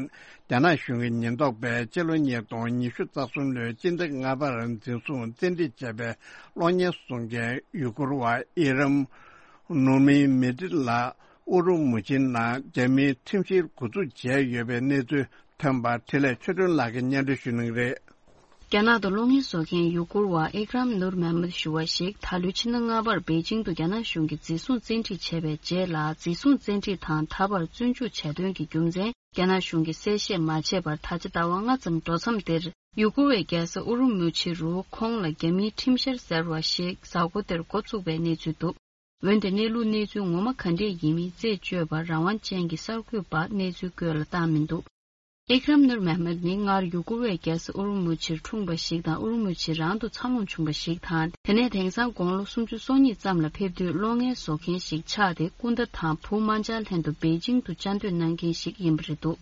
རྒྱ་ནག་གཞུང་གི་ཉེན་རྟོག་པས་སྤྱི་ལོ་ཉིས་སྟོང་ཉི་ཤུ་རྩ་གསུམ་ལོའི་སྤྱི་ཟླ་ལྔ་པར་འཛིན་བཟུང་བཙན་ཁྲིད་བྱས་པའི་གློག་བརྙན་བཟོ་མཁན་ཡུ་གུར་བ་ཨི་རམ་ནུར་མི་མེ་ཏི་ལགས་ཨུ་རུ་མུ་ཆིའི་ནང་རྒྱ་མིའི་ཁྲིམས་བཤེར་འགོ་འཛུགས་བྱས་ཡོད་པའི་གནས་ཚུལ་ཐོན་པ་འཕྲིན་ལས་ཆོས་སྒྲོན་ལགས་ཀྱིས་སྙན་སྒྲོན་ཞུ་གནང་གི་རེད། རྒྱ་ནག་ཏུ་གློག་བརྙན་བཟོ་མཁན་ཡུ་གུར་བ་ཨི་ཀ་རམ་ནུར་མེ་མད་ཞུ་བ་ཞིག་ད་ལོའི་ཕྱི་ཟླ་ལྔ་པར་པེ་ཅིང་དུ་རྒྱ་ནག་གཞུང་གིས་འཛིན་བཟུང་བཙན་ཁྲིད་བྱས་པའི་རྗེས་ལ། འཛིན་བཟུང་བཙན་ཁྲིད་དང་ད་བར་བཙོན་འཇུག་བྱས་དོན་གྱི་རྒྱུ་མཚན་རྒྱ་ནག་གཞུང་གིས་གསལ་བཤད་མ་བྱས་པར་ད་ཆ་ཟླ་བ་ལྔ་ཙམ་འགྲོ་མཚམས་འདིར། ཡུ་གུར་བའི་རྒྱལ་ས་ཨུ་རུ་མུ་ཆི་རུ་ཁོང་ལ་རྒྱ་མིའི་ཁྲིམས་བཤེར་ཟེར་བ་ཞིག་གཟའ་འཁོར་འདིར་འགོ་བཙུགས་པའི་གནས་ཚུལ་འདུག་འོན་ཏེ་གནས་ལུགས་གནས་ཚུལ་ངོ་མ་ག་འདྲས་ཡིན་མིན་རྩད་གཅོད་པར་རང་དབང་ཅན་གྱི་གསར་འགོད་པ་གནས་ཚུལ་བཀོད་ལ་བཏང་མི་འདུག་ཨི་ཀ་རམ་ནུར་མེ་མད་ནི་སྔར་ཡུ་གུར་བའི་རྒྱལ་ས་ཨུ་རུ་མུ་ཆིར་འཁྲུངས་པ་ཞིག་དང་། ཨུ་རུ་མུ་ཆི་རང་དུ་འཚར་ལོངས་བྱུང་བ་ཞིག་དང་། དེ་ནས་དེང་སང་དགུང་ལོ་སུམ་ཅུ་སོ་གཉིས་ཙམ་ལ་ཕེབས་དུས་གློག་བརྙན་བཟོ་མཁན་ཞིག་ཆགས་ཏེ། སྐུ་ཟླ་དང་བུ་དམར་འབྱར་ལྷན་དུ་པེ་ཅིང་དུ་བཅའ་སྡོད་གནང་མཁན་ཞིག་ཡིན་པ་རེད་འདུག་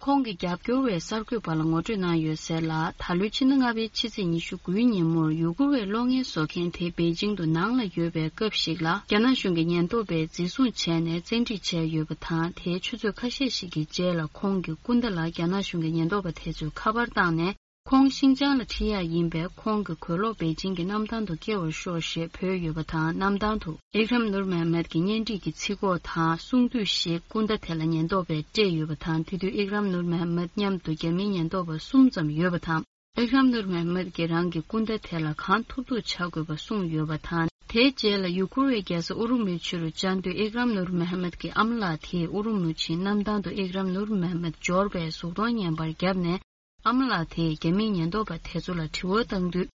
ཁོང་གི་རྒྱབ་སྐྱོར་བས་གསར་འགོད་པ་ལ་ངོ་སྤྲོད་གནང་ཡོད་ཟེར་ལ། ད་ལོའི་ཕྱི་ཟླ་ལྔ་པའི་ཕྱི་ཚེས་ཉི་ཤུ་དགུའི་ཉིན་མོར་ཡུ་གུར་བའི་གློག་བརྙན་བཟོ་མཁན་དེ་པེ་ཅིང་དུ་ནང་ལ་ཡོད་པའི་སྐབས་ཤིག་ལ། རྒྱ་ནག་གཞུང་གི་ཉེན་རྟོག་པས་འཛིན་བཟུང་བྱས་ནས་བཙན་ཁྲིད་བྱས་ཡོད་པ་དང་། དེའི་ཆུ་ཚོད་ཁ་ཤས་ཤིག་གི་རྗེས་ལ་ཁོང་གི་སྐུ་ཟླ་ལ་རྒྱ་ནག་གཞུང་གི་ཉེན་རྟོག་པ་དེ་ཚོས་ཁ་པར་བཏང་ནས། ཁོང་ཤིན་ཅང་ལ་ཁྲིད་ཡག་ཡིན་པས། ཁོང་གི་གོས་ལོག་པེ་ཅིང་གི་གནམ་ཐང་དུ་བསྐྱལ་བར་ཤོག་ཞེས་བོས་ཡོད་པ་དང་། གནམ་ཐང་དུ་ཨི་ཀ་རམ་ནུར་མེ་མད་ཀྱི་གཉེན་སྒྲིག་གི་ཚིག་གོ་དང་གསུང་དུས་ཤིག་སྐུ་ཟླ་དེ་ལ་ཉེན་རྟོག་པས་སྤྲད་ཡོད་པ་དང་། དེ་དུས་ཨི་ཀ་རམ་ནུར་མེ་མད་མཉམ་དུ་རྒྱ་མིའི་ཉེན་རྟོག་པ་གསུམ་ཙམ་ཡོད་པ་དང་། ཨི་ཀ་རམ་ནུར་མེ་མད་ཀྱིས་རང་གི་སྐུ་ཟླ་དེ་ལ་གང་ཐུབ་ཐུབ་བྱ་དགོས་པ་གསུངས་ཡོད་པ་དང་། དེའི་རྗེས་ལ་ཡུ་གུར་བའི་རྒྱལ་ས་ཨུ་རུ་མུ་ཆི་རུ་བཅར་དུས། ཨི་ཀ་རམ་ནུར་མེ་མད་ཀྱི་ཨ་མ་ལགས་དེས་ཨུ་རུ་མུ་ཆིའི་གནམ་ཐང་དུ་ཨི་ཀ་རམ་ནུར་མེ་མད་འབྱོར་བའི་གཟུགས་མཐོང་བརྙན་པར་བརྒྱབ་ནས། ཨ་མ་ལགས་དེས་རྒྱ་མིའི་ཉེན་རྟོག་པ་དེ་ཚོ་ལ་དྲི་བ་བཏང་དུས།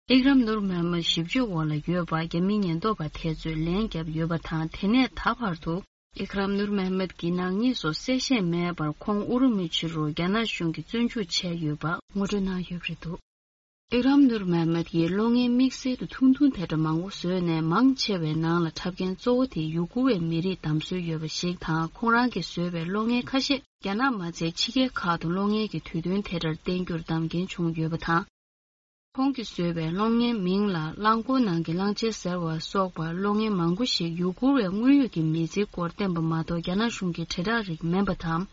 ཨི་ཀ་རམ་ནུར་མེ་མད་ཞིབ་དཔྱོད་འོག་ལ་ཡོད་པ་རྒྱ་མིའི་ཉེན་རྟོག་པ་དེ་ཚོས་ལན་བརྒྱབ་ཡོད་པ་དང་། དེ་ནས་ད་བར་དུ་ ཨིཀ་རམ་ནུར་མེ་མད་ཀྱི་ནག་ཉེས་སོགས་གསལ་བཤད་མེད་པར་ཁོང་ཨུ་རུ་མུ་ཆི་རུ་རྒྱ་ནག་གཞུང་གིས་བཙོན་འཇུག་བྱས་ཡོད་པ་ངོ་སྤྲོད་གནང་ཡོད་པ་རེད་འདུག་ཨིཀ་རམ་ནུར་མེ་མད་ཀྱིས་གློག་བརྙན་དམིགས་བསལ་དུ་ཐུང་ཐུང་དེ་འདྲ་མང་པོ་བཟོས་ནས་མང་ཆེ་བའི་ནང་ལ་འཁྲབ་མཁན་གཙོ་བོ་དེ་ཡུ་གུར་བའི་མི་རིགས་བདམས་སྲོལ་ཡོད་པ་ཞིག་དང་། ཁོང་རང་གིས་བཟོས་པའི་གློག་བརྙན་ཁ་ཤས་རྒྱ་ནག་མ་ཚད་ཕྱི་རྒྱལ་ཁག་ཏུ་གློག་བརྙན་གྱི་དུས་སྟོན་དེ་འདྲར་བསྟན་རྒྱུར་གདམ་མཁན་བྱུང་ཡོད་པ་དང་། ཁོང་གིས་བཟོས་པའི་གློག་བརྙན་མིང་ལ་གླང་འཁོར་ནང་གི་གླང་ཆེན་ཟེར་བ་སོགས་པ་གློག་བརྙན་མང་པོ་ཞིག་ཡུ་གུར་བའི་དངོས་ཡོད་ཀྱི་མི་ཚེའི་སྐོར་བསྟན་པ་མ་གཏོགས་རྒྱ་ནག་གཞུང་གི་དྲིལ་བསྒྲགས་རིགས་མིན་པ་དང་།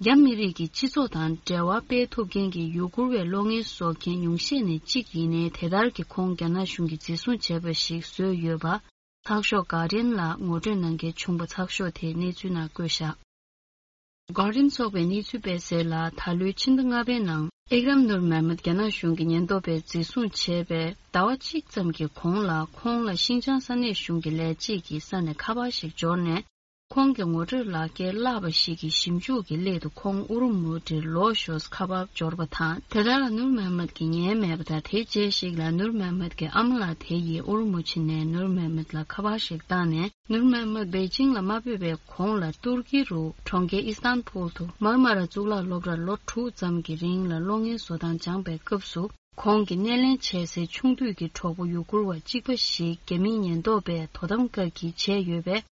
རྒྱ་མི་རིགས་ཀྱི་སྤྱི་ཚོགས་དང་འབྲེལ་བ་སྤེལ་ཐུབ་མཁན་གྱི་ཡུ་གུར་བའི་གློག་བརྙན་བཟོ་མཁན་ཉུང་ཤས་ནས་གཅིག་ཡིན་ནའི། དེ་ལྟར་གྱི་ཁོང་རྒྱ་ནག་གཞུང་གིས་འཛིན་བཟུང་བྱས་པ་ཞིག་བཟོས་ཡོད་པ། ཚགས་ཤོག་གྷར་ཌི་ཡན་ལ་ངོ་སྤྲོད་གནང་མཁན་བྱུང་བ་ཚགས་ཤོག་དེའི་གནས་ཚུལ་ནང་བཀོད་བཞག་གྷར་ཌི་ཡན་ཚོགས་པའི་གནས་ཚུལ་སྤེལ་གསལ་ལ། ད་ལོའི་ཕྱི་ཟླ་ལྔ་པའི་ནང་ཨེག་རམ་ནུར་མེ་མད་རྒྱ་ནག་གཞུང་གི་ཉེན་རྟོག་པས་འཛིན་བཟུང་བྱས་པའི་ཟླ་བ་གཅིག་ཙམ་གྱི་གོང་ལ། ཁོང་ལ་ཤིན་ཅང་ས་གནས་གཞུང་གི་ལས་བྱེད་ཀྱི་ས་ནས་ཁ་པར་ཞིག་འབྱོར་ནས། ཁོང་གི་ངོ་སྤྲོད་ལག་འཁྱེར་བརླགས་པ་ཞིག་གི་ཞིབ་འཇུག་གི་སླད་དུ་ཁོང་ཨུ་རུ་མུ་ཌིར་ལོག་ཞོར་ཁ་པར་འབྱོར་བ་དང་། དེ་དག་ལ་ནུར་མེ་མད་ཀྱིས་ཉན་མེད་པ་དང་། དེའི་རྗེས་ཤིག་ལ་ནུར་མེ་མད་ཀྱི་ཨ་མ་ལགས་དེ་ཡིས་ཨུ་རུ་མུ་ཆི་ནས་ནུར་མེ་མད་ལ་ཁ་པར་ཞིག་བཏང་ནས། ནུར་མེ་མད་པེ་ཅིང་ལ་མ་ཕེབས་པའི་གོང་ལ་ཏུར་ཀི་རུ་གྲོང་ཁྱེར་ཨི་སྟན་བུལ་དུ་མར་མ་ར་གཙུག་ལག་སློབ་གྲྭར་ལོ་དྲུག་ཙམ་གྱི་རིང་ལ་གློག་བརྙན་བཟོ་སྟངས་སྦྱངས་པའི་སྐབས་སུ། ཁོང་གིས་སྣེ་ལེན་བྱེད་སའི་ཆུང་དུས་ཀྱི་གྲོགས་པོ་ཡུ་གུར་བ་གཅིག་པ་ཞིག་རྒྱ་མིའི་ཉེན་རྟོག་པས་དོ་དམ་བཀག་སྐྱིལ་བྱས་ཡོད་པས།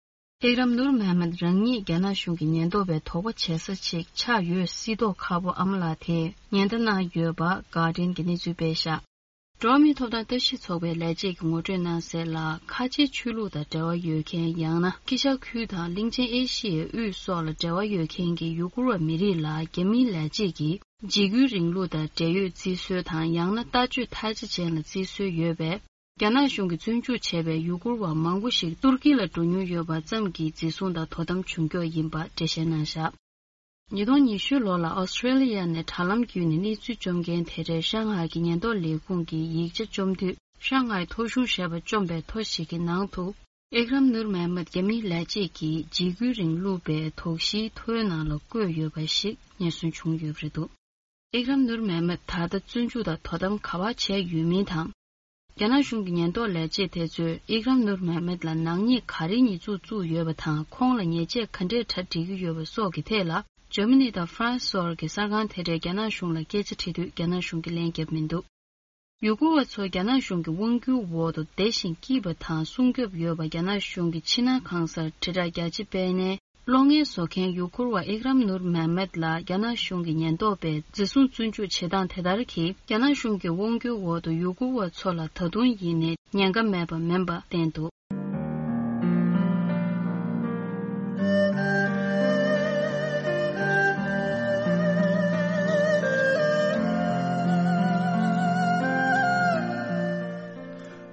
ཨེག་རམ་ནུར་མེ་མད་རང་ཉིད་རྒྱ་ནག་གཞུང་གི་ཉེན་རྟོག་པའི་དོགས་པ་བྱེད་ས་ཅིག་ཆགས་ཡོད་སྲིད་མདོག་ཁ་པོ་ཨ་མ་ལགས་དེས་ཉེན་བརྡ་གནང་ཡོད་པ་གྷར་ཌི་ཡན་གྱིས་གནས་ཚུལ་སྤེལ་བཞག་འགྲོ་བ་མིའི་ཐོབ་ཐང་ལྟ་ཞིབ་ཚོགས་པའི་ལས་བྱེད་ཀྱིས་ངོ་སྤྲོད་གནང་གསལ་ལ། ཁ་ཆེའི་ཆོས་ལུགས་དང་འབྲེལ་བ་ཡོད་མཁན། ཡང་ན་དཀྱིལ་ཤར་ཁུལ་དང་གླིང་ཆེན་ཨེ་ཤི་ཡའི་དབུས་སོགས་ལ་འབྲེལ་བ་ཡོད་མཁན་གྱི་ཡུ་གུར་བ་མི་རིགས་ལ་རྒྱ་མིའི་ལས་བྱེད་ཀྱིས་འཇིགས་སྐུལ་རིང་ལུགས་དང་འབྲེལ་ཡོད་རྩིས་སྲོལ་དང་། ཡང་ན་ལྟ་སྤྱོད་ཐལ་ཆ་ཅན་ལ་རྩིས་སྲོལ་ཡོད་པས། རྒྱ་ནག་གཞུང་གིས་བཙོན་འཇུག་བྱས་པའི་ཡུ་གུར་བ་མང་པོ་ཞིག་ཏུར་ཀི་ལ་འགྲོ་མྱོང་ཡོད་པ་ཙམ་གྱིས་འཛིན་བཟུང་དང་དོ་དམ་བྱུང་ཀྱོག་ཡིན་པ་འགྲེལ་བཤད་གནང་བཞག་ཉིས་སྟོང་ཉི་ཤུ་ལོ་ལ་ཨོ་སི་ཀྲེ་ལི་ཡ་ནས་དྲ་ལམ་བརྒྱུད་ནས་གནས་ཚུལ་བཅོམ་མཁན་དེ་འདྲའི་ཤང་ཧའེ་གྱི་ཉེན་རྟོག་ལས་ཁུངས་ཀྱིས་ཡིག་ཆ་བཅོམ་དུས། ཤང་ཧའེ་ཐོ་གཞུང་ཞེས་པ་བཅོམ་པའི་ཐོ་ཞིག་གི་ནང་དུ། ཨེག་རམ་ནུར་མེ་མད་རྒྱ་མིའི་ལས་བྱེད་ཀྱི་འཇིགས་སྐུལ་རིང་ལུགས་པའི་དོགས་གཞིའི་ཐོའི་ནང་ལ་བཀོད་ཡོད་པ་ཞིག་ཉེན་ཟོན་བྱུང་ཡོད་པ་རེད་འདུག་ཨེག་རམ་ནུར་མེ་མད་ད་ལྟ་བཙོན་འཇུག་དང་དོ་དམ་ག་པར་བྱས་ཡོད་མིན་དང་། རྒྱ་ནག་གཞུང་གི་ཉེན་རྟོག་ལས་བྱེད་དེ་ཚོས་ཨིག་རམ་ནུར་མེ་མེད་ལ་ནག་ཉེས་ག་རེ་ཉེས་འཛུགས་བཙུགས་ཡོད་པ་དང་། ཁོང་ལ་ཉེས་ཆད་ག་འདྲས་གྲ་སྒྲིག་གི་ཡོད་པ་སོགས་ཀྱི་ཐད་ལ། འཇར་མ་ནི་དང་ཧྥ་རན་སི་སོགས་ཀྱི་གསར་ཁང་དེ་འདྲས་རྒྱ་ནག་གཞུང་ལ་སྐད་ཆ་དྲིས་དུས། རྒྱ་ནག་གཞུང་གིས་ལན་བརྒྱབ་མི་འདུག་ཡུ་གུར་བ་ཚོ་རྒྱ་ནག་གཞུང་གི་དབང་སྒྱུར་འོག་ཏུ་བདེ་ཞིང་སྐྱིད་པ་དང་སྲུང་སྐྱོབ་ཡོད་པ། རྒྱ་ནག་གཞུང་གི་ཕྱི་ནང་གང་སར་དྲིལ་བསྒྲགས་རྒྱ་ཆེ་སྤེལ་ནས། གློག་བརྙན་བཟོ་མཁན་ཡུ་གུར་བ་ཨིག་རམ་ནུར་མེ་མེད་ལ་རྒྱ་ནག་གཞུང་གི་ཉེན་རྟོག་པས་འཛིན་བཟུང་བཙོན་འཇུག་བྱེད་སྟངས་དེ་ལྟར་གྱིས། རྒྱ་ནག་གཞུང་གི་དབང་སྒྱུར་འོག་ཏུ་ཡུ་གུར་བ་ཚོ་ལ་ད་དུང་ཡིན་ནའི་ཉེན་ཁ་མེད་པ་མིན་པ་བསྟན་འདུག་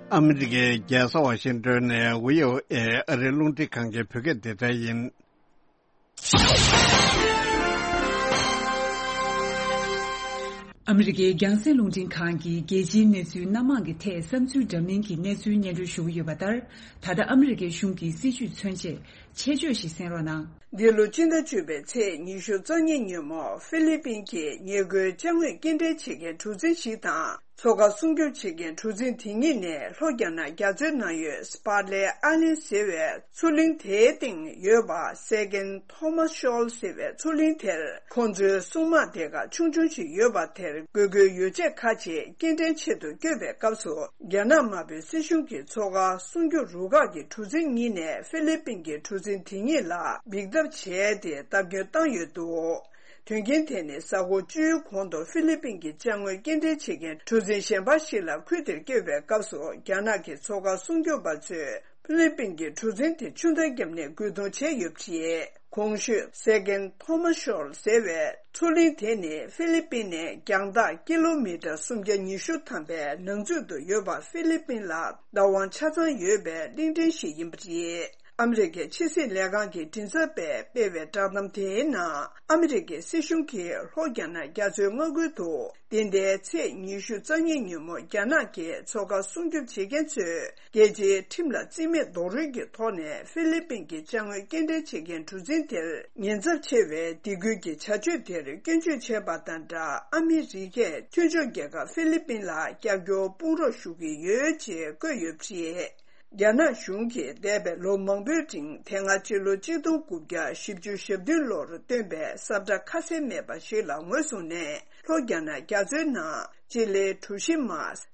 ཨ་མི་རི་ཀའི་རྒྱལ་ས་ཝ་ཤིང་ཏོན་ནས་ཝི་ཨོ་ཨེ་ཨ་རིའི་རླུང་འཕྲིན་ཁང་གི་བོད་སྐད་སྡེ་ཚན་ཡིན། ཨ་མི་རི་ཀའི་རྒྱང་སྲིང་རླུང་འཕྲིན་ཁང་གིས་རྒྱལ་སྤྱིའི་གནས་ཚུལ་སྣ་མང་གི་ཐད་བསམ་ཚུལ་འདྲ་མིན་གྱི་གནས་ཚུལ་སྙན་སྒྲོན་ཞུ་གི་ཡོད་པ་ལྟར། ད་ལྟ་ཨ་མི་རི་ཀའི་གཞུང་གི་སྲིད་བྱུས་མཚོན་ཆེད་ཆེད་བརྗོད་ཞིག་གསན་རོགས་གནང་། འདི་ལོ་སྤྱི་ཟླ་བཅུ་པའི་ཚེས་ཉི་ཤུ་རྩ་གཉིས་ཉིན་མོ་ཧྥི་ལི་པིན་གྱི་ཉེས་རྒུའི་ཅ་དངོས་སྐྱེལ་འདྲེན་བྱེད་མཁན་གྲུ་གཟིངས་ཤིག་དང་། མཚོ་ཁ་སྲུང་སྐྱོབ་བྱེད་མཁན་གྲུ་གཟིངས་དེ་གཉིས་ནས་ལྷོ་རྒྱ་ནག་རྒྱ་མཚོའི་ནང་ཡོད་སྤར་ལེ་ཨ་ལན་ཟེར་བའི་མཚོ་གླིང་དེའི་སྟེང་ཡོད་པ་སེ་ཀན་ཐོ་མཱ་ཤོལ་ཟེར་བའི་མཚོ་གླིང་དེར། ཁོང་ཚོའི་སྲུང་དམག་སྡེ་ཁག་ཆུང་ཆུང་ཞིག་ཡོད་པ་དེར་དགོས་མཁོའི་ཡོ་བྱད་ཁག་ཅིག་སྐྱེལ་འདྲེན་ཆེད་དུ་བསྐྱོད་པའི་སྐབས་སུ། རྒྱ་ནག་དམར་པོའི་སྲིད་གཞུང་གི་མཚོ་ཁ་སྲུང་སྐྱོབ་རུ་ཁག་གི་གྲུ་གཟིངས་གཉིས་ནས་ཧྥི་ལི་པིན་གྱི་གྲུ་གཟིངས་དེ་གཉིས་ལ་འབིགས་ཐབས་བྱས་ཏེ་བརྡབ་སྐྱོན་བཏང་ཡོད་འདུག་དོན་རྐྱེན་དེ་ནི་གཟའ་འཁོར་བཅུའི་གོང་དུ་ཧྥི་ལི་པིན་གྱི་ཅ་དངོས་སྐྱེལ་འདྲེན་བྱེད་མཁན་གྲུ་གཟིངས་གཞན་པ་ཞིག་ལ་ཁུལ་དེར་བསྐྱོད་པའི་སྐབས་སུ། རྒྱ་ནག་གི་མཚོ་ཁ་སྲུང་སྐྱོབ་པ་ཚོས་ཧྥི་ལི་པིན་གྱི་གྲུ་གཟིངས་དེ་ཆུ་མཐའ་བརྒྱབ་ནས་རྒོལ་རྡུང་བྱས་ཡོད་པ་རེད། གོང་ཞུས་སེ་ཀན་ཐོ་མཱ་ཤོལ་ཟེར་བའི་མཚོ་གླིང་དེ་ནི་ཧྥི་ལི་པིན་ནས་རྒྱང་ཐག་ཀི་ལོ་མི་ཊར་སུམ་བརྒྱ་ཉི་ཤུ་ཐམ་པའི་ནང་ཚུད་དུ་ཡོད་པ། ཧྥི་ལི་པིན་ལ་བདག་དབང་ཆ་ཚང་ཡོད་པའི་གླིང་ཕྲན་ཞིག་ཡིན་པ་རེད། ཨ་མི་རི་ཀའི་ཕྱི་སྲིད་ལས་ཁང་གི་མགྲིན་ཚབ་པས་སྤེལ་བའི་བསྒྲགས་གཏམ་དེའི་ནང་། ཨ་མི་རི་ཀའི་སྲིད་གཞུང་གིས་ལྷོ་རྒྱ་ནག་རྒྱ་མཚོའི་མངའ་ཁུལ་དུ། འདི་ཟླའི་ཚེས་ཉི་ཤུ་རྩ་གཉིས་ཉིན་མོ་རྒྱ་ནག་གི་མཚོ་ཁ་སྲུང་སྐྱོབ་བྱེད་མཁན་ཚོས་རྒྱལ་སྤྱིའི་ཁྲིམས་ལ་རྩིས་མེད་རྡོག་རོལ་གྱི་ཐོག་ནས་ཧྥི་ལི་པིན་གྱི་ཅ་དངོས་སྐྱེལ་འདྲེན་བྱེད་མཁན་གྲུ་གཟིངས་དེར་ཉེན་ཚབས་ཆེ་བའི་སྡིགས་སྐུལ་གྱི་བྱ་སྤྱོད་དེར་སྐྱོན་བརྗོད་བྱས་པ་དང་སྦྲགས། ཨ་མི་རི་ཀས་མཐུན་ཕྱོགས་རྒྱལ་ཁབ་ཧྥི་ལི་པིན་ལ་རྒྱབ་སྐྱོར་དཔུང་རོགས་ཞུ་གི་ཡོད་ཅེས་བཀོད་ཡོད་པ་རེད། རྒྱ་ནག་གཞུང་གིས་འདས་པའི་ལོ་མང་པོའི་རིང་དེ་སྔ་ཕྱི་ལོ་གཅིག་སྟོང་དགུ་བརྒྱ་བཞི་བཅུ་ཞེ་བདུན་ལོར་བཏོན་པའི་ས་བཀྲ་ཁ་གསལ་མེད་པ་ཞིག་ལ་ངོས་བཟུང་ནས། ལྷོ་རྒྱ་ནག་རྒྱ་མཚོའི་ནང་སྤྱི་ལེ་གྲུ་བཞི་མ་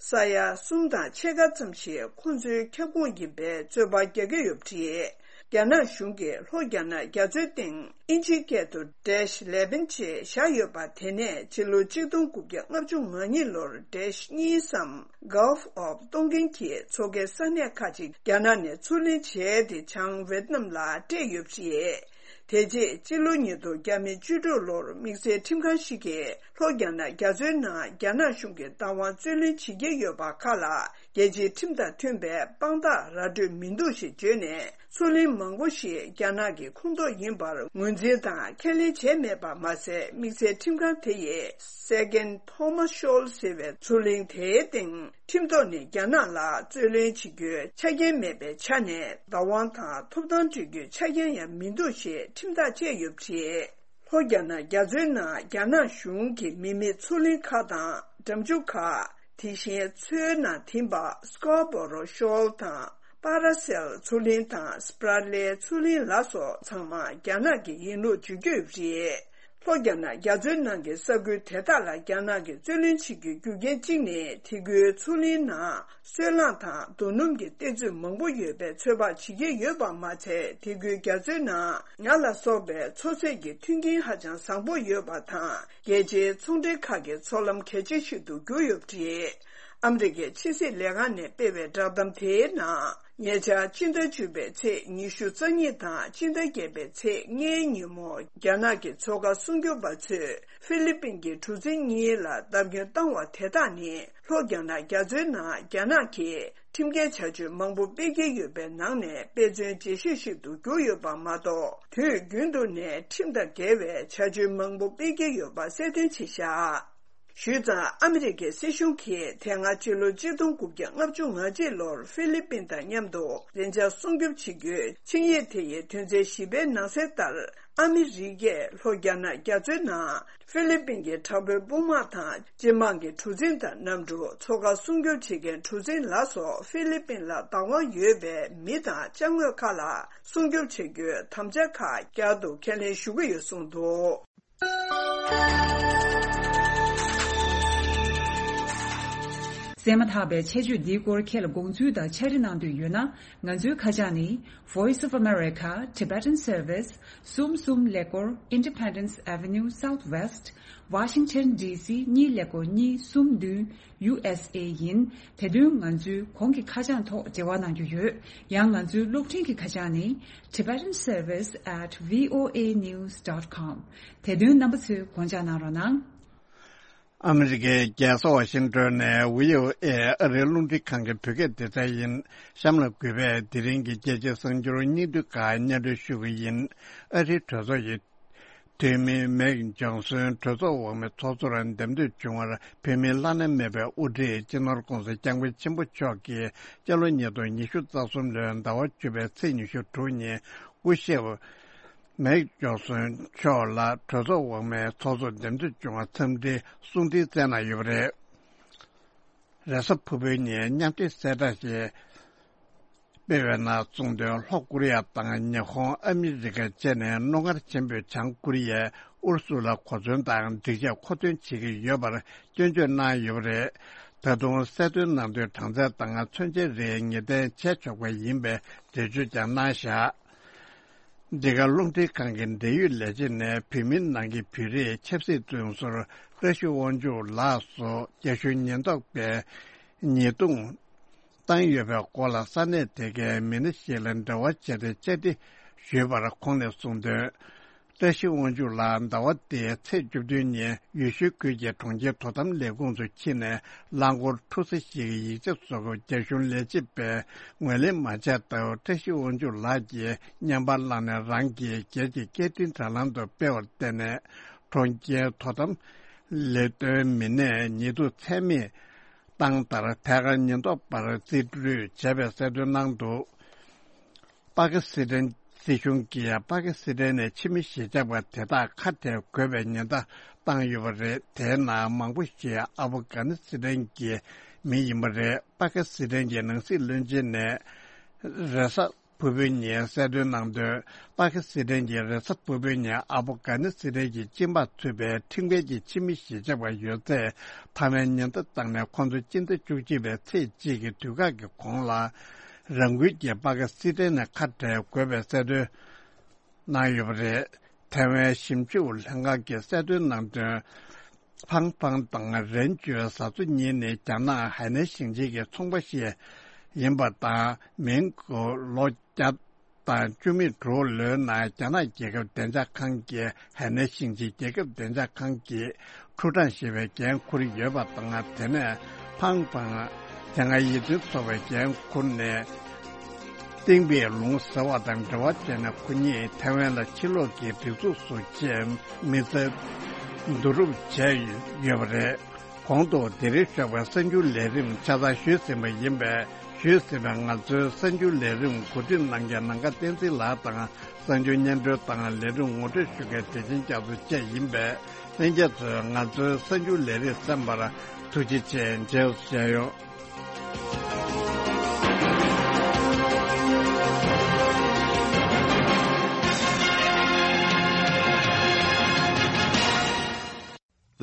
ས་ཡ་གསུམ་དང་ཕྱེད་ཀ་ཙམ་ཞིག་ཁོང་ཚོའི་ཁྱབ་ཁོངས་ཡིན་པའི་རྩོད་པ་རྒྱག་གི་ཡོད་པ་རེད། རྒྱ་ནག་གཞུང་གིས་ལྷོ་རྒྱ་ནག་རྒྱ་མཚོའི་སྟེང་དབྱིན་ཇིའི་སྐད་དུ་Dash eleven ཅེས་བཞག་ཡོད་པ་དེ་ནས་ཕྱི་ལོ་གཅིག་སྟོང་དགུ་བརྒྱ་ལྔ་བཅུ་ང་གཉིས་ལོར་Dash གཉིས་སམ་Gulf of Tonkin གྱི་མཚོ་ཁའི་ས་གནས་ཁག་ཅིག་རྒྱ་ནག་ནས་ཚུར་ལེན་བྱས་ཏེ་བྱང་ཝེད་ནམ་ལ་སྤྲད་ཡོད་པ་རེད། དེ་རྗེས་སྤྱི་ལོ་ཉིས་སྟོང་བརྒྱ་མེད་བཅུ་དྲུག་ལོར་དམིགས་བསལ་ཁྲིམས་ཁང་ཞིག་གིས་ལྷོ་རྒྱ་ནག་རྒྱ་མཚོའི་ནང་རྒྱ་ནག་གཞུང་གིས་བདག་དབང་རྩོད་ལེན་བྱེད་ཀྱི་ཡོད་པ་ཁག་ལ་རྒྱལ་སྤྱིའི་ཁྲིམས་དང་མཐུན་པའི་དཔང་རྟགས་ར་སྤྲོད་མི་འདུག་ཞེས་བརྗོད་ནས། མཚོ་གླིང་མང་པོ་ཞིག་རྒྱ་ནག་གི་ཁོངས་གཏོགས་ཡིན་པར་ངོས་འཛིན་དང་ཁས་ལེན་བྱས་མེད་པ་མ་ཟད། དམིགས་བསལ་ཁྲིམས་ཁང་དེ་ཡིས་Sagen Thomas Shoal ཟེར་བའི་མཚོ་གླིང་དེའི་སྟེང་ཁྲིམས་ཐོག་ནས་རྒྱ་ནག་ལ་རྩོད་ལེན་བྱེད་རྒྱུའི་ཆ་རྐྱེན་མེད་པའི་ཆ་ནས་བདག་དབང་དང་ཐོབ་ཐང་སྤྲོད་རྒྱུའི་ཆ་རྐྱེན་ཡང་མི་འདུག་ཅེས་ཁྲིམས་ཐག་བཅད་ཡོད་པ་རེད། ལྷོ་རྒྱ་ནག་རྒྱ་མཚོའི་ནང་རྒྱ་ནག་གཞུང་གི་མི་མེད་མཚོ་གླིང་ཁག་དང་འགྲམ་ཆུ་ཁག་དེ་བཞིན་མཚོའི་ནང་ཐིམ་པ་Scarborough Shoal དང་Paracel མཚོ་གླིང་དང་Spratly མཚོ་གླིང་ལ་སོགས་ཚང་མ་རྒྱ་ནག་གི་ཡིན་ལུགས་བརྗོད་ཀྱི་ཡོད་པ་རེད། ལྷོ་རྒྱ་ནག་རྒྱ་མཚོའི་ནང་གི་ས་ཁུལ་དེ་དག་ལ་རྒྱ་ནག་གིས་རྩོད་ལེན་བྱེད་རྒྱུའི་རྒྱུ་རྐྱེན་གཅིག་ནི། དེ་ཁུལ་མཚོ་གླིང་ནང་སོལ་རླངས་དང་རྡོ་སྣུམ་གྱི་གཏེར་མཛོད་མང་པོ་ཡོད་པའི་ཚོད་དཔག་བྱེད་ཀྱི་ཡོད་པ་མ་ཚད། དེ་ཁུལ་རྒྱ་མཚོའི་ནང་ཉ་ལ་སོགས་པའི་མཚོ་ཟས་ཀྱི་མཐུན་རྐྱེན་ཧ་ཅང་བཟང་པོ་ཡོད་པ་དང་། རྒྱལ་སྤྱིའི་ཚོང་འབྲེལ་ཁག་གི་མཚོ་ལམ་གལ་ཆེ་ཞིག་ཏུ་གྱུར་ཡོད་པ་རེད། ཨ་མི་རི་ཀའི་ཕྱི་སྲིད་ལས་ཁང་ནས་སྤེལ་བའི་བསྒྲགས་གཏམ་དེའི་ནང་། ཉེ་ཆར་སྤྱི་ཟླ་བཅུ་པའི་ཚེས་ཉི་ཤུ་རྩ་གཉིས་དང་སྤྱི་ཟླ་བརྒྱད་པའི་ཚེས་ལྔའི་ཉིན་མོ། རྒྱ་ནག་གི་མཚོ་ཁ་སྲུང་སྐྱོབ་པ་ཚོས་ཧྥི་ལི་པིན་གྱི་གྲུ་གཟིངས་གཉིས་ལ་བརྡབ་སྐྱོན་བཏང་བ་དེ་དག་ནི། ལྷོ་རྒྱ་ནག་རྒྱ་མཚོའི་ནང་རྒྱ་ནག་གིས་ཁྲིམས་འགལ་བྱ་སྤྱོད་མང་པོ་སྤེལ་གྱི་ཡོད་པའི་ནང་ནས་དཔེ་མཚོན་འགྲེལ་བཤད་ཞིག་ཏུ་གྱུར་ཡོད་པ་མ་གཏོགས། དུས་རྒྱུན་དུ་ནས་ཁྲིམས་དང་འགལ་བའི་བྱ་སྤྱོད་མང་པོ་སྤེལ་གྱི་ཡོད་པ་གསལ་སྟོན་བྱས་བཞག་ཞུས་ཙང་། ཨ་མི་རི་ཀའི་སྲིད་གཞུང་གིས་དེ་སྔ་ཕྱི་ལོ་གཅིག་སྟོང་དགུ་བརྒྱ་ལྔ་བཅུ་ང་གཅིག་ལོར་ཧྥི་ལི་པིན་དང་མཉམ་དུ་མཚོན་ཆ་སྲུང་སྐྱོབ་བྱེད་རྒྱུའི་ཆིངས་ཡིག་དེ་ཡི་དོན་ཚན་བཞི་པའི་ནང་གསལ་ལྟར། ཨ་མི་རི་ཀས་ལྷོ་རྒྱ་ནག་རྒྱ་མཚོའི་ནང་ཧྥི་ལི་པིན་གྱི་དྲག་པོའི་དཔུང་དམག་དང་། སྤྱི་དམངས་ཀྱི་གྲུ་གཟིངས་དང་གནམ་གྲུ། མཚོ་ཁ་སྲུང་སྐྱོབ་བྱེད་མཁན་གྲུ་གཟིངས་ལ་སོགས་ཧྥི་ལི་པིན་ལ་བདག་དབང་ཡོད་པའི་མི་དང་ཅ་དངོས་ཁག་ལ་སྲུང་སྐྱོབ་བྱེད་རྒྱུའི་དམ་བཅའ་ཁག་བསྐྱར་དུ་ཁས་ལེན་ཞུ་གི་ཡོད་གསུངས་འདུག་གསན་མ་ཐག་པའི་ཆེད་བརྗོད་འདིའི་སྐོར་ཁྱེད་ལ་དགོངས་ཚུལ་དང་ཕྱག་བྲིས་གནང་འདོད་ཡོད་ན། ང་ཚོའི་ཁ་བྱང་ནི། Voice of America Tibetan Service གསུམ་གསུམ་ཀླད་ཀོར། Independence Avenue Southwest Washington D C གཉིས་ཀླད་ཀོར་གཉིས་གསུམ་བདུན། U S A ཡིན། དེ་དོན་ང་ཚོའི་གོང་གི་ཁ་བྱང་ཐོག་འབྲེལ་བ་གནང་རྒྱུ་ཡོད། ཡང་ང་ཚོའི་གློག་འཕྲིན་གྱི་ཁ་བྱང་ནི། Tibetan Service at V O A news dot com དེ་དོན་རྣམ་པ་ཚོས་དགོངས་འཇགས་གནང་རོགས་གནང་། ཨ་མི་རི་ཀའི་རྒྱལ་ས་ཝ་ཤིང་ཏོན་ནས་བྷི་ཨོ་ཨེ་ཨ་རིའི་རླུང་འཕྲིན་ཁང་གི་བོད་སྐད་སྡེ་ཚན་ཡིན། གཤམ་ལ་གུས་པས་དེ་རིང་གི་རྒྱལ་སྤྱིའི་གསར་འགྱུར་སྙིང་བསྡུས་ཁག་སྙན་སྒྲོན་ཞུ་གི་ཡིན། ཨ་རིའི་གྲོས་ཚོགས་ཀྱི་འཐུས་མི་མེག་ཇོན་སོན་གྲོས་ཚོགས་འོག་མའི་ཚོགས་གཙོར་འདེམས་ཐོན་བྱུང་བར། བོད་མིའི་བླ་ན་མེད་པའི་དབུ་ཁྲིད་སྤྱི་ནོར་ྋགོང་ས་ྋསྐྱབས་མགོན་ཆེན་པོ་མཆོག་གིས་སྤྱི་ལོ་ཉིས་སྟོང་ཉི་ཤུ་རྩ་གསུམ་ལོའི་ཟླ་བ་བཅུ་པའི་ཚེས་ཉི་ཤུ་དྲུག་ཉིན། སྐུ་ཞབས་མེག་ཇོན་སོན་མཆོག་ལ་གྲོས་ཚོགས་འོག་མའི་ཚོགས་གཙོ་འདེམས་ཐོན་བྱུང་བར་འཚམས་འདྲི་གསུང་འཕྲིན་བསྩལ་གནང་ཡོད་པ་རེད། རེས་གཟའ་ཕུར་བུའི་ཉིན་མཉམ་འབྲེལ་གསལ་བསྒྲགས་ཤིག་སྤེལ་བའི་ནང་གསུངས་དོན། ལྷོ་ཀོ་རི་ཡ་དང་ཉི་ཧོང་། ཨ་མི་རི་ཀ་བཅས་ནས་རྣོ་ངར་ཆེན་པོས་བྱང་ཀོ་རི་ཡས་ཨུ་རུ་སུ་ལ་གོ་མཚོན་དང་སྒྲིག་ཆས་མཁོ་འདོན་བྱེད་ཀྱི་ཡོད་པར་སྐྱོན་བརྗོད་གནང་ཡོད་པ་རེད། ད་དུང་གསལ་སྟོན་གནང་དོན། གྲངས་ཚད་དང་མཚོན་ཆའི་རིགས་ངེས་གཏན་བྱས་ཆོག་པ་ཡིན་པའི་འགྲེལ་བརྗོད་ཀྱང་གནང་བཞག་འདི་ག་རླུང་འཕྲིན་ཁང་གི་འབྲེལ་ཡོད་ལས་བྱེད་ནས་བོད་མིའི་ནང་གི་བོད་རིགས་ཆབ་སྲིད་བཙོན་ཟུར་བཀྲ་ཤིས་དབང་ཕྱུག་ལགས་སུ་རྒྱ་གཞུང་ཉེན་རྟོག་པས་ཉེས་རྡུང་བཏང་ཡོད་པའི་སྐོར་ལ་ས་གནས་དེ་གའི་མི་སྣ་ཞིག་ལ་འབྲེལ་བ་བྱས་ཏེ་བཅར་འདྲི་ཞུས་པར་ཁོང་ནས་གསུངས་དོན། བཀྲ་ཤིས་དབང་ཕྱུག་ལགས་ཟླ་བ་འདིའི་ཚེས་བཅུ་བདུན་ཉིན་ཡུལ་ཤུལ་ཁུལ་གྱི་གྲོང་ཁྱེར་དོ་དམ་ལས་ཁུངས་སུ་ཕྱིན་ནས་རླངས་འཁོར་འཁྲུག་ས་ཞིག་གི་ཡིག་ཆ་བཟོ་སྐབས་རྒྱ་གཞུང་ལས་བྱེད་པས་ངོས་ལེན་མ་བྱས་སྟབས། བཀྲ་ཤིས་དབང་ཕྱུག་ལགས་ཀྱིས་བརྙན་པར་བླངས་ནས་རང་གི་སྒེར་གྱི་སྐད་འཕྲིན་དྲ་ལམ་དུ་སྤེལ་བར་བརྟེན་ནས། གྲོང་ཁྱེར་དོ་དམ་ལས་དོན་མི་སྣས་ཉེས་འཛུགས་ཚད་མེད་བཏང་མཐར། ཐད་ཀར་ཉེན་རྟོག་པར་རྩིས་སྤྲོད་བྱས་པའི་གསལ་སྟོན་གནང་འདུག་པ་ཀི་སི་ཐན་སྲིད་གཞུང་གིས་པ་ཀི་སི་ཐན་ནས་ཕྱི་མི་གཞིས་ཆགས་པ་དེ་དག་ཁ་བྲལ་དགོས་པའི་ཉེན་བརྡ་བཏང་ཡོད་པ་རེད། དེའི་ནང་མང་པོ་ཞིག་ཨབ་གྷ་ནི་སི་ཐན་གྱི་མི་ཡིན་པ་རེད། པ་ཀི་སི་ཐན་གྱི་ནང་སྲིད་བློན་ཆེན་ནས་ རེས་གཟའ་ཕུར་བུའི་ཉིན་གསལ་སྟོན་གནང་དོན། པ་ཀི་སི་ཐན་གྱི་རེས་གཟའ་ཕུར་བུའི་ཉིན་ཨབ་གྷ་ནི་སི་ཐན་གྱི་སྤྱི་འབངས་ཚུད་པའི་ཁྲིམས་འགལ་གྱི་ཕྱི་མི་གཞིས་ཆགས་པ་ཡོད་ཚད་ཐའེ་ཝན་ཉེན་བརྡ་བཏང་ནས། ཁོང་ཚོ་སྤྱི་ཟླ་བཅུ་གཅིག་པའི་ཚེས་གཅིག་གི་དུས་བཀག་གི་གོང་ལ་རང་འགུལ་གྱིས་པ་ཀི་སི་ཐན་ནས་ཁ་བྲལ་དགོས་པའི་གསལ་སྟོན་གནང་ཡོད་པ་རེད། ཐའེ་ཝན་ཞིབ་འཇུག་ལྷན་ཁང་གིས་གསལ་སྟོན་གནང་དོན། ཕང་ཕང་དང་རེན་ཅུའི་བཟའ་ཚོ་གཉིས་ནི་རྒྱ་ནག་ཧའེ་ནན་ཞིང་ཆེན་གྱི་ཚོང་པ་ཞིག་ཡིན་པ་དང་། མིང་གི་ལོ་བརྒྱ་དང་བཅུ་མེད་དྲུག་ལོའི་ནང་རྒྱ་ནག་རྒྱལ་ཁབ་བདེ་འཇགས་ཁང་གིས་ཧའེ་ནན་ཞིང་ཆེན་རྒྱལ་ཁབ་བདེ་འཇགས་ཁང་གི་ཁྲུའུ་ཀྲང་ཞེས་པའི་འགན་འཁུར་ཡོད་པ་དང་། དེ་ནས་ཕང་ཕང་དེ་སྔ་ཡིད་བརྟན་ཚོགས་པའི་འགན་འཁུར་ནས། ཏིང་པེ་ལུང་ཟེར་བ་དང་འབྲེལ་བ་བྱས་ནས། ཁོ་གཉིས་ཐའེ་ཝན་ལ་ཕྱི་ལོགས་ཀྱི་སྒྲིག་འཛུགས་སུ་ཆེད་མི་ཚེ་བསྡུ་རུབ་བྱས་ཡོད་པ་རེད། གོང་དུ་དེ་རིང་ཞོགས་པའི་གསར་འགྱུར་ལས་རིམ་ཆ་ཚང་ཞུས་ཟིན་པ་ཡིན་པས། ཞུས་ཟིན་པའི་ང་ཚོའི་གསར་འགྱུར་ལས་རིམ་གོ་སྒྲིག་གནང་མཁན་ནམ་མཁའ་བསྟན་འཛིན་ལགས་དང་། གསར་འགྱུར་སྙན་སྒྲོན་དང་ལས་རིམ་ངོ་སྤྲོད་ཞུ་མཁན་བདེ་ཆེན་རྒྱ་མཚོ་བཅས་ཡིན་པས། ལྷན་རྒྱས་ཚོས་ང་ཚོའི་གསར་འགྱུར་ལས་རིམ་གསན་པར་ཐུགས་རྗེ་ཆེ། མཇལ་བ་ཞུ་ཡོང་།